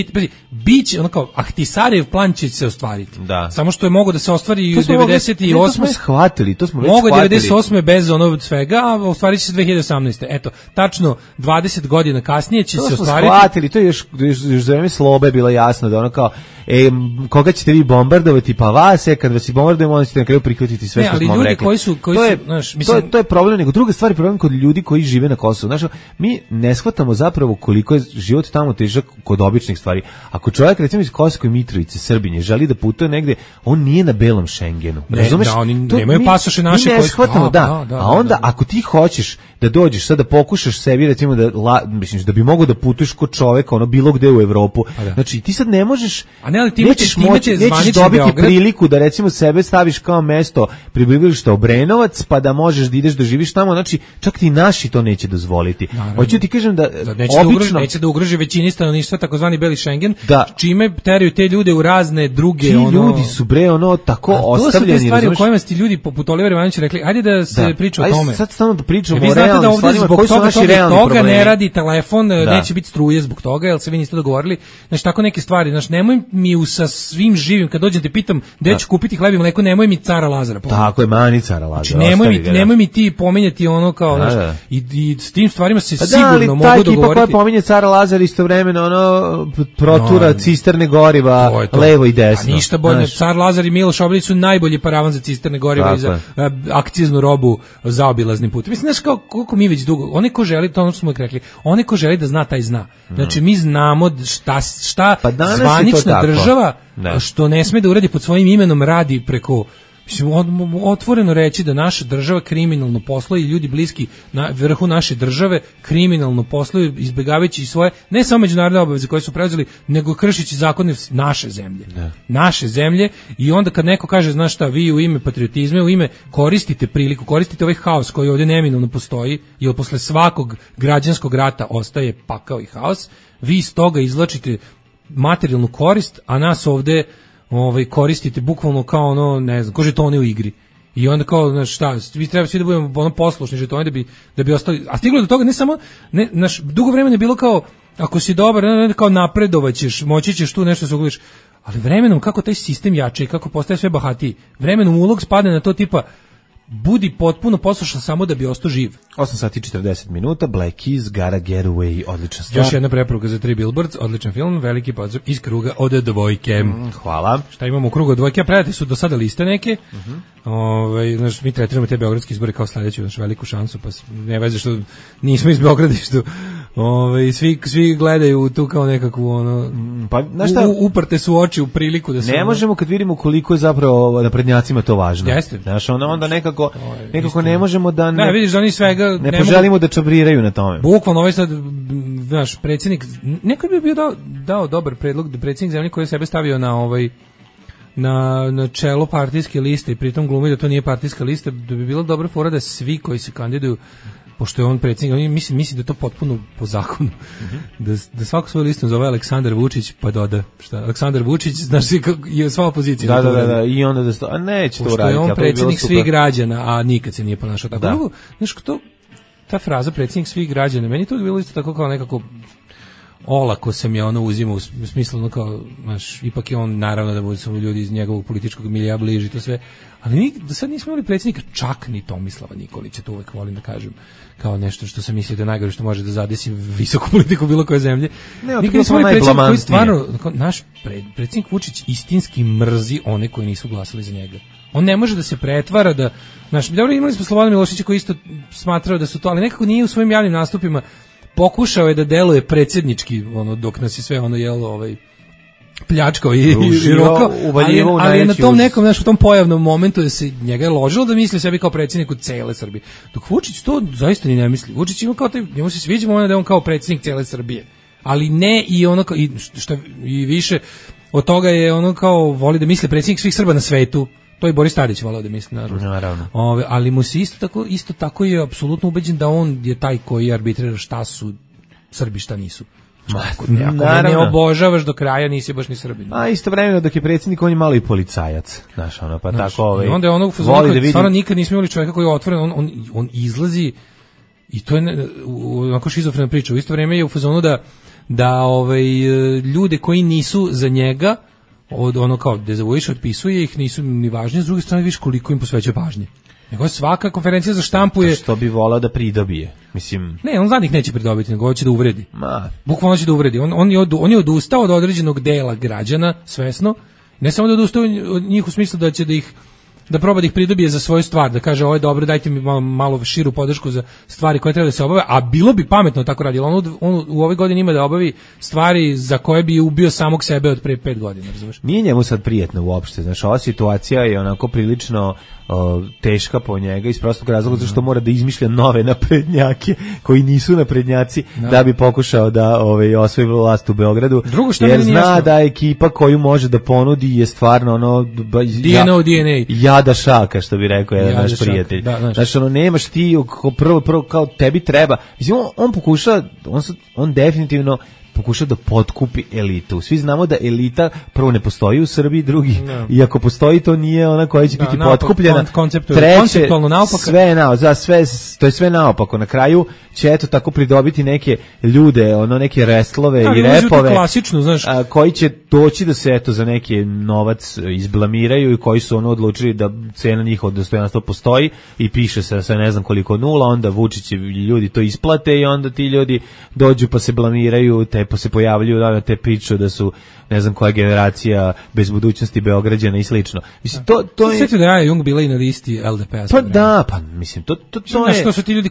biće kao Ahtisarev plan će se ostvariti. Samo što je moglo da se ostvari i u 98. To smo shvatili, to smo već shvatili. Mogu 98. bez svega, a ostvarit će se 2018. Eto, tačno 20 godina kasnije će se ostvariti. To smo shvatili, to je još za vreme Slobe bilo jasno da kao koga ćete vi bombardovati, pa vas kad vas i bombardujemo, onda ćete na kraju prihvatiti sve što smo vam rekli. To je problem, nego druga stvar je problem kod ljudi koji žive na Kosovu. Mi ne shvatamo zapravo koliko je život tamo težak kod običnih stvari. Ako čovjek recimo iz Kosovske Mitrovice, Srbinje, želi da putuje negde, on nije na belom Schengenu. Razumeš? Oni nemaju pasoše naše koji shvatamo, a onda ako ti hoćeš da dođeš sad da pokušaš sebi recimo da bi mogao da putuješ kod čoveka bilo gde u Evropu. Znači ti sad ne možeš Ne, ali nećeš dobiti priliku da recimo sebe staviš kao mesto prebivališta Obrenovac, pa da možeš da ideš da živiš tamo, znači čak ti naši to neće dozvoliti. Hoću ti kažem da neće da ugroži većini stanovništva takozvani beli Schengen, čime teraju te ljude u razne druge ljudi su tako ostavljeni. To su te stvari u kojima ti ljudi poput Olivera Ivanovića rekli, ajde da se priča o tome. Sad stalno da pričamo o realnim stvarima, koji su naši realni problemi. Ne radi telefon, neće biti struje zbog toga, jel se vi niste dogovorili. Znači tako neke stvari, znači nemoj mi sa svim živim kad dođem te pitam gde ću kupiti hleb i mleko, nemoj mi Cara Lazara. Tako je, mani Cara Lazara. Znači nemoj mi ti pominjati ono kao, znači i s tim stvarima se sigurno mogu dogovoriti. Ta ekipa koja pominje Cara Lazara istovremeno ono protura cisterne goriva levo i desno. A ništa bolje, Car Lazar i Miloš Obilić su najbolji paravan za cisterne goriva i za akciznu robu zaobilaznim putem. Mislim, znaš koliko mi već dugo, onaj ko želi, to ono što smo rekli, onaj ko želi da zna, taj zna. Znači, mi znamo šta zvanična država, što ne sme da uradi pod svojim imenom, radi preko, mislim, otvoreno reći da naša država kriminalno posluje i ljudi bliski na vrhu naše države kriminalno posluju, izbjegavajući svoje, ne samo međunarodne obaveze koje su preuzeli, nego kršeći zakone naše zemlje. Naše zemlje, i onda kad neko kaže, znaš šta, vi u ime patriotizma, u ime koristite priliku, koristite ovaj haos koji ovdje neminovno postoji, jer posle svakog građanskog rata ostaje pakao i haos, vi iz toga izvlačite materijalnu korist, a nas ovdje koristite bukvalno kao ono, ne znam, kao žetone u igri. I onda kao, znaš šta, vi treba svi da budemo ono poslušni žetoni da bi ostali, a stiglo do toga ne samo, naš dugo vremena je bilo kao, ako si dobar, kao napredovaćeš, moći ćeš tu nešto se ugliš, ali vremenom kako taj sistem jače i kako postaje sve bahatiji, vremenom ulog spadne na to tipa, budi potpuno poslušan samo da bi ostao živ. 8 sati 40 minuta, Black Keys, Gotta Get Away, odlična stvar. Još jedna preporuka za 3 Billboards, odličan film, veliki pozdrav iz kruga od dvojke. Hvala. Šta imamo u krugu od dvojke? Predate su do sada liste neke. Znaš, mi tretiramo te beogradske izbore kao sledeću, znaš, veliku šansu, pa ne veze što nismo iz Beograda, što svi gledaju tu kao nekakvu pa uprte su oči u priliku da se ne možemo kad vidimo koliko je zapravo naprednjacima to važno. Jeste. Znaš, onda nekako ne možemo da ne vidiš da oni svega ne poželimo da čabriraju na tome. Bukvalno ovaj sad naš predsjednik, neko bi bio dao dobar predlog da predsjednik zemlje koji je sebe stavio na čelo partijske liste i pritom glumi da to nije partijska lista, da bi bila dobra fora da svi koji se kandiduju, pošto je on predsjednik, misli da je to potpuno po zakonu, da svaku svoju listu zove Aleksandar Vučić, pa doda šta, Aleksandar Vučić, znaš, je sva opozicija. Da, i onda neće to uraditi. Pošto je on predsjednik svih građana, a nikad se nije ponašao tako. Da. Znaš, ta fraza predsjednik svih građana, meni to bilo isto tako kao nekako olako sam ja uzimao u smislu kao, znaš, ipak je on, naravno da budu samo ljudi iz njegovog političkog milija bliži to sve, ali do sad nismo imali predsjednika, čak ni Tomislava Nikolića, to uvek volim da kažem, kao nešto što sam mislio da je najgore što može da zadesi visoku politiku bilo koje zemlje. Nikad nismo imali predsjednika koji stvarno, naš predsjednik Vučić istinski mrzi one koji nisu glasali za njega. On ne može da se pretvara da, znaš, dobro, imali smo Slobodana Miloševića koji isto smatrao da su to, ali nekako nije u svojim javnim nastupima pokušao je da deluje predsjednički, dok nas je sve pljačkao i rokao, ali je na tom nekom, znaš, u tom pojavnom momentu da se njega je ložilo da misli sebi kao predsjedniku cele Srbije. Dok Vučić to zaista ni ne misli. Vučić ima kao njemu se sviđa moment da je on kao predsjednik cele Srbije. Ali ne i više od toga je kao voli da misli predsjednik svih Srba na svetu. To je Boris Tadić volao da misli, naravno. Ali mu se isto tako je apsolutno ubeđen da on je taj koji arbitrira šta su Srbi, šta nisu. Ako ne obožavaš do kraja, nisi baš ni Srbin. A istovremeno dok je predsjednik, on je malo i policajac. Znaš, pa tako i onda je ono stvarno nikad nismo imali čovjeka koji je otvoren, on izlazi i to je onako šizofrena priča. U isto vrijeme je u fazonu da ljude koji nisu za njega kao dezavuiš, otpisuje ih, nisu ni važni, s druge strane viš koliko im posvećuje pažnje. Nego svaka konferencija za štampu je... Što bi volao da pridobije, mislim... Ne, on zadnjih neće pridobiti, nego hoće da uvredi. Bukvalno će da uvredi. On je odustao od određenog dela građana, svesno. Ne samo da odustao od njih u smislu da će da ih da proba da ih pridobije za svoju stvar, da kaže ovo je dobro, dajte mi malo širu podršku za stvari koje treba da se obave, a bilo bi pametno tako raditi. On u ovoj godini ima da obavi stvari za koje bi ubio samog sebe od pre 5 godina, razumeš? Nije njemu sad prijetno uopšte, znaš, ova situacija je onako prilično teška po njega iz prostog razloga zato što mora da izmišlja nove naprednjake koji nisu naprednjaci da bi pokušao da osvoji vlast u Beogradu. Jer zna da ekipa koju može da ponudi je stvarno ono DNA. Jada šaka, što bi rekao jedan naš prijatelj. Znači, ono, nemaš ti prvo kao tebi treba. Mislim, on pokuša, on definitivno pokušao da potkupi elitu. Svi znamo da elita prvo ne postoji u Srbiji, drugi, i ako postoji, to nije ona koja će biti potkupljena. Konceptualno naopako. To je sve naopako. Na kraju će eto tako pridobiti neke ljude, neke restlove i repove, koji će doći da se eto za neki novac izblamiraju i koji su odlučili da cena njihovog dostojanstva postoji i piše se sa ne znam koliko nula, onda Vučić ljudi to isplate i onda ti ljudi dođu pa se blamiraju, pa se pojavljuju na te priče da su ne znam koja generacija bez budućnosti Beograđana i slično. Mislim, to je... Sjetio da je Jung bila i na listi LDP-a. Pa da, pa mislim, to je... Što su ti ljudi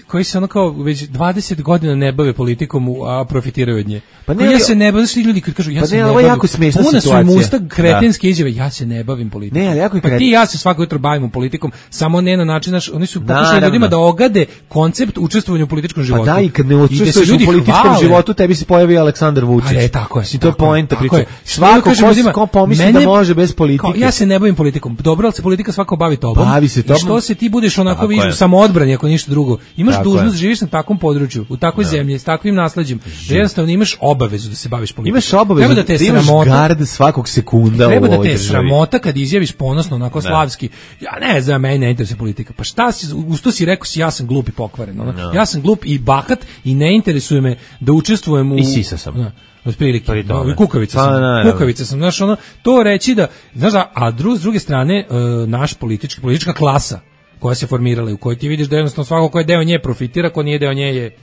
koji se ono kao već 20 godina ne bave politikom, a profitiraju od nje. Pa ne, ja se ne bavim, svi ljudi koji kažu ja se ne bavim. Jako smešna situacija. Puna su im usta kretenske izjave, ja se ne bavim politikom. Ne, ali jako je pa ti ja se svako jutro bavimo politikom, samo ne na način, oni su pokušali ljudima da ogade koncept učestvovanja u političkom životu. Pa da, i kad ne učestvuješ u političkom životu, tebi se pojavi Aleksandar Vučić. Ale, tako je. To je poenta priče. Svako ko pomisli da može bez politike. Ja se ne bavim politikom. Dobro, ali se politika svako bavi tobom. Bavi se tobom. I što se ti budeš onako u samoodbrani, ako ništa drugo. Imaš dužnost, živiš na takvom području, u takvoj zemlji, s takvim nasleđem. Jednostavno imaš obavezu da se baviš politikom. Imaš obavezu da imaš gard svakog sekunda u ovoj državi. Treba da te sramota kad izjaviš ponosno, onako slavski. Ja ne znam, mene ne interesuje politika. Pa šta si, usto si rekao si ja sam glup i pokvaren. Ja sam glup i bahat i ne interesuje me da učestvujem u... I sisa sam. Otprilike, kukavica sam, znaš, to reći da, znaš, a s druge strane, naš politička klasa koja se formirala, u kojoj ti vidiš da jednostavno svako ko je deo nje profitira, ko nije deo nje je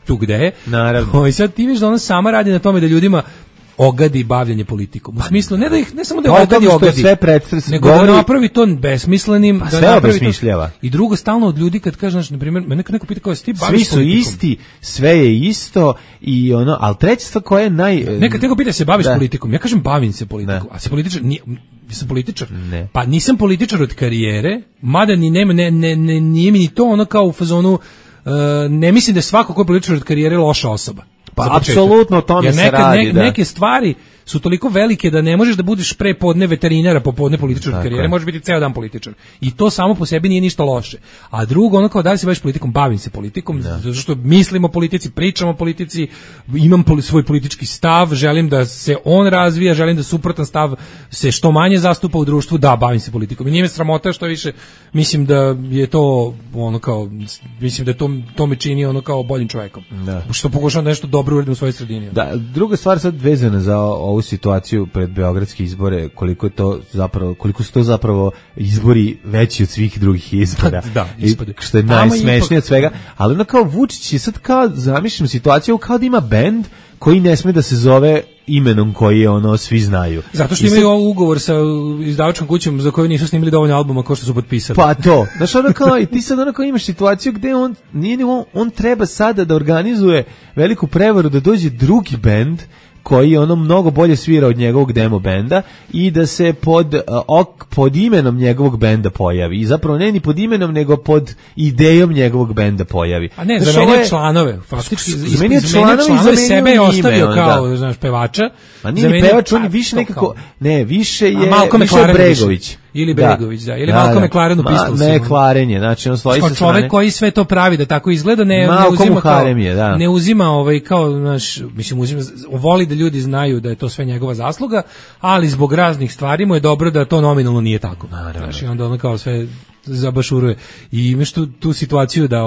tu gde je. Naravno. I sad ti vidiš da ona sama radi na tome da ljudima ogadi bavljanje politikom. U smislu, ne samo da je ogadi, nego da napravi to besmislenim. Pa sve obesmišljava. I drugo, stalno od ljudi kad kažeš, na primjer, me neko pita kao, ti baviš politikom. Svi su isti, sve je isto, i ali treća stvar koja je Nekad neko pita se baviš politikom, ja kažem bavim se politikom, a si političar, nisam političar. Ne. Pa nisam političar od karijere, mada nije mi ni to ono kao u fazonu, ne mislim da je svako ko je političar od karijere loša osoba. Pa apsolutno o tome se radi. Neke stvari su toliko velike da ne možeš da budeš pre podne veterinara, popodne političar od karijere, možeš biti ceo dan političar. I to samo po sebi nije ništa loše. A drugo, ono kao da li se baviš politikom, bavim se politikom, zato što mislim o politici, pričam o politici, imam svoj politički stav, želim da se on razvija, želim da suprotan stav se što manje zastupa u društvu, da, bavim se politikom. I nije me sramota, što više, mislim da je to ono kao, mislim da to me čini ono kao boljim čovjekom. Što pokušam nešto dobro uradim u svojoj sredini. Da, druga stvar sad vezana za ovu situaciju pred beogradske izbore, koliko su to zapravo izbori veći od svih drugih izbora. Da, što je najsmešnije od svega, ali ono kao Vučić je sad kao, zamišljam situaciju kao da ima bend koji ne sme da se zove imenom koji je svi znaju. Zato što imaju ugovor sa izdavačkom kućom za koju nisu snimili dovoljno albuma kao što su potpisali. Pa to. Znaš, kao i ti sad imaš situaciju gde on treba sada da organizuje veliku prevaru da dođe drugi bend koji mnogo bolje svira od njegovog demo benda i da se pod imenom njegovog benda pojavi. I zapravo ne ni pod imenom, nego pod idejom njegovog benda pojavi. A ne, zamenio članove. Faktički, zamenio članove, sebe je ostavio kao, znaš, pevača. A nije pevač, on je više nekako, ne, više je Bregović. Ili Bregović, da. Ili Malcolm McLaren u Pistolsima. McLaren je, znači on stoji sa strane. Čovek koji sve to pravi da tako izgleda, ne uzima kao, znaš, mislim, voli da ljudi znaju da je to sve njegova zasluga, ali zbog raznih stvari mu je dobro da to nominalno nije tako. Znači, onda ono kao sve zabašuruje. I imaš tu situaciju da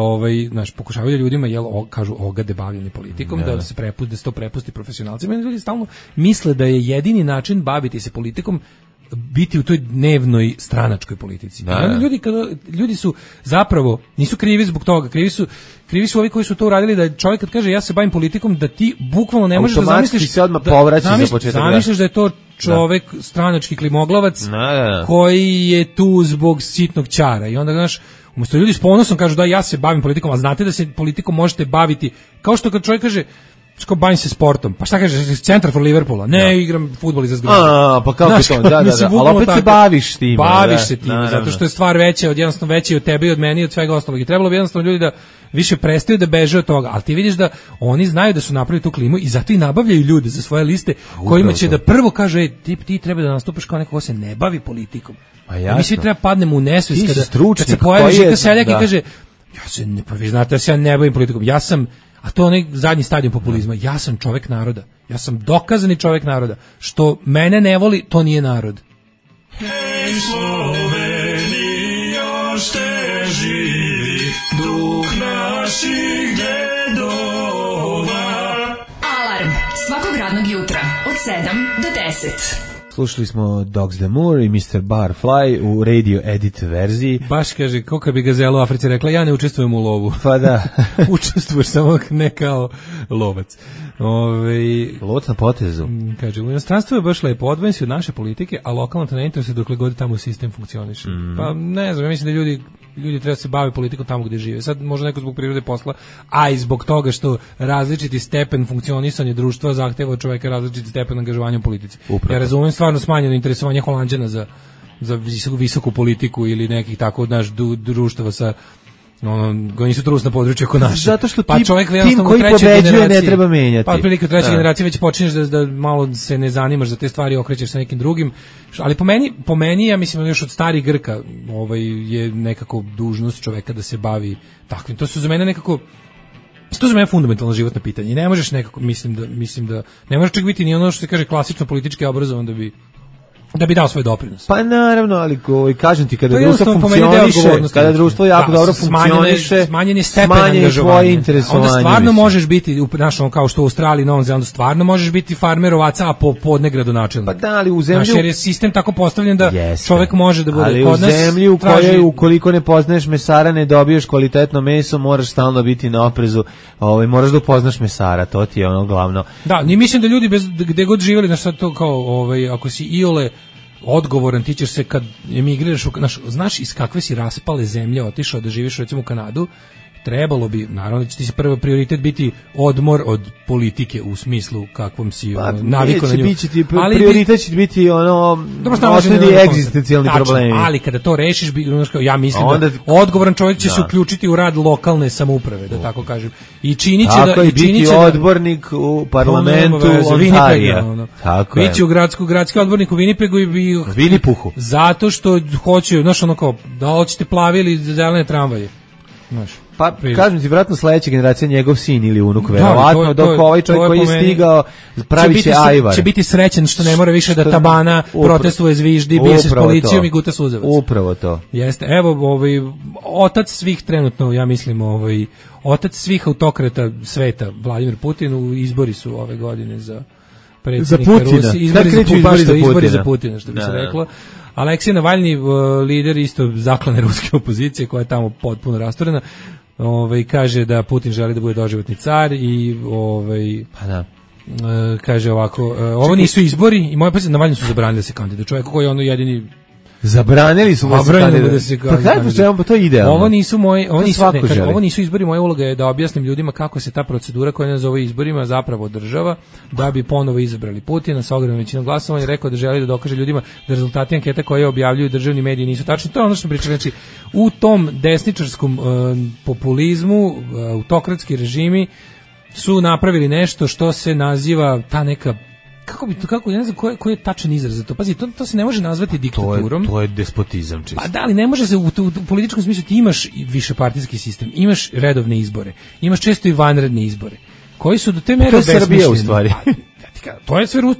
znaš, pokušavaju ljudima kažu ogade bavljanje politikom, da se to prepusti profesionalcima. Ljudi stalno misle da je jedini način baviti se politikom biti u toj dnevnoj stranačkoj politici. Ljudi su zapravo nisu krivi zbog toga, krivi su ovi koji su to uradili, da čovjek kad kaže ja se bavim politikom, da ti bukvalno ne možeš da zamisliš se odmah povraća za početak. Zamisliš da je to čovek, stranački klimoglavac, koji je tu zbog sitnog ćara. I onda, znaš, umesto ljudi s ponosom kažu da ja se bavim politikom, a znate da se politikom možete baviti, kao što kad čovjek kaže što bavim se sportom. Pa šta kažeš, centar for Liverpoola? Ne, igram fudbal iza zgrade. Pa kako je to? Da. Ali opet se baviš time. Baviš se time, zato što je stvar veća, jednostavno veća i od tebe i od mene i od svega ostalog. I trebalo bi jednostavno ljudi da više prestaju da beže od toga. Ali ti vidiš da oni znaju da su napravili tu klimu i zato i nabavljaju ljude za svoje liste kojima će da prvo kaže, ti treba da nastupaš kao neko ko se ne bavi politikom. Mi svi treba padnemo u nesvest kad se pojavi Žika Seljak i kaže, ja se ne, pa vi znate da se ja ne bavim politikom, ja sam, a to je onaj zadnji stadijum populizma, ja sam čovek naroda, ja sam dokazani čovek naroda, što mene ne voli, to nije narod. Hej Sloveniji, još te živi duh naših dedova. Alarm svakog radnog jutra od 7 do 10. Slušali smo Dogs the Moor i Mr. Barfly u radio edit verziji. Baš kaže, kako bi Gazela u Africi rekla, ja ne učestvujem u lovu. Pa da. Učestvuješ samo ne kao lovac. Lovac na potezu. Kaže, u inostranstvu je baš lepo, odvojen si od naše politike, a lokalno te ne interesuje dokle god tamo sistem funkcioniše. Pa ne znam, ja mislim da ljudi treba se bave politikom tamo gde žive. Sad možda neko zbog prirode posla, a i zbog toga što različiti stepen funkcionisanja društva zahteva od čoveka različiti stepen angažovanja u politici. Upravo. Ja razumem stvarno smanjeno interesovanje Holanđana za visoku politiku ili nekih tako društava sa koji nisu trusna područja oko naše. Zato što pa čovjek tim koji pobeđuje ne treba menjati. Pa otprilike u trećoj generaciji već počinješ da malo se ne zanimaš za te stvari, okrećeš sa nekim drugim. Ali po meni ja mislim još od starih Grka je nekako dužnost čoveka da se bavi takvim. To su za mene nekako fundamentalno životno pitanje. I ne možeš nekako, mislim da ne možeš čak biti ni ono što se kaže klasično politički obrazovan da bi dao svoj doprinos. Pa naravno, ali kažem ti, kada društvo funkcioniše, kada društvo jako dobro funkcioniše, smanjen je stepen angažovanja. Onda stvarno možeš biti, kao što u Australiji, Novom Zelandu, stvarno možeš biti farmer ovaca, a popodne gradonačelnik. Pa da, ali u zemlji... jer je sistem tako postavljen da čovek može da bude ali kod nas... Ali u zemlji u kojoj, ukoliko ne poznaješ mesara, ne dobiješ kvalitetno meso, moraš stalno biti na oprezu, moraš da upoznaš mesara, to ti je ono glavno. Da, ni mislim da ljudi gde god živjeli, na šta to kao, ako si iole odgovoran, ti ćeš se kad emigriraš, znaš iz kakve si raspale zemlje otišao da živiš recimo u Kanadu, trebalo bi, naravno će ti se prvi prioritet biti odmor od politike u smislu kakvom si navikao na nju. Prioritet će biti osnovni egzistencijalni problemi. Ali kada to rešiš, ja mislim da odgovoran čovjek će se uključiti u rad lokalne samouprave, da tako kažem. I činit će da... Tako i biti odbornik u parlamentu Ontarija. Biće u gradski odbornik u Winnipegu i Winnipuhu. Zato što hoće, da hoćete plavi ili zelene tramvaje. Pa, kažem ti, vjerojatno sledeća generacija njegov sin ili unuk, verovatno, dok ovaj čovjek koji je stigao pravi će ajvar. Će biti srećen što ne mora više da tabana protestuje, zviždi, bije se s policijom i guta suzevac. Upravo to. Jeste, evo, otac svih trenutno, ja mislim, otac svih autokrata sveta, Vladimir Putin, u izbori su ove godine za predsjednika Rusije. Izbori za Putina, što bi se reklo. Aleksej Navalni, lider isto zaklane ruske opozicije koja je tamo potpuno rasturena, kaže da Putin želi da bude doživotni car i kaže ovako, ovo nisu izbori i moje pozicije Navalni su zabranili da se kandiduje. Čovjek koji je ono jedini zabranili su da se pa to je idealno. Ovo nisu izbori, moja uloga je da objasnim ljudima kako se ta procedura koja ne zove izborima zapravo održava, da bi ponovo izabrali Putina sa ogromnom većinom glasova. Je rekao da želi da dokaže ljudima da rezultati anketa koje objavljuju državni mediji nisu tačni. To je ono što pričam. Znači, u tom desničarskom populizmu, autokratski režimi su napravili nešto što se naziva ta neka, kako ja ne znam koji je tačan izraz za to. Pazi, to se ne može nazvati diktaturom. To je despotizam čisto. Pa da, ali ne može se u političkom smislu. Ti imaš višepartijski sistem, imaš redovne izbore, imaš često i vanredne izbore, koji su do te mere besmišljeni. To je Srbija u stvari.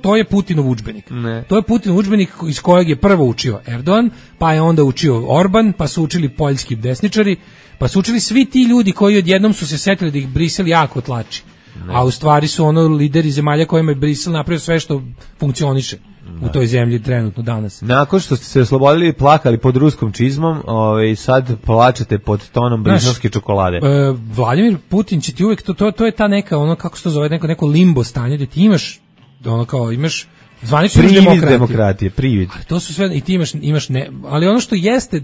To je Putinov udžbenik. To je Putinov udžbenik iz kojeg je prvo učio Erdogan, pa je onda učio Orban, pa su učili poljski desničari, pa su učili svi ti ljudi koji odjednom su se setili da ih Brisel jako tlači. A u stvari su lideri zemalja kojima je Brisel napravio sve što funkcioniše u toj zemlji trenutno danas. Nakon što ste se oslobodili i plakali pod ruskom čizmom, sad plačete pod tonom briselske čokolade. Vladimir Putin će ti uvijek, to je ta neka, kako se to zove, neko limbo stanje gdje ti imaš, imaš Zvanično demokratije, privid. To su sve, i ti imaš ne, ali ono što jeste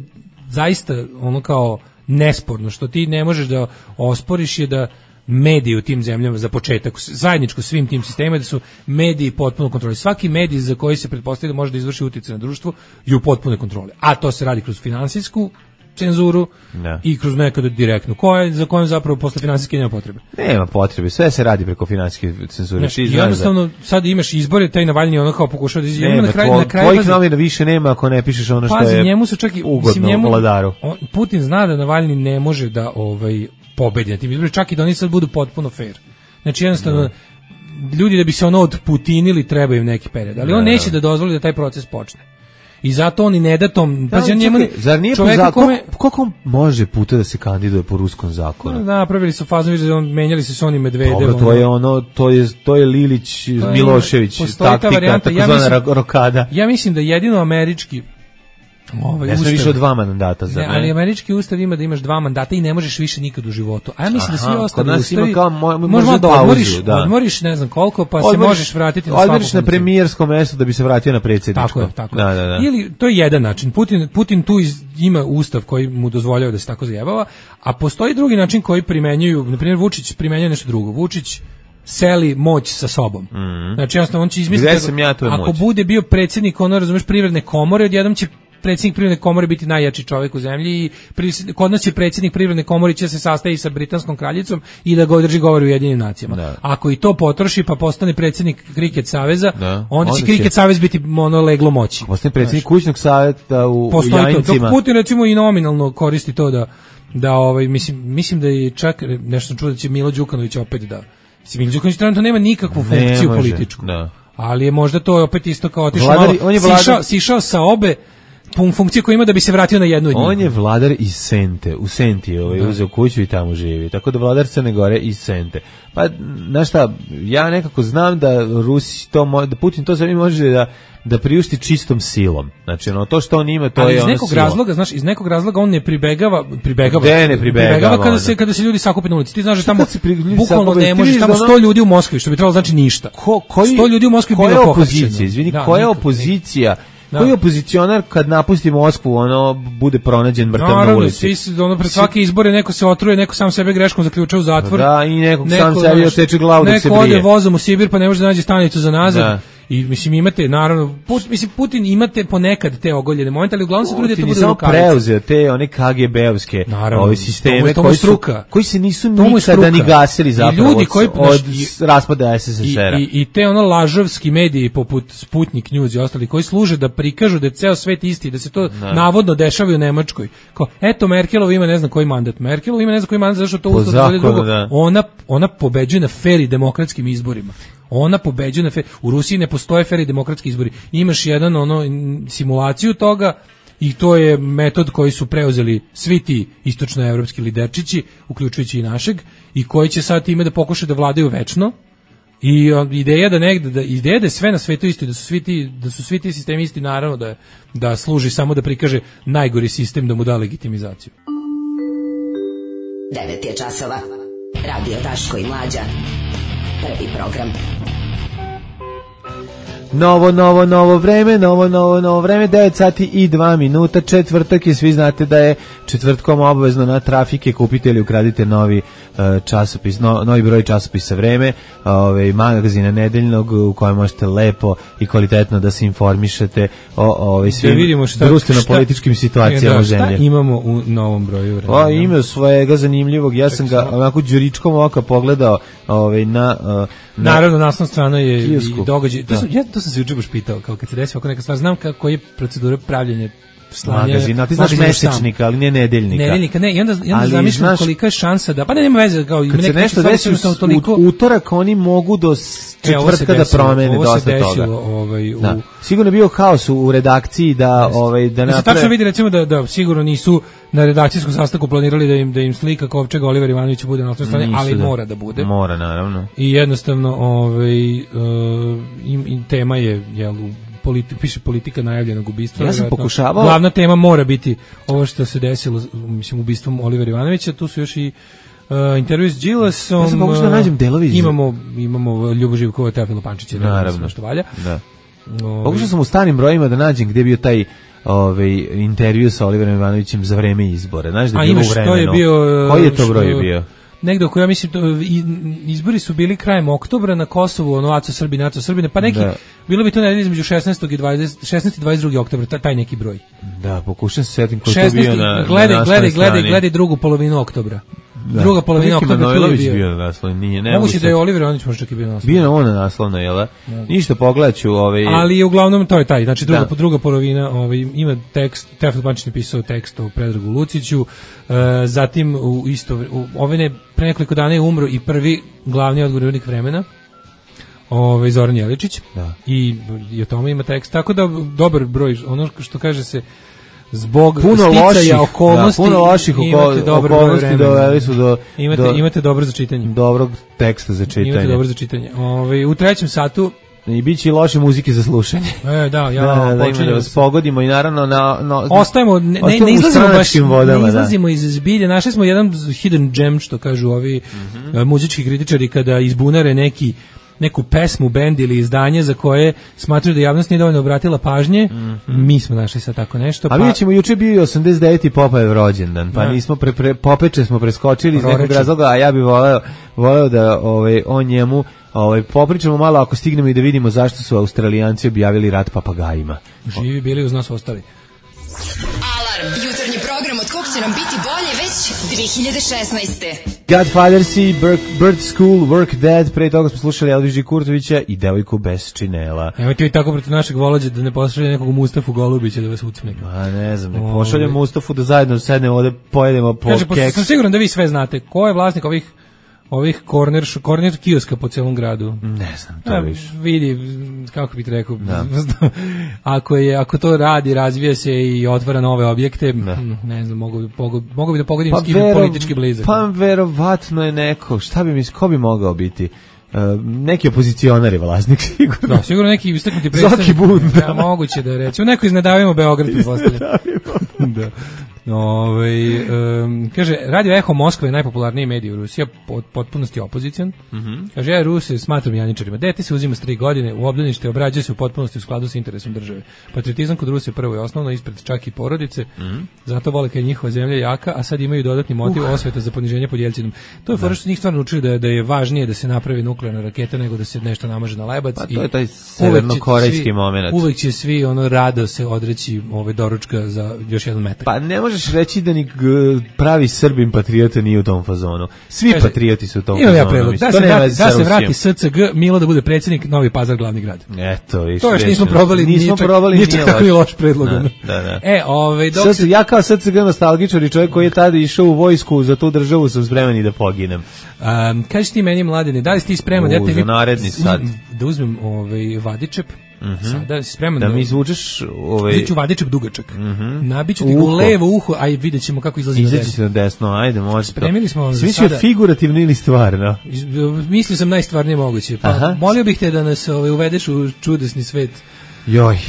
zaista ono kao nesporno, što ti ne možeš da osporiš je da mediji u tim zemljama za početak, zajedničko svim tim sistemima, da su mediji potpuno kontroli. Svaki medij za koji se pretpostavlja da može da izvrši uticaj na društvo je u potpunoj kontroli. A to se radi kroz finansijsku cenzuru i kroz nekada direktnu. Za kojom zapravo posle finansijske nema potrebe? Nema potrebe, sve se radi preko finansijske cenzure. Znači, jednostavno, sad imaš izbore, taj Navalnji ono kao pokušava da izgleda. Na kraju tvojih novina više nema ako ne pišeš ono što je njemu su čak i, ugodno vladaru. Putin zna da Navalnji ne može da pobedi na tim izborima, čak i da oni sad budu potpuno fair. Znači, jednostavno, ljudi da bi se ono odputinili treba im neki period, ali on neće da dozvoli da taj proces počne. I zato on i ne da tom... Zar nije koliko može puta da se kandiduje po ruskom zakonu? Napravili su fazu, menjali su Soni Medvedev. Dobro, to je Lilić, Milošević, taktika, takozvana rokada. Ja mislim da jedino američki ja sam više od 2 mandata za mene. Ali američki ustav ima da imaš 2 mandata i ne možeš više nikad u životu. A ja mislim da svi ostali ustavi možemo da odmoriš ne znam koliko, pa se možeš vratiti na svakog. Odmoriš na premijersko mesto da bi se vratio na predsjedničko. Tako je. Ili, to je jedan način. Putin tu ima ustav koji mu dozvoljava da se tako zajebava, a postoji drugi način koji primenjuju, na primjer Vučić primenjuje nešto drugo. Vučić seli moć sa sobom. Znači, jednostavno, on će izmisliti, ako bude bio predsjednik, razumeš, Privredne komore, odjednom će predsjednik Privredne komore biti najjači čovjek u zemlji i kod nas će predsjednik Privredne komore će se sastati sa britanskom kraljicom i da ga održi govor u Ujedinjenim nacijama. Ako i to potroši pa postane predsjednik Kriket saveza, onda će Kriket savez biti leglo moći. Postane predsjednik kućnog savjeta u Jajincima. Dok Putin recimo i nominalno koristi to da mislim da je čak nešto čuo da će Milo Đukanović opet da. Milo Đukanović trenutno nema nikakvu funkciju političku. Ali je možda to opet isto kao sišao sa obe funkcije koje ima da bi se vratio na jednu od njih. On je vladar iz Sente, u Senti uzeo kuću i tamo živi, tako da vladar Crne Gore iz Sente. Pa, znaš šta, ja nekako znam da da Putin to sve može da priušti čistom silom. Znači, to što on ima, to je ono sila. Iz nekog razloga on ne pribegava kada se ljudi sakupe na ulici. Ti znaš da tamo bukvalno ne možeš, tamo 100 ljudi u Moskvi, što bi trebalo znači ništa. 100 ljudi u Moskvi bilo pohapšeno. Izvini, koja je opozicija? Koji opozicionar kad napusti Moskvu, bude pronađen mrtav na ulici? Pred svake izbore neko se otruje, neko sam sebe greškom zaključa u zatvor. Da, i nekog sam sebi oteče glavu dok se brije. Neko ode vozom u Sibir pa ne može da nađe stanicu za nazad. I mislim imate naravno Putin imate ponekad te ogoljene momente, ali uglavnom se trudi da to bude rukavica. Preuzeo te one KGB-ovske sisteme koji se nisu nikada ni gasili zapravo od raspada SSSR-a. I te lažovski mediji poput Sputnik News i ostali koji služe da prikažu da je ceo svet isti, da se to navodno dešava u Nemačkoj. Kao, eto Merkelova ima ne znam koji mandat. Merkelova ima ne znam koji mandat, zašto to ustav drugo. Ona pobeđuje na fer i demokratskim izborima. Ona pobeđuje u Rusiji ne postoje fer i demokratski izbori. Imaš jedan simulaciju toga i to je metod koji su preuzeli svi ti istočnoevropski liderčići, uključujući i našeg, i koji će sad time da pokušaju da vladaju večno. I ideja da je sve na svetu isto, da su svi ti sistemi isti, naravno da služi samo da prikaže najgori sistem, da mu da legitimizaciju. 9 je časova. Radio Daško i Mlađa. Prvi program. Novo vreme, 9 sati i 2 minuta, četvrtak je, svi znate da je četvrtkom obavezno na Trafike, kupite ili ukradite novi časopis, novi broj časopisa Vreme, magazina nedeljnog u kojem možete lepo i kvalitetno da se informišete o svim društveno-političkim situacijama zemlje. Šta imamo u novom broju Vremena? Ima svojega zanimljivog, ja sam ga onako đuričkom oka pogledao na... Naravno, naslovna strana je i događaj. To sam se juče baš pitao, kao kad se desi ovako neka stvar, znam koji je procedura pravljenja magazina, ti znaš mesečnika, ali ne nedeljnika. Nedeljnika, ne, i onda zamišljam kolika je šansa da, pa nema veze, kao kad se nešto desi u utorak, oni mogu do četvrtka da promene dosta toga. Sigurno je bio haos u redakciji da se tačno vidi, recimo da sigurno nisu na redakcijskom sastanku planirali da im slika Kovčega Oliver Ivanović bude na osnovnoj strani, ali mora da bude. Mora, naravno. I jednostavno tema je piše politika najavljenog ubistva. Ja sam pokušavao. Glavna tema mora biti ovo što se desilo, mislim, ubistvom Olivera Ivanovića. Tu su još i intervju s Đilasom. Ja sam pokušao da nađem delovi. Imamo Ljubo Živkova, Teofila Pančića, naravno, što valja. Da. Pokušao sam u starim brojima da nađem gde je bio taj intervju sa Oliverom Ivanovićem za vreme izbora. Znaš da je bilo u vremenu. Koji je to broj bio? Negde oko, ja mislim, izbori su bili krajem oktobra na Kosovu, ono Aco Srbine, pa neki, bilo bi to nedelje između 16. i 22. oktobra, taj neki broj. Da, pokušam se setim koji to bio na naslovnoj strani. Gledaj drugu polovinu oktobra. Da. Druga polovina oktobra tu je bio na naslovnoj, nije. Moguće da je Oliver Ivanović možda čak i bio na naslovnoj. Bio na ona naslovna, jel da? Ništa, pogledaću. Ali uglavnom to je taj, znači druga polovina, ima tekst, Tefil Pančić je pisao tekst o Predragu Luciću, zatim pre nekoliko dana je umro i prvi glavni odgovornik Vremena, Zoran Jeličić, i o tome ima tekst, tako da dobar broj, ono što kaže se, zbog sticaja okolnosti, puno loših okolnosti doveli su do imate dobro za čitanje. Dobrog teksta za čitanje. Imate dobro za čitanje. U trećem satu i biće i loše muzike za slušanje. Da vas pogodimo i naravno ostajemo, ne izlazimo iz zbilje. Našli smo jedan hidden gem, što kažu ovi muzički kritičari, kada izbunare neku pesmu, bend ili izdanje za koje smatruju da javnost nije dovoljno obratila pažnje. Mi smo našli sad tako nešto. A vidjet ćemo, juče bio 89. Popajev rođendan, pa nismo Popeče smo preskočili iz nekog razloga, a ja bih voleo da o njemu popričamo malo, ako stignemo, i da vidimo zašto su Australijanci objavili rat papagajima. Živi bili, uz nas ostali. Alarm, jutarnji program od kog će nam biti bolje već 2016. Godfathers i Bird School, Work Dead, pre toga smo slušali Elviži Kurtovića i Devojku bez činela. Evo ti tako protiv našeg Volođa da ne pošalje nekog Mustafu Golubića da vas ucne. Ne znam, ne pošaljem Mustafu da zajedno sednemo ovde, pojedemo po keks. Kaže, sam siguran da vi sve znate. Ko je vlasnik ovih corner kioska po celom gradu? Ne znam, to više. Vidi, kako bih rekao, ako to radi, razvija se i otvara nove objekte, ne znam, mogu bi da pogodim s kim je politički blizak. Pa verovatno je neko, ko bi mogao biti? Neki opozicionar je vlasnik, sigurno. Da, sigurno neki istaknuti predstavnik. Zoki Bund. Ja, moguće da reći. Neko iz Ne davimo Beograd, pretpostavljam. Da. Kaže, Radio Eho Moskva je najpopularniji medij u Rusiji, potpunosti opozicijan. Kaže, ja Ruse smatram janjičarima. Dete se uzima s 3 godine, u obdanište obrađuje se u potpunosti u skladu s interesom države. Patriotizam kod Rusije prvo je osnovno, ispred čak i porodice, zato vole kad je njihova zemlja jaka, a sad imaju dodatni motiv osveta za poniženje pod Jelcinom. To je fora što njih stvarno učili da je važnije da se napravi nuklearna raketa nego da se nešto namaže na lebac. Pa to je taj severno-korejski moment. Uvek će svi rado se odreći doručka za još jedan metak. Pa ne možeš reći da ni pravi Srbin patriota nije u tom fazonu. Svi patrioti su u tom fazonu. Imam ja predlog, da se vrati SCG, Milo da bude predsjednik, Novi Pazar glavni grad. Eto, to još nismo probali, nije čak tako i loš predlog. Ja kao SCG nostalgičar i čovjek koji je tada išao u vojsku, za tu državu sam spreman i da poginem. Kaži ti meni, Mladine, da li si ti spreman za naredni sat da uzmem vadičep? Sada si spreman da mi izvučeš Iću vadičep dugačak. Nabiću ti u levo uho, a vidjet ćemo kako izlazi na desno. Izaći na desno, ajde, može. Spremili smo sada. Smislio figurativno ili stvarno? Mislio sam najstvarnije moguće. Pa molio bih te da nas uvedeš u čudesni svet. Joj.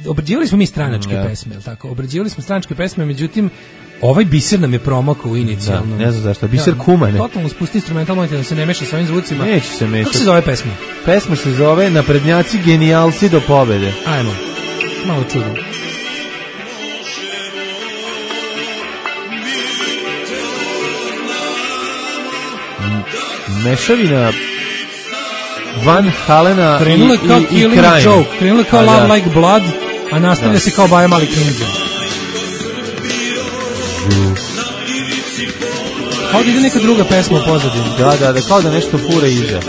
Obrađivali smo mi stranačke pesme, je li tako? Obrađivali smo stranačke pesme, međutim ovaj biser nam je promakao inicijalno. Ne znam zašto, biser kumane. Totalno spusti instrumental, mojte da se ne meša sa ovim zvucima. Neće se mešati. Kako se zove pesma? Pesma se zove Naprednjaci genijalci do pobede. Ajmo, malo čudno. Mešavina Van Halena i Krajina. Krenula kao Love Like Blood, a nastavlja se kao Baja Mali Klinđa. Kao da ide neka druga pesma u pozadini. Da, kao da nešto fura iza.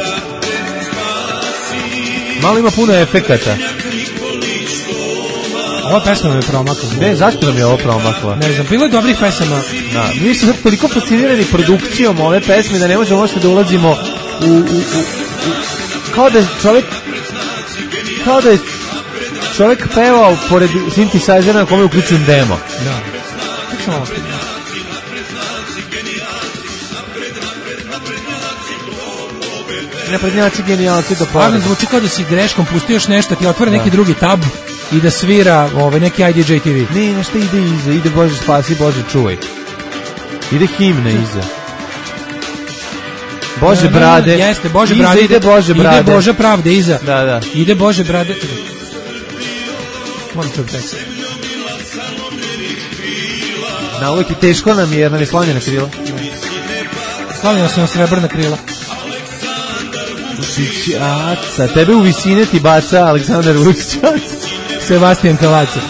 Malo ima puno efekata. Ova pesma nam je promakla. Ne, zašto nam je ovo promakla? Ne znam, bilo je dobrih pesama. Da, mi smo toliko fascinirani produkcijom ove pesme da ne možemo možete da ulazimo u kao da je čovjek pevao pored synthesizera na kome je uključen demo. Da. Tako sam ovo. Naprednjaci genijalci do pobede. Stvarno zvuči kao da si greškom pustio još nešto, ti otvore neki drugi tab i da svira neki IDJ TV. Ne, nešto ide iza, ide Bože spasi, Bože čuvaj. Ide himna iza. Bože brade. Jeste, Bože brade. Ide Bože brade. Ide Bože pravde iza. Da. Ide Bože brade. Moram čuti tekst. Na uvijek i teško nam je, jer nam je slavljena krila. Slavljena su nam srebrna krila. Sa tebe u visine ti baca Aleksandar Vučić. Sebastian Kalaca.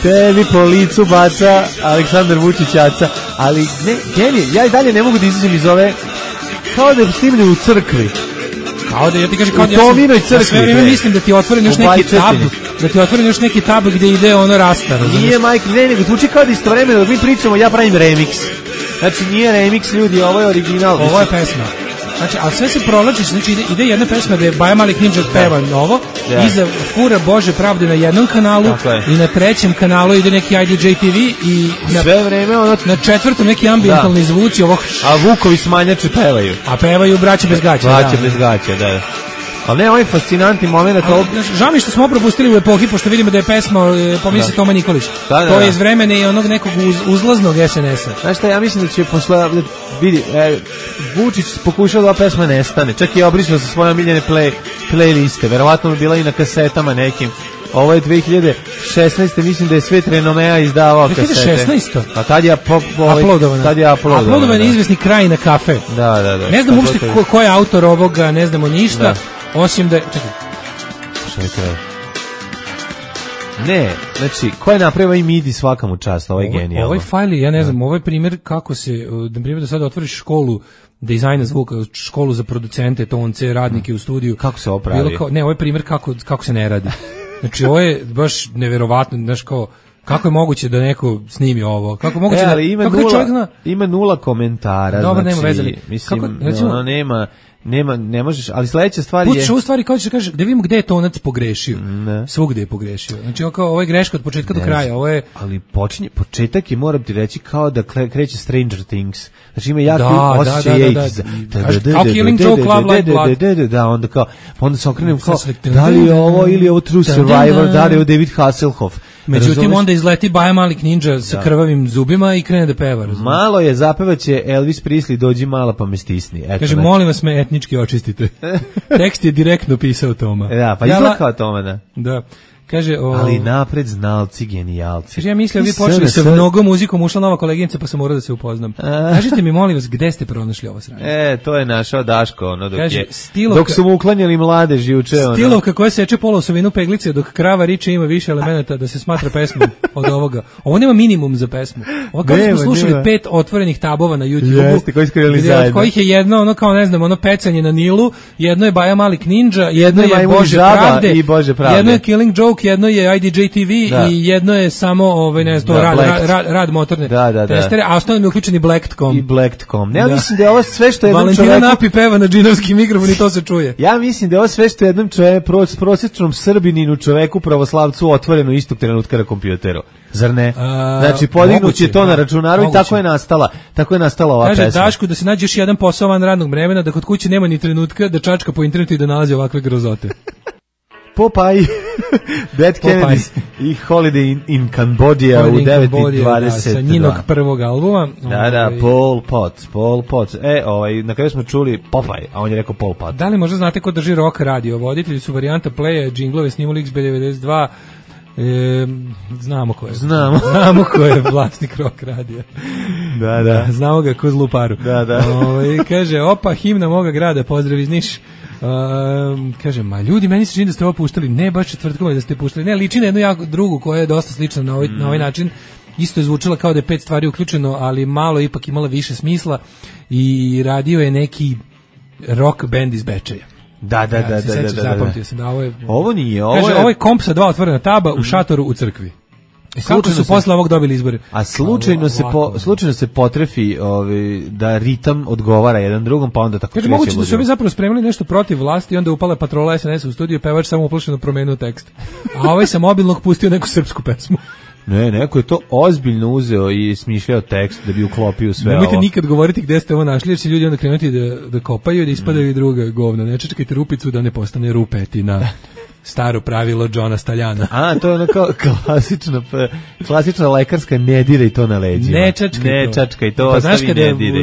Tebi po licu baca Aleksandar Vučićaca. Ali ne, genije, ja i dalje ne mogu da izađem iz ove, kao da snimlju u crkvi. Kao da, ja ti kažem, kao da u Tominoj crkvi. Sve vreme mislim da ti otvorim još neki tab, da ti otvorim još neki tab gde ide ono rasta. Nije, majke, ne, nego zvuči kao da istovremeno dok mi pričamo, ja pravim remix. Znači, nije remix, ljudi, ovo je original. Ovo je pesma. Znači, a sve se provlači, znači ide jedna pesma da je Baja Malik Ninja peva novo, iza fura Bože pravde na jednom kanalu i na trećem kanalu ide neki IDJ TV i sve vreme na četvrtom neki ambientalni zvuci ovog. A Vukovi smanjači pevaju. A pevaju Braće bez gaća. Braće bez gaća, da. Ali ne, ovaj fascinantni moment. Žao mi što smo propustili u epohi, pošto vidimo da je pesma, pominje se Toma Nikolić. To je iz vremena i onog nekog uzlaznog SNS-a. Znaš šta, ja mislim da će posle, vidi, Vučić pokušao da ova pesma nestane, čak i obrisao sa svoje omiljene playliste, verovatno bi bila i na kasetama nekim. Ovo je 2016. Mislim da je Svet Renomea izdavao kasete. 2016. A tad je uploadovana. Uploadovan je izvesni kraj na kafe. Da. Ne znam uopšte ko je autor ovoga, ne znamo ništa, osim da... Čekaj. Šta je kraj? Ne, znači, ko je napravio ovaj MIDI svaka mu čast, ovaj genijalno. Ovaj fajl, ja ne znam, ovaj primjer kako se, na primjer da sad otvoriš školu dizajna zvuka, školu za producente, tonce, radnike u studiju. Kako se opravi? Ne, ovaj primjer kako se ne radi. Znači, ovo je baš neverovatno, znaš kao, kako je moguće da neko snimi ovo? Kako je moguće ali ima nula komentara. Dobro, znači, nema veze. Mislim, recimo, ne možeš, ali sledeća stvar je... Pućeš ovu stvari kao da kaže, da vidimo gde je tonac pogrešio. Svugde je pogrešio. Znači, ovo je greška od početka do kraja. Ovo je... Ali početak je, moram ti reći, kao da kreće Stranger Things. Znači, ima jako osjećaj kao Killing Joke, Love Like Blood. Da, onda kao, onda se okrenem kao, da li je ovo ili je ovo True Survivor, da li je ovo David Hasselhoff. Međutim, onda izleti Baja Malik Ninja sa krvavim zubima i krene da peva. Malo je, zapevaće Elvis Presley, dođi mala pa me stisni. Kaže, molim vas me etnički očistite. Tekst je direktno pisao Toma. Da, pa izgleda kao Toma, da. Da. Kaže, ali napred znalci, genijalci. Kaže, ja mislim, vi počeli sa mnogo muzikom, ušla nova koleginica, pa sam morao da se upoznam. Kažite mi, molim vas, gde ste pronašli ovo sranje? To je našao Daško, ono, dok su mu uklanjali mladež juče. Stilovka koja seče polovsovinu peglice, dok krava riče ima više elemenata da se smatra pesmom od ovoga. Ovo nema minimum za pesmu. Ovo kao smo slušali 5 otvorenih tabova na YouTube. Jeste, koji skrivali zajedno. Od kojih je jedno, ono kao, ne znam, ono pecanje na Nilu, jedno je Baja Malik Ninja, jedno je Bože pravde, jedno je Killing Joke, jedno je IDJ TV i jedno je samo ne znam, to rad motorne testere, a ostalo mi je uključeni Blackcom. I Blackcom. Ja mislim da je ovo sve što jednom Valentina Napi peva na džinovski mikrofon i to se čuje. Ja mislim da je ovo sve što jednom prosječnom Srbininu čoveku pravoslavcu otvoreno istog trenutka na kompjuteru. Zar ne? Znači, podignut je to na računaru i tako je nastala ova pesma. Kaže Dašku da se nađe još jedan posao van radnog vremena, da kod kuće nema ni trenutka da čačka po internetu i da nalazi ovakve grozote. Popeye, Dead Kennedys i Holiday in Cambodia u 9:22. Sa njinog prvog albuma. Da, Pol Pot. Na kraju smo čuli Popeye, a on je rekao Pol Pot. Da li možda znate ko drži Rock radio? Voditelji su varijanta playa, džinglove snimali XB92. Znamo ko je vlasnik Rock radija. Da. Znamo ga ko zlu paru. Da. Kaže, opa, himna moga grada, pozdrav iz Niš. Kaže, ma ljudi, meni se čini da ste ovo puštali, ne baš četvrtkom da ste puštali, ne, liči na jednu jako drugu koja je dosta slična na ovaj način, isto je zvučala kao da je 5 stvari uključeno, ali malo ipak imala više smisla i radio je neki rock band iz Bečeja. Da. Zapamtio sam da ovo nije, ovo je komp sa 2 otvorena taba u šatoru u crkvi. Kako su posle ovog dobili izbore? A slučajno se potrefi da ritam odgovara jedan drugom, pa onda tako kreće. Moguće da su ovi zapravo spremili nešto protiv vlasti i onda upala patrola SNS u studiju, pevač samo uplašeno promenio tekst. A ovaj sa mobilnog pustio neku srpsku pesmu. Ne, neko je to ozbiljno uzeo i smišljao tekst da bi uklopio sve ovo. Nemojte nikad govoriti gde ste ovo našli, jer će ljudi onda krenuti da kopaju i da ispadaju i druga govna. Ne čekajte rupicu da ne postane rupetina. staro pravilo Johna Staljana. A, to je ono kao klasična lekarska ne diraj to na leđima. Ne čačkaj to, ostavi ne diraj.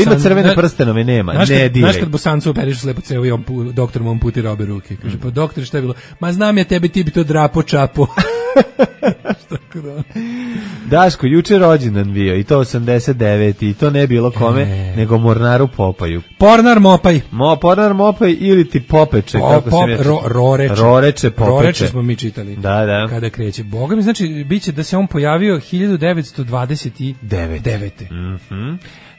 Ima crvene prstenove, nema, ne diraj. Znaš kad Bosancu operišu slepo cevo i doktor mu amputi obe ruke. Kaže, pa doktor, šta je bilo? Ma znam ja tebe, ti bi to drapo čapo. Daško, juče rođendan bio i to 89 i to ne bilo kome nego Mornaru Popaju. Pornar Mopaj. Pornar Mopaj ili ti Popeče, kako se mi Roreče, Popeče. Roreče smo mi čitali. Da. Kada kreće. Boga mi, znači, biće da se on pojavio 1929.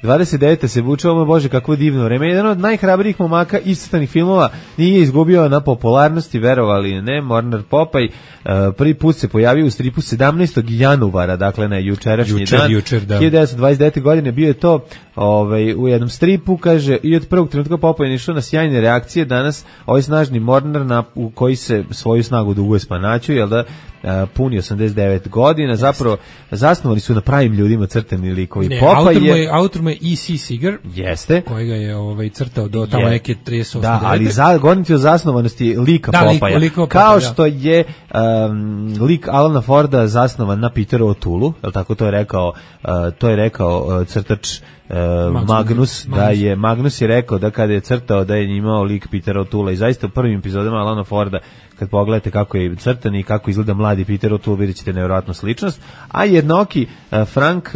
29. se vuče, ovo Bože, kakvo divno vreme. Jedan od najhrabrijih momaka iscrtanih filmova nije izgubio na popularnosti, verovali ne, Mornar Popaj. Prvi put se pojavio u stripu 17. januara, dakle na jučerašnji dan. 1929. godine bio je to u jednom stripu, kaže, i od prvog trenutka Popaj je išao na sjajne reakcije. Danas ovaj snažni Mornar u koji se svoju snagu duguje Spanaću, jel da, puni 89 godina, zapravo zasnovali su na pravim ljudima crtani likovi. Autor mu je E.C. Seeger, jeste, kojega je crtao do tamo neke 38. Da, ali govoriti o zasnovanosti lika Popaja. Kao što je lik Alana Forda zasnovan na Peteru O'Tooleu, je li tako to je rekao crtač Magnus, Magnus je rekao da kada je crtao da je imao lik Petera O'Toole'a i zaista u prvim epizodama Alana Forda, kad pogledate kako je crtan i kako izgleda mladi Peter O'Toole, vidjet ćete nevjerojatnu sličnost. A jednoki Frank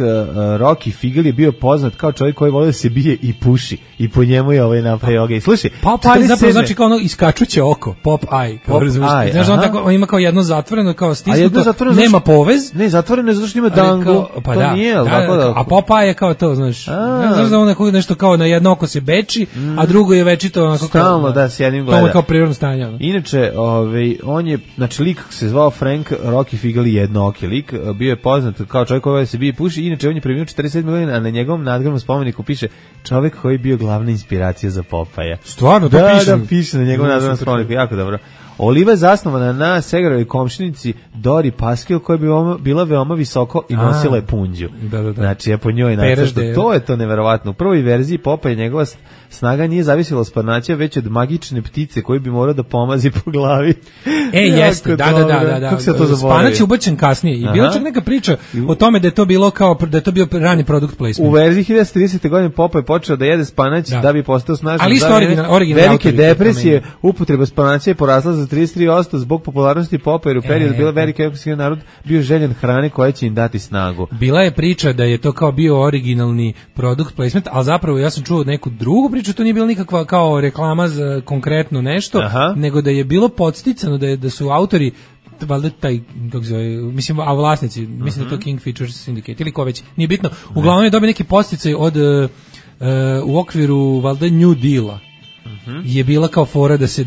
Rocky Figel je bio poznat kao čovjek koji voli da se bije i puši i po njemu je napravio ovdje. Slušaj, Popeye zapravo znači kao ono iskačuće oko, Popeye. Znaš, on ima kao jedno zatvoreno, kao stisnuto, nema povez. Ne, zatvoreno je zato što ima dangu. Pa da, a Popeye je kao to, znaš. Znaš da on nešto kao na jedno oko se beči, a drugo je večito onako kao... Stalno, da, s jednim gleda. To je kao prirodno stanje. Inače, on je, znači lik se zvao Frank Rocky Figel, jednooki lik, bio je poznat kao čovjek koji se bije puši, inače on je preminuo 47 godina, a na njegovom nadgrobnom spomeniku piše čovjek koji je bio glavna inspiracija za Popaja. Stvarno, to piše? Da, piše na njegovom nadgrobnom spomeniku, jako dobro. Oliva je zasnovana na Segerovoj komšinici Dori Paskil, koja je bila veoma visoko i nosila je punđu. Da. Znači, je po njoj nacrto. To je to neverovatno. U prvoj verziji Popeye njegova snaga nije zavisila od Spanaća, već od magične ptice koju bi morao da pomazi po glavi. Jeste, da. Kako se to zaboravi? Spanać je ubačen kasnije. I bila čak neka priča o tome da je to bilo da je to bio rani product placement. U verziji 1930. godine Popeye počeo da jede Spanać da bi postao snažan. Ali isto originalni velike depresije, upotreba Spanaća je porasla za 33% zbog popularnosti Popeye, jer u periodu bila veliki evropski narod bio željen hrane koja će im dati snagu. Bila je priča da je to kao bio originalni product placement, ali zapravo ja sam čuo neku drugu priču, to nije bila nikakva kao reklama za konkretno nešto, nego da je bilo podsticano da su autori valjda taj, kako se zove, mislim, a vlasnici, mislim da to King Features Syndicate ili ko već, nije bitno, uglavnom je dobio neki podsticaj od u okviru valjda New Deala. Je bila kao fora da se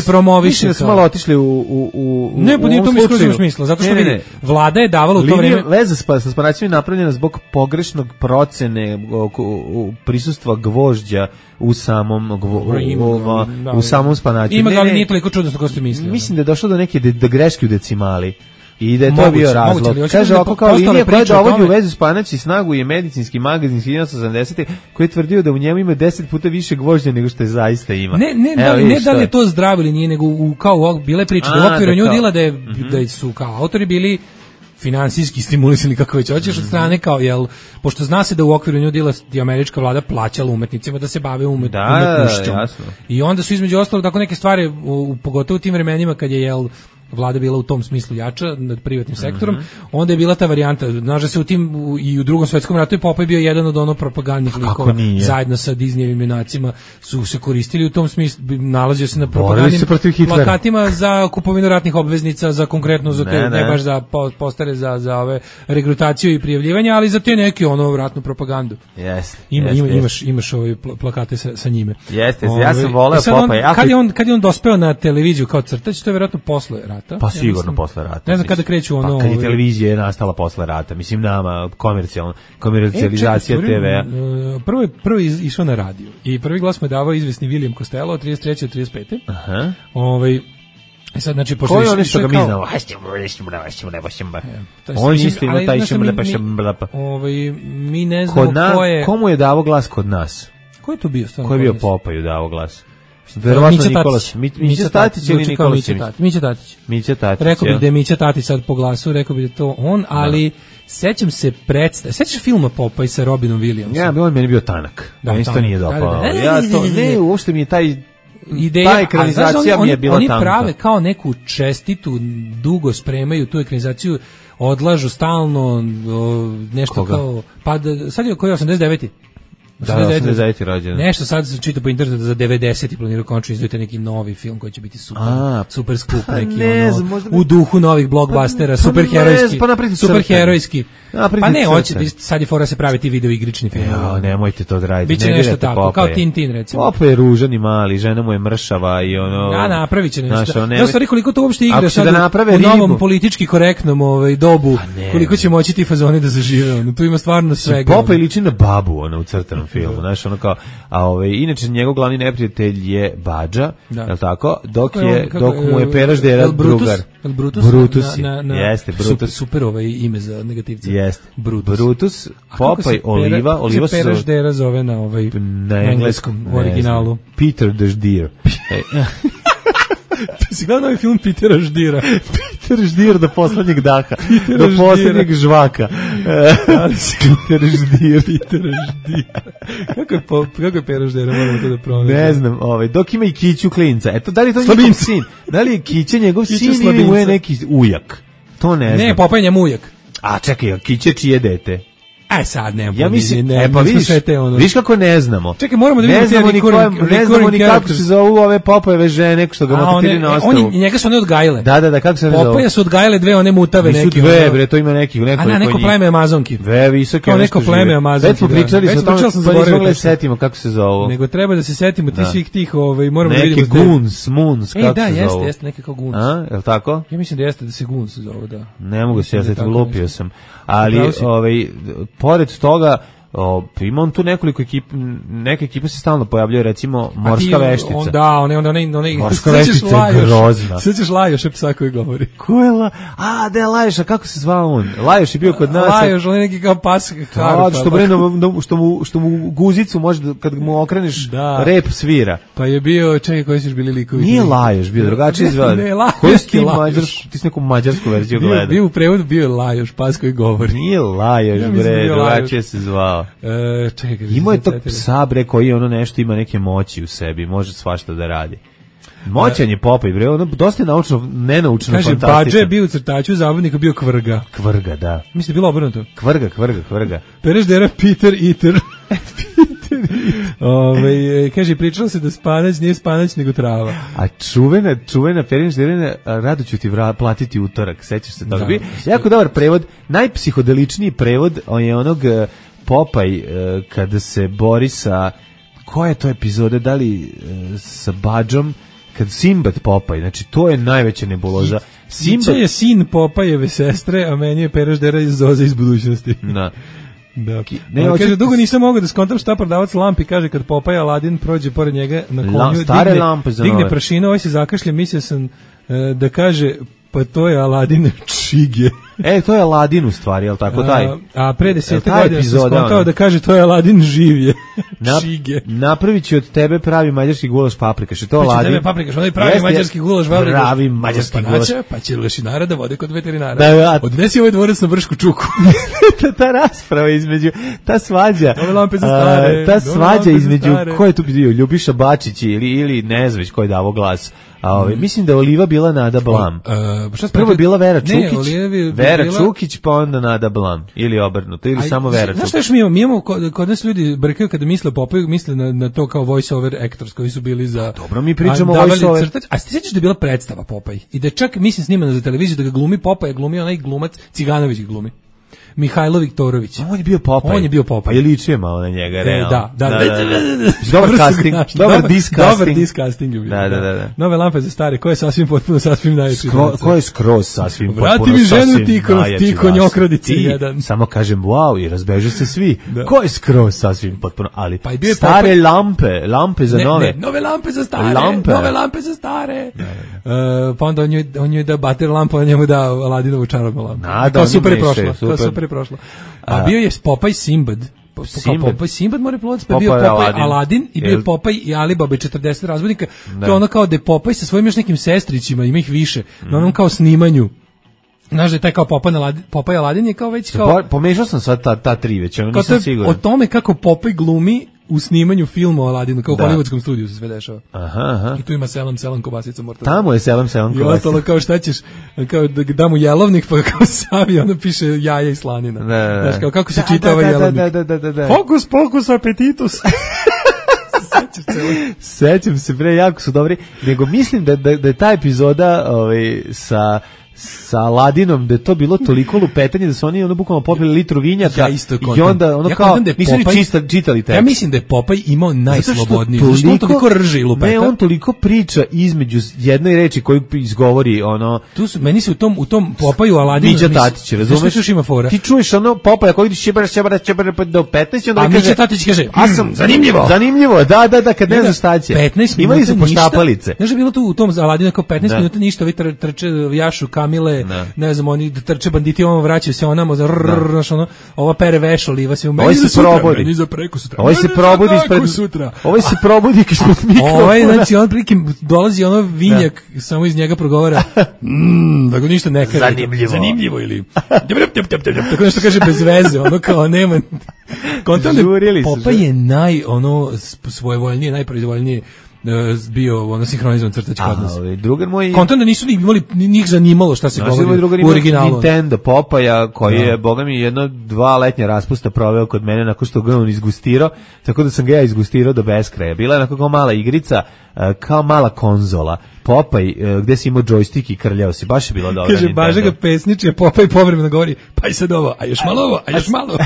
promoviše. Mislim da smo malo otišli u ne, pa nije to mi smisla, zato što vidi, vlada je davala u to vreme... Veza sa Spanaćima je napravljena zbog pogrešnog procene prisustva gvožđa u samom Spanaću. Ima ga, ali nije toliko čudno što ste mislili. Mislim da je došlo do neke greške u decimali. I da je to bio razlog. Kaže ovako kao linija koja dovodi u vezu Spanać i snagu je medicinski magazin 1980. koji je tvrdio da u njemu ima 10 puta više gvožđa nego što je zaista ima. Ne da li je to zdravo ili nije, nego kao bile priče da u okviru New Deala da su kao autori bili finansijski stimulisani, kako već hoćeš, od strane kao, pošto zna se da u okviru New Deala i američka vlada plaćala umetnicima da se bave umetnošćom. I onda su između ostalog tako neke stvari, pogotovo u tim vremenima kad je vlada bila u tom smislu jača nad privatnim sektorom, onda je bila ta varijanta, znaš da se u tim i u Drugom svetskom ratu je Popeye bio jedan od propagandnih likova, zajedno sa Disneyevim junacima su se koristili u tom smislu, nalazio se na propagandnim plakatima za kupovinu ratnih obveznica, za konkretno ne baš za postere za ove regrutaciju i prijavljivanje, ali za te neke ratnu propagandu. Imaš ove plakate sa njime. Jeste, ja sam voleo Popeye. Kad je on dospeo na televiziju kao crtač, to je vjerojatno posle rata. Pa sigurno posle rata. Ne znam kada kreću ono... Pa kad je televizija nastala posle rata, mislim nama komercijalizacija TV-a. Prvo išao na radio i prvi glas mu je davao izvesni William Costello od 33. od 35. Aha. Sad, znači, ko je ono što ga mi znamo? On isto ima taj mi ne znamo ko je... Komu je davo glas kod nas? Ko je to bio? Ko je bio Popeye davo glas? Verovatno Nikolas. Mića Tatić ili Nikola Simić? Mića Tatić. Rekao bih da je Mića Tatić sad po glasu, rekao bih da je to on, ali sećam se sećaš filma Popeye sa Robinom Williamsom? Ja, on meni bio tanak. Meni to nije dopao. Ja to, ne, uopšte mi je ta ekranizacija mi je bila tanka. Oni prave kao neku čestitu, dugo spremaju tu ekranizaciju, odlažu stalno nešto kao, pa sad je koji 89. Da, 89. rođendan. Nešto sad se čita po internetu za 90 i planiraju končno izdati neki novi film koji će biti super skup, neki u duhu novih blockbustera, superherojski. Pa ne, sad je fora se pravi ti video igrični film. Nemojte to da radite. Biće nešto tako, kao Tintin recimo. Popeye je ružan i mali, žena mu je mršava i ono... Da, napravit će nešto. Ja stvari koliko to uopšte igra sad u novom politički korektnom dobu, koliko će moći ti fazoni da zažive. Tu ima stvarno svega. Popeye liči na babu u crtanom filmu, znaš, ono kao, inače njegov glavni neprijatelj je Badža, je li tako, dok mu je Pera Ždera drugar. Brutus, jeste, Brutus. Super ime za negativce. Jeste, Brutus, Popeye, Oliva se Pera Ždera zove na engleskom originalu. Peter the Ždir. Ti si gledao ovaj film Petera Ždira? Peter Ždir do poslednjeg daha, do poslednjeg žvaka. Peter Ždir. Kako je Pera Ždira, moramo to da pronađemo. Ne znam, dok ima i Kiću klinca. Eto, da li je to njegov sin? Da li je Kića njegov sin ili mu je neki ujak? To ne znam. Ne, Popeye njemu ujak. A čekaj, Kića čije dete? Sad ne. Ja mislim, pa vidiš kako ne znamo. Čekaj, moramo da vidimo ne znamo ni kako se zovu ove Popojeve žene što ga motiviraju na ostavu. Njega su one odgajile. Da, kako se zovu? Popoje su odgajile dve one mutave neki. Nisu dve, bre, to ima neki. Neko pleme Amazonki. Visoke. Neko pleme Amazonki. Već smo pričali o tome, pa nismo gledali setimo kako se zovu. Nego treba da se setimo ti svih tih, moramo da vidimo. Neki Moons, kako se zovu. Da, jeste, neki kao Goons. Je li tako? Ja mislim da jeste da se Goons zovu, da. Ne mogu se, ja se lupio sam. Ali, pored toga, ima on tu nekoliko ekipa, neke ekipe se stalno pojavljaju, recimo Morska veštica. Da, one Morska veštica je grozna. Sve ćeš Lajoš je psa koji govori. Ko je da je Lajoš, a kako se zvao on? Lajoš je bio kod nas. Lajoš, on je neki kao pas. Što mu guzicu može, kad mu okreneš rep svira. Pa je bio, čekaj, koji su bili likovi? Nije Lajoš, bio drugačiji zvao. Ne, Lajoš. Ti si neku mađarsku verziju gledao. Bio u prevodu, bio je Lajoš, pas koji govori. Nije Lajoš, bre, drugačije se zvao. Imao je tog psa, bre, koji ono nešto ima neke moći u sebi, može svašta da radi. Moćan je Popeye, bre, ono dosta je nenaučno fantastično. Kaže, Badže je bio u crtaču, zabavnika bio Kvrga. Kvrga, da. Mislim, bilo obrnuto. Kvrga. Pera Ždera, Peter Eater. Kaže, pričalo se da spanać nije spanać nego trava. A čuvena Pera Ždera, rado ću ti platiti utorak, sećaš se toga? Jako dobar prevod, najpsihodeličniji prevod, on je onog Popeye kada se bori sa, koja je to epizode, da li sa Badžom, kad Sinbad Popeye, znači to je najveća nebuloza. Sinbad je sin Popeyeve sestre, a meni je Pera Ždera iz Zoze iz budućnosti. Da. Kaže, dugo nisam mogao da skontam šta prodavac lampi, kaže, kad Popeye Aladin prođe pored njega na konju, digne prašinu, ovaj se zakašlje, mislio sam da kaže, pa to je Aladin čige. To je Aladin u stvari, je li tako taj? A pre 10 godina sam skontao da kaže to je Aladin živje. Čige. Napravit će od tebe pravi mađarski gulaš paprikaš. To Aladin. Tebe paprikaš, onaj pravi mađarski gulaš paprikaš. Pravi mađarski gulaš. Pa će lešinara da vode kod veterinara. Odnesi ovaj dvorac na Bršku čuku. Ta rasprava između, ta svađa. Ove lampe za stare. Ta svađa između, ko je tu bio? Ljubiša Bačić ili ne znam već ko je davo glas. Mislim da je Oliva bila Nada Blam. Prvo je bila Vera Čukić. Vera Čukić, pa onda Nada Blam. Ili obrnuto, ili samo Vera Čukić. Znaš što još mi imamo, kod nas ljudi brkaju kada misle Popeye, misle na to kao voice over actors koji su bili za... Dobro, mi pričamo voice over... A ti sećaš da je bila predstava Popeye? I da čak, mislim, snimana za televiziju, da ga glumi Popeye, glumi onaj glumac, Ciganović ga glumi. Mihajlo Viktorović. On je bio Popeye. On je bio Popeye. Pa je ličio malo na njega, realno. Da. Dobar casting, dobar discasting. Da. Nove lampe za stare, koje je sasvim potpuno, sasvim najveći. Ko je skroz sasvim potpuno, vrati mi ženu ti konjokradice jedan. Samo kažem wow i razbeže se svi. Ko je skroz sasvim potpuno, ali stare lampe za nove. Nove lampe za stare. Pa onda on joj da bater lampu, on njemu da Aladinovu čarobnu lampu. Kao super je prošlo. A bio je Popeye Sinbad Popaj Simbad mora plovac, pa je bio Popaj Aladin i bio je Popaj i Alibaba i 40 razbojnika. To je ono kao da je Popaj sa svojim još nekim sestrićima, ima ih više, na onom kao snimanju. Znaš da je taj kao Popaj Aladin je kao već kao... Pomešao sam sad ta tri već, ono nisam siguran. O tome kako Popaj glumi u snimanju filma o Aladinu, kao u hollywoodskom studiju se sve dešava. Aha. I tu ima selam kobasica morta. Tamo je selam kobasica. I ostalo kao šta ćeš, kao da mu jelovnik, pa kao savi, onda piše jaja i slanina. Znaš, kao kako se čita ovaj jelovnik. Fokus, pokus, apetitus. Sećam se, bre, jako su dobri. Nego mislim da je ta epizoda sa Aladinom, da je to bilo toliko lupetanje da su oni bukvalno popili litru vinjaka i onda kao nisu ni čitali tekst. Ja mislim da je Popaj imao najslobodniji. Zašto on toliko rže i lupeta? Ne, on toliko priča između jedne reči koju izgovori ono... Meni se u tom Popaju Aladinu... Miđa Tatić, razumeš? Ti čuješ ono Popaja koji ide šibara do 15 onda kaže... A Miđa Tatić kaže, zanimljivo, da, kad ne znaš šta će. Imali su poštapalice. Znaš, je bilo tu u tom Aladinu kao 15 minuta ništa, ovi trče jašu Kamile, ne znam, oni trče banditi, ono vraćaju se onamo, znaš, ono, ova pere veš oliva se u meni za sutra, meni za preko sutra. Ovaj se probudi ispred sutra. Ovaj se probudi ispred mikrofona. Ovaj, znači, on prikim dolazi ono vinjak, samo iz njega progovara, da go ništa ne kaže. Zanimljivo ili... Tako nešto kaže bez veze, ono kao nema... Popaj je svojevoljnije, najproizvoljnije bio ono sinhronizovan crtač kod nas. Drugar moj... Kontent da nisu ni imali, njih zanimalo šta se govori u originalu. Nintendo Popaja, koji je, boga mi, 1-2 letnja raspusta proveo kod mene nakon što ga on izgustirao, tako da sam ga ja izgustirao do beskraja. Bila je onako kao mala igrica, kao mala konzola. Popaj, gde si imao džojstik i krljao si, baš je bilo dobro. Kaže, Baža ga pesniče, Popaj povremeno govori, pa i sad ovo, a još malo ovo, a još malo.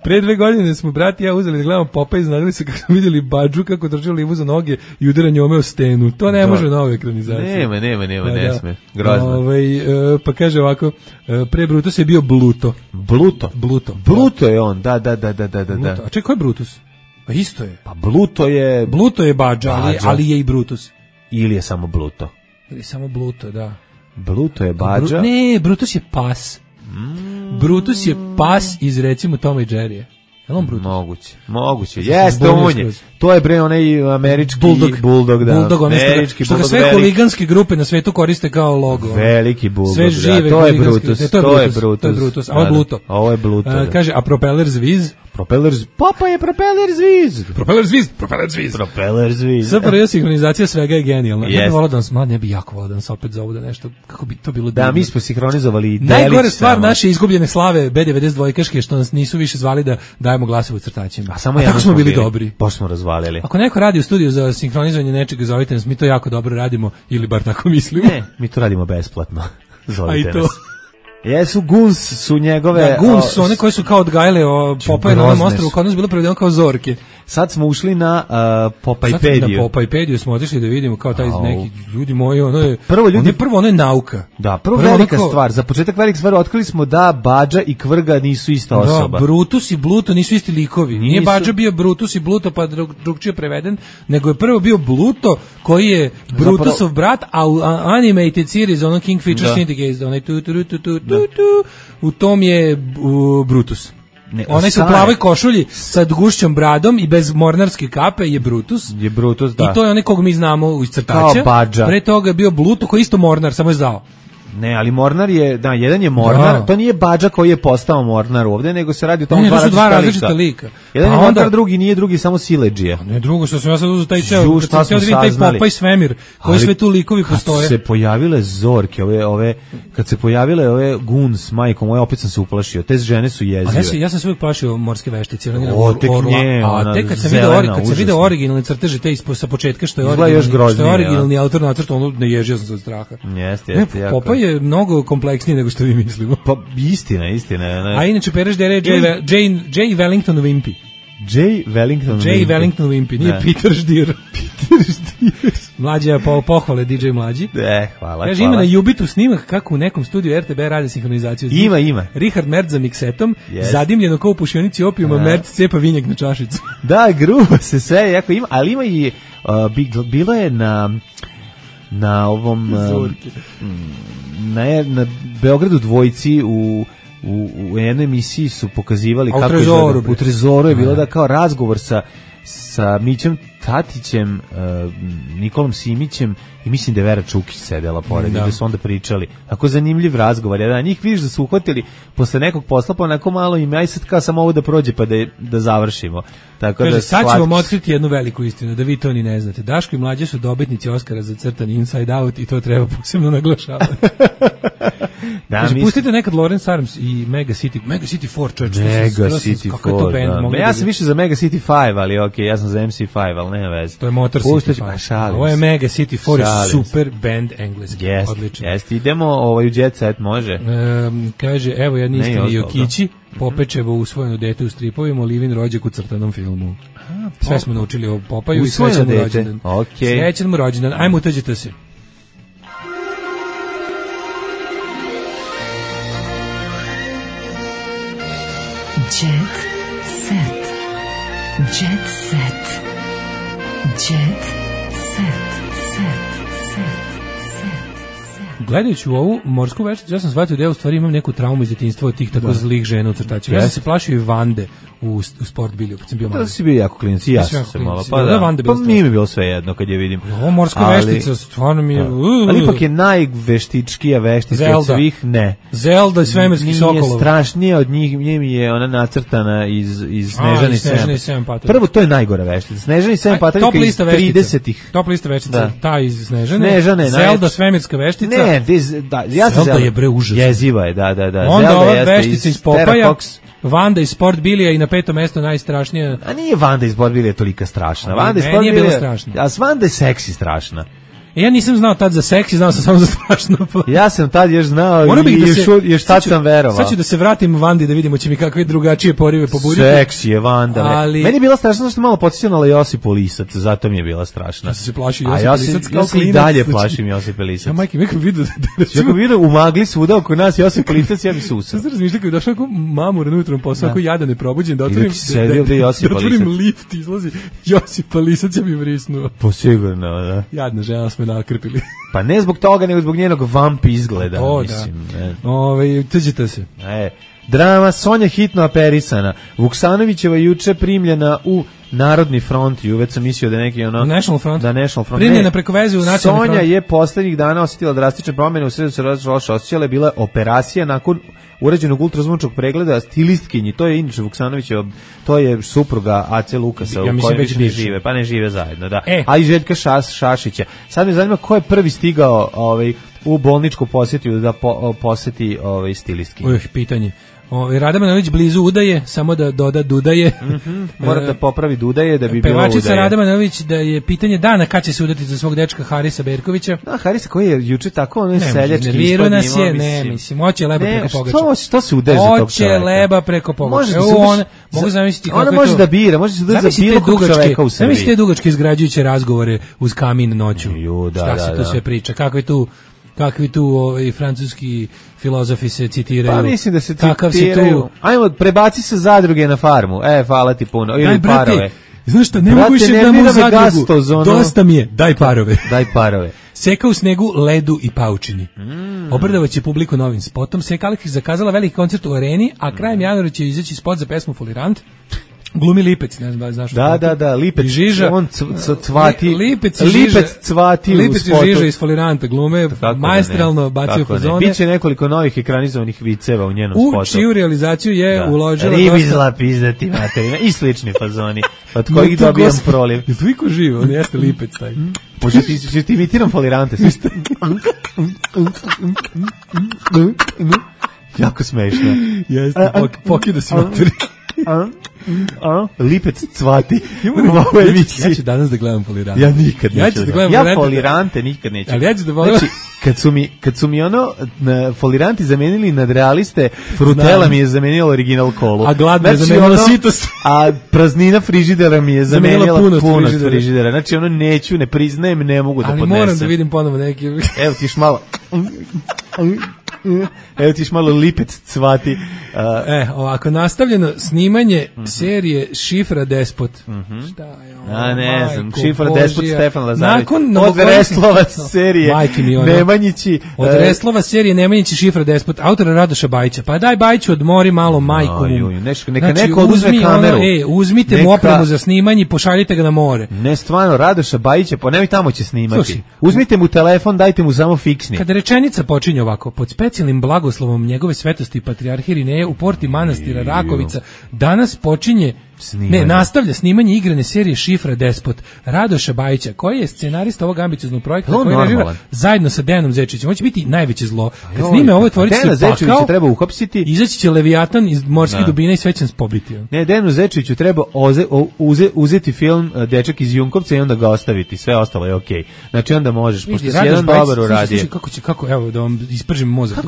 Pre 2 godine smo brat i ja uzeli da gledamo Popaj, iznadili se kako smo vidjeli Badžu kako drži livu za noge i udara njome o stenu. To ne može nove ekranizacije. Nema, ne sme. Grozno. Pa kaže ovako, pre Brutus je bio Bluto. Bluto je on, da. A čekaj, ko je Brutus? Pa isto je. Pa Bluto je Badža, ali je i Brutus. Ili je samo Bluto? Ili samo Bluto, da. Bluto je Badža? Ne, Brutus je pas. Brutus je pas iz, recimo, Toma i Jerrya. Je li on Brutus? Moguće. Jeste, on je. To je bre onaj američki Bulldog, da. Bulldog, američki što ga sve huliganske grupe na svetu koriste kao logo. Veliki Bulldog, sve žive, to je Brutus. To je Brutus, a ovo je Bluto. Ovo je Bluto. Kaže, a Propeller Zviz? Papa je Propeller Zviz. Super, sinhronizacija svega je genijalna. Ja bih volao da nas, ne bi jako volao da nas opet zovu da nešto, kako bi to bilo divno. Da, mi smo sinhronizovali najgore stvar naše izgubljene slave B92-kaške što nas nisu više zvali da dajemo glasove crtačima. A tako smo bili dobri. Pa smo razvalili. Ako neko radi u studiju za sinhronizovanje nečega, zovite nas, mi to jako dobro radimo, ili bar tako mislimo. Ne, mi to radimo besplatno. Zovite nas. Jesu Guns su njegove... Da, Guns su one koje su kao odgajale Popaje na ovom ostrovu, kod nas bilo prevedeno kao zorke. Sad smo ušli na Popajpediju. Sad na Popajpediju smo otišli da vidimo kao taj neki ljudi moji, ono je nauka. Da, prvo velika stvar, za početak velika stvar, otkrili smo da Badža i Kvrga nisu ista osoba. Da, Brutus i Bluto nisu isti likovi. Nije Badža bio Brutus i Bluto pa drugčije preveden, nego je prvo bio Bluto koji je Brutusov brat, a u animated series, ono Kingfisher Syndicate, onaj u tom je Brutus. Onaj se u plavoj košulji sa gušćom bradom i bez mornarske kape je Brutus. Da. I to je onaj kog mi znamo iz crtača. Pre toga je bio Bluto koji je isto mornar, samo je zdao. Ne, ali Mornar je, da, jedan je Mornar, to nije Badža koji je postao Mornar ovdje, nego se radi o tom dva različita lika. Jedan je Mornar, drugi nije, drugi samo siledžija. Ne, drugo, što sam ja sad uzeo taj ceo, kad sam htio da vidim taj Popaj svemir, koji sve tu likovi postoje. Kad se pojavile zorke, kad se pojavile ove Guns, majkom, opet sam se uplašio, te žene su jezive. Ja sam se uvijek plašio morske veštice. A tek kad sam vidio originalne crteže, te sa početka, što je originalni autor nacrta, ono ne ježio sam se od straha. Popaj je mnogo kompleksniji nego što vi mislimo. Pa istina. A inače pereš da je J. Wellington Wimpy. J. Wellington Wimpy, nije Peter Stier. Mlađa pohvale DJ Mlađi. Hvala. Kaže, ima na Jubitu snimak kako u nekom studiju RTB radi sinhronizaciju. Ima. Richard Mertz za miksetom, zadimljeno kao u pušionici opijuma, Mertz cepa vinjak na čašicu. Da, grubo se sve, jako ima, ali ima i, bilo je na ovom na Beogradu dvojci u u jednoj emisiji su pokazivali kako u Trezoru je bilo da kao razgovor sa Mićem Tatićem, Nikolom Simićem i mislim da je Vera Čukić sedela pored, da su onda pričali. Tako zanimljiv razgovor. Ja, njih vidiš da su uhvatili posle nekog posla, pa onako malo im, aj sad kao samo ovo da prođe pa da završimo. Tako kaže, da sad ćemo vam otkriti jednu veliku istinu, da vi to ni ne znate. Daško i Mlađe su dobitnici Oskara za crtani Inside Out i to treba posebno naglašavati. Kaže, pustite nekad Lawrence Arms i Mega City 4, Mega City 4, ja sam više za Mega City 5, ali okej, ja sam za MC5, ali nema veze. To je Motor City 5. Ovo je Mega City 4, super band engleski, odlično. Jeste, idemo u Jet Set, može. Kaže, evo jedni iskreni Jokići, Popečevo usvojeno dete u stripovima, Olivin rođak u crtanom filmu. Sve smo naučili o Popaju i srećan mu rođendan. Srećan mu rođendan, ajmo uteđite se. Jet set. Jet set. Jet set. Gledajući u ovu morsku vešticu, ja sam shvatio da ja u stvari imam neku traumu iz djetinjstva od tih tako zlih žena u crtačima. Ja sam se plašio i Vande u sport bilju kad sam bio mali. Da si bio jako klinac i ja sam se malo. Pa nije mi bilo sve jedno kad je vidim. Ovo morska veštica stvarno mi je... Ali ipak je najveštičkija veštica od svih, ne. Zelda i svemirski sokolov. Nije strašnije od njih, mi je ona nacrtana iz Snežane i 7 pataka. Prvo, to je najgora veštica. Snežane i 7 pataka iz 30-ih. Top lista veštica, ta iz Snežane. Zelda, svemirska veštica. Ne, ja sam Zelda je bre užasno. Jeziva je, da. Onda ova veštica iz Popaja, Vanda iz Sport Bilija i na 5. mesto najstrašnija. A nije Vanda iz Sport Bilija tolika strašna. Vanda iz Sport Bilija nije bila strašna. A Vanda je seksi strašna. Ja nisam znao tad za seksi, znao sam samo za strašno. Ja sam tad još znao i još tad sam verovao. Sad ću da se vratim Vandi da vidimo će mi kakve drugačije porive pobuditi. Seksi je Vanda. Ali... Meni je bila strašna što malo podsjećala Josipu Lisac, zato mi je bila strašna. Ja se plašio Josipa Lisac. Ja se i dalje plašim Josipa Lisac. Ja majke, nekako vidio da vidio u magli svuda oko nas Josip Lisac, ja bi se usao. Sad razmišljam kako došao ako mamu na jutrom posao, ako jadan ne probuđen, da otvorim lift, izlazi Josipa Lisac, ja bi vrisnuo. Po sigurno, da. Jadna žena smo nakrpili. Pa ne zbog toga, nego zbog njenog vamp izgleda, mislim. Tuđite se. Drama Sonja hitno aperisana. Vuksanovićeva juče primljena u Narodni front, i uveć sam mislio da je neki ono... National front. Da, National front. Primljena preko veze u Nacionalni front. Sonja je poslednjih dana osjetila drastične promjene, u sredu se loše osjećala, je bila operacija nakon urađenog ultrazvučnog pregleda stilistkinji, to je inače Vuksanovićeva, to je supruga AC Lukasa, u kojoj već ne žive, pa ne žive zajedno, da. A i Željka Šašića. Sad me zanima ko je prvi stigao u bolničku posjetu da posjeti stilistkinji. Pitanje. Rada Manojlović blizu udaje, samo da doda dudaje. Mora da popravi dudaje da bi bilo udaje. Pevačica Rada Manojlović da je pitanje dana kad će se udati za svog dečka Harisa Berkovića. Da, Harisa koji je juče tako ono seljački ispod njima. Mislim, hoće leba preko pogača. Što se udaje za tog čovjeka? Hoće leba preko pogača. Mogu zamisliti kako je to. Ona može da bira, može se udati za bilo kog čoveka u Srbiji. Zamislite dugačke izgrađujuće razgovore uz kamin noću. Šta se tu sve priča, kakvi tu francuski filozofi se citiraju. Pa mislim da se citiraju. Ajmo, prebaci se zadruge na farmu. Hvala ti puno. Ili parove. Znaš šta, ne mogu više da mu zadrugu. Dosta mi je, daj parove. Daj parove. Seka u snegu, ledu i paučini. Obradovat publiku novim spotom. Seka Aleksić zakazala veliki koncert u areni, a krajem januara će izaći spot za pesmu Folirant. Glumi Lipec, ne znam, znaš. Da, Lipec. I Žiža. On cvati. Lipec cvati u Lipec i Žiža iz Foliranta glume, maestralno bacio fazone. Biće nekoliko novih ekranizovanih viceva u njenom spotu. U čiju realizaciju je uložila Ribizla pizdati materina i slični fazoni, od kojih dobijam proliv. Je toliko živo, on jeste Lipec taj. Može ti imitiram Folirante. Jako smešno. Jeste, pokida si materi. Lipec cvati. Ja ću danas da gledam Folirante. Ja nikad neću da gledam. Ja Folirante nikad neću. Ali ja ću da volim. Znači, kad su mi Foliranti zamenili nadrealiste, Frutela mi je zamenila original kolu. A gladna je zamenila sitost. A praznina frižidera mi je zamenila punost frižidera. Znači, neću, ne priznajem, ne mogu da podnesem. Ali moram da vidim ponovo neki. Evo ti još malo. Evo tiš malo lipec cvati. Ovako, nastavljeno snimanje serije Šifra Despot. Šta je ovo? Ne znam, Šifra Despot, Stefan Lazarević. Od Reslova serije Nemanjići. Od Reslova serije Nemanjići, Šifra Despot, autora Radoša Bajića. Pa daj Bajiću odmori malo majku. Neka neko uzme kameru. Uzmite mu opremu za snimanje i pošaljite ga na more. Ne, stvarno, Radoša Bajića, pa nemoj tamo će snimati. Uzmite mu telefon, dajte mu samo fiksni. Kada rečenica počinje ovako, pod specijalnim blagoslovom njegove svetosti patrijarhe Irineje u porti manastira Rakovica, danas počinje nastavlja snimanje igrane serije Šifra Despot Radoša Bajića, koji je scenarista ovog ambicioznog projekta koji režira zajedno sa Dejanom Zečevićem. On će biti najveće zlo. Kad snime ovo tvorice pakao, treba uhapsiti. Izaći će Leviatan iz morskih dubina i sve će nas pobiti. Ne, Dejanu Zečeviću treba uzeti film Dečak iz Junkovca i onda ga ostaviti. Sve ostalo je okej. Znači onda možeš, pošto si jedan dobar uradio. Kako, evo da vam ispržim mozak.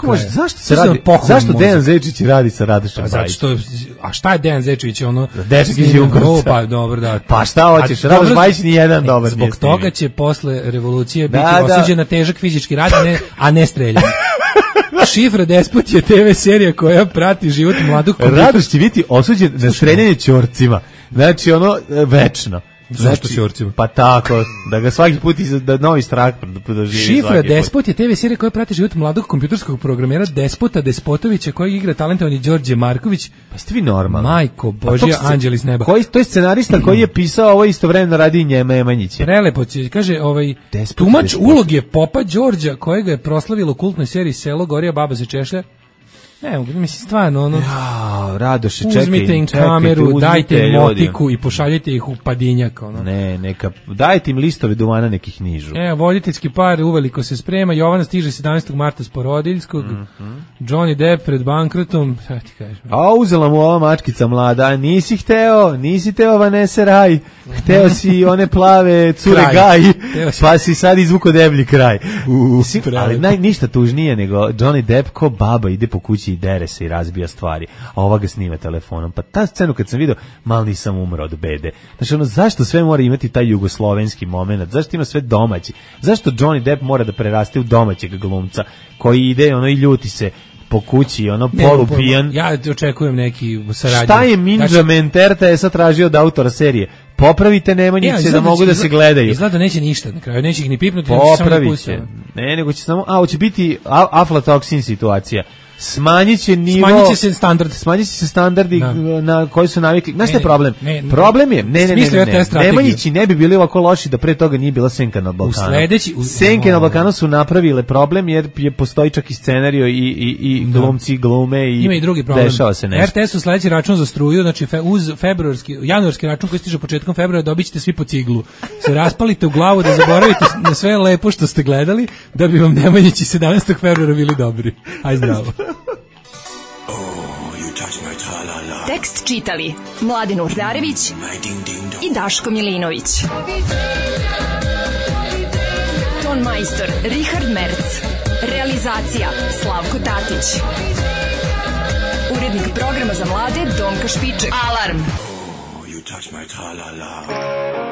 Zašto Dejan Zečević radi sa Radošom Bajićem? A šta je Dejan Zečević? Dečak iz Junkovca. Pa dobro, da. Pa šta hoćeš? Radoš Bajić ni jedan dobar. Zbog toga će posle revolucije biti osuđen na težak fizički rad, a ne streljanje. Šifra Despot je TV serija koja prati život mladog komputora. Radoš će biti osuđen na streljanje ćorcima. Znači večno. Zašto ćorcima? Pa tako, da ga svaki put da novi strah doživi. Šifra Despot je TV serija koja prati život mladog kompjuterskog programera Despota Despotovića, koji igra talentovani Đorđe Marković. Pa ste vi normalni. Majko Božja, anđeli s neba. To je scenarista koji je pisao ovo istovremeno radi Nemanjiće. Prelepo će, kaže, tumač uloge popa Đorđa, kojega je proslavilo u kultnoj seriji Selo, Gorija, Baba se češlja. Ne, mislim, stvarno, Radoše, čekaj. Uzmite im kameru, dajte im motiku i pošaljite ih u Padinjak, Ne, dajte im listove duvana, nekih nižu. Voditeljski par uveliko se sprema, Jovana stiže 17. marta s porodiljskog, Johnny Depp pred bankrotom, šta ti kažeš? A uzela mu ova mačkica mlada, nisi teo Vanessa Raj, hteo si one plave cure Gaj, pa si sad izvuko deblji kraj. Ali ništa tužnije nego Johnny Depp ko baba ide po kući i dere se i razbija stvari, a ova ga snima telefonom. Pa ta scenu kad sam vidio, mal nisam umro od bede. Znači, zašto sve mora imati taj jugoslovenski moment? Zašto ima sve domaći? Zašto Johnny Depp mora da preraste u domaćeg glumca koji ide i ljuti se po kući, polupijan? Ja očekujem neki saradnju. Šta je Minđament RTS-a tražio od autora serije? Popravite Nemanjiće da mogu da se gledaju. Izgleda neće ništa na kraju, neće ih ni pipnuti. Popravit će. Ne, nego će samo, hoće biti aflatoksin situacija. Smanjit će se standardi na koji su navikli. Znaš šta je problem? Problem je, Nemanjići ne bi bili ovako loši da pre toga nije bila Senka na Balkanu. Senke na Balkanu su napravile problem jer postoji čak i scenario i glumci glume i ima i drugi problem. Dešava se nešto. RTS-u sledeći račun za struju, znači uz januarski račun koji stiže početkom februara, dobit ćete svi po ciglu. Se raspalite u glavu da zaboravite na sve lepo što ste gledali, da bi vam Nemanjići 17. februara bili dobri. Aj zdravo. Tekst čitali Mladin Urdarević i Daško Milinović. Ton majstor Richard Merc. Realizacija Slavko Tatić. Urednik programa za mlade Donka Špiček. Alarm! You touch my tra-la-la.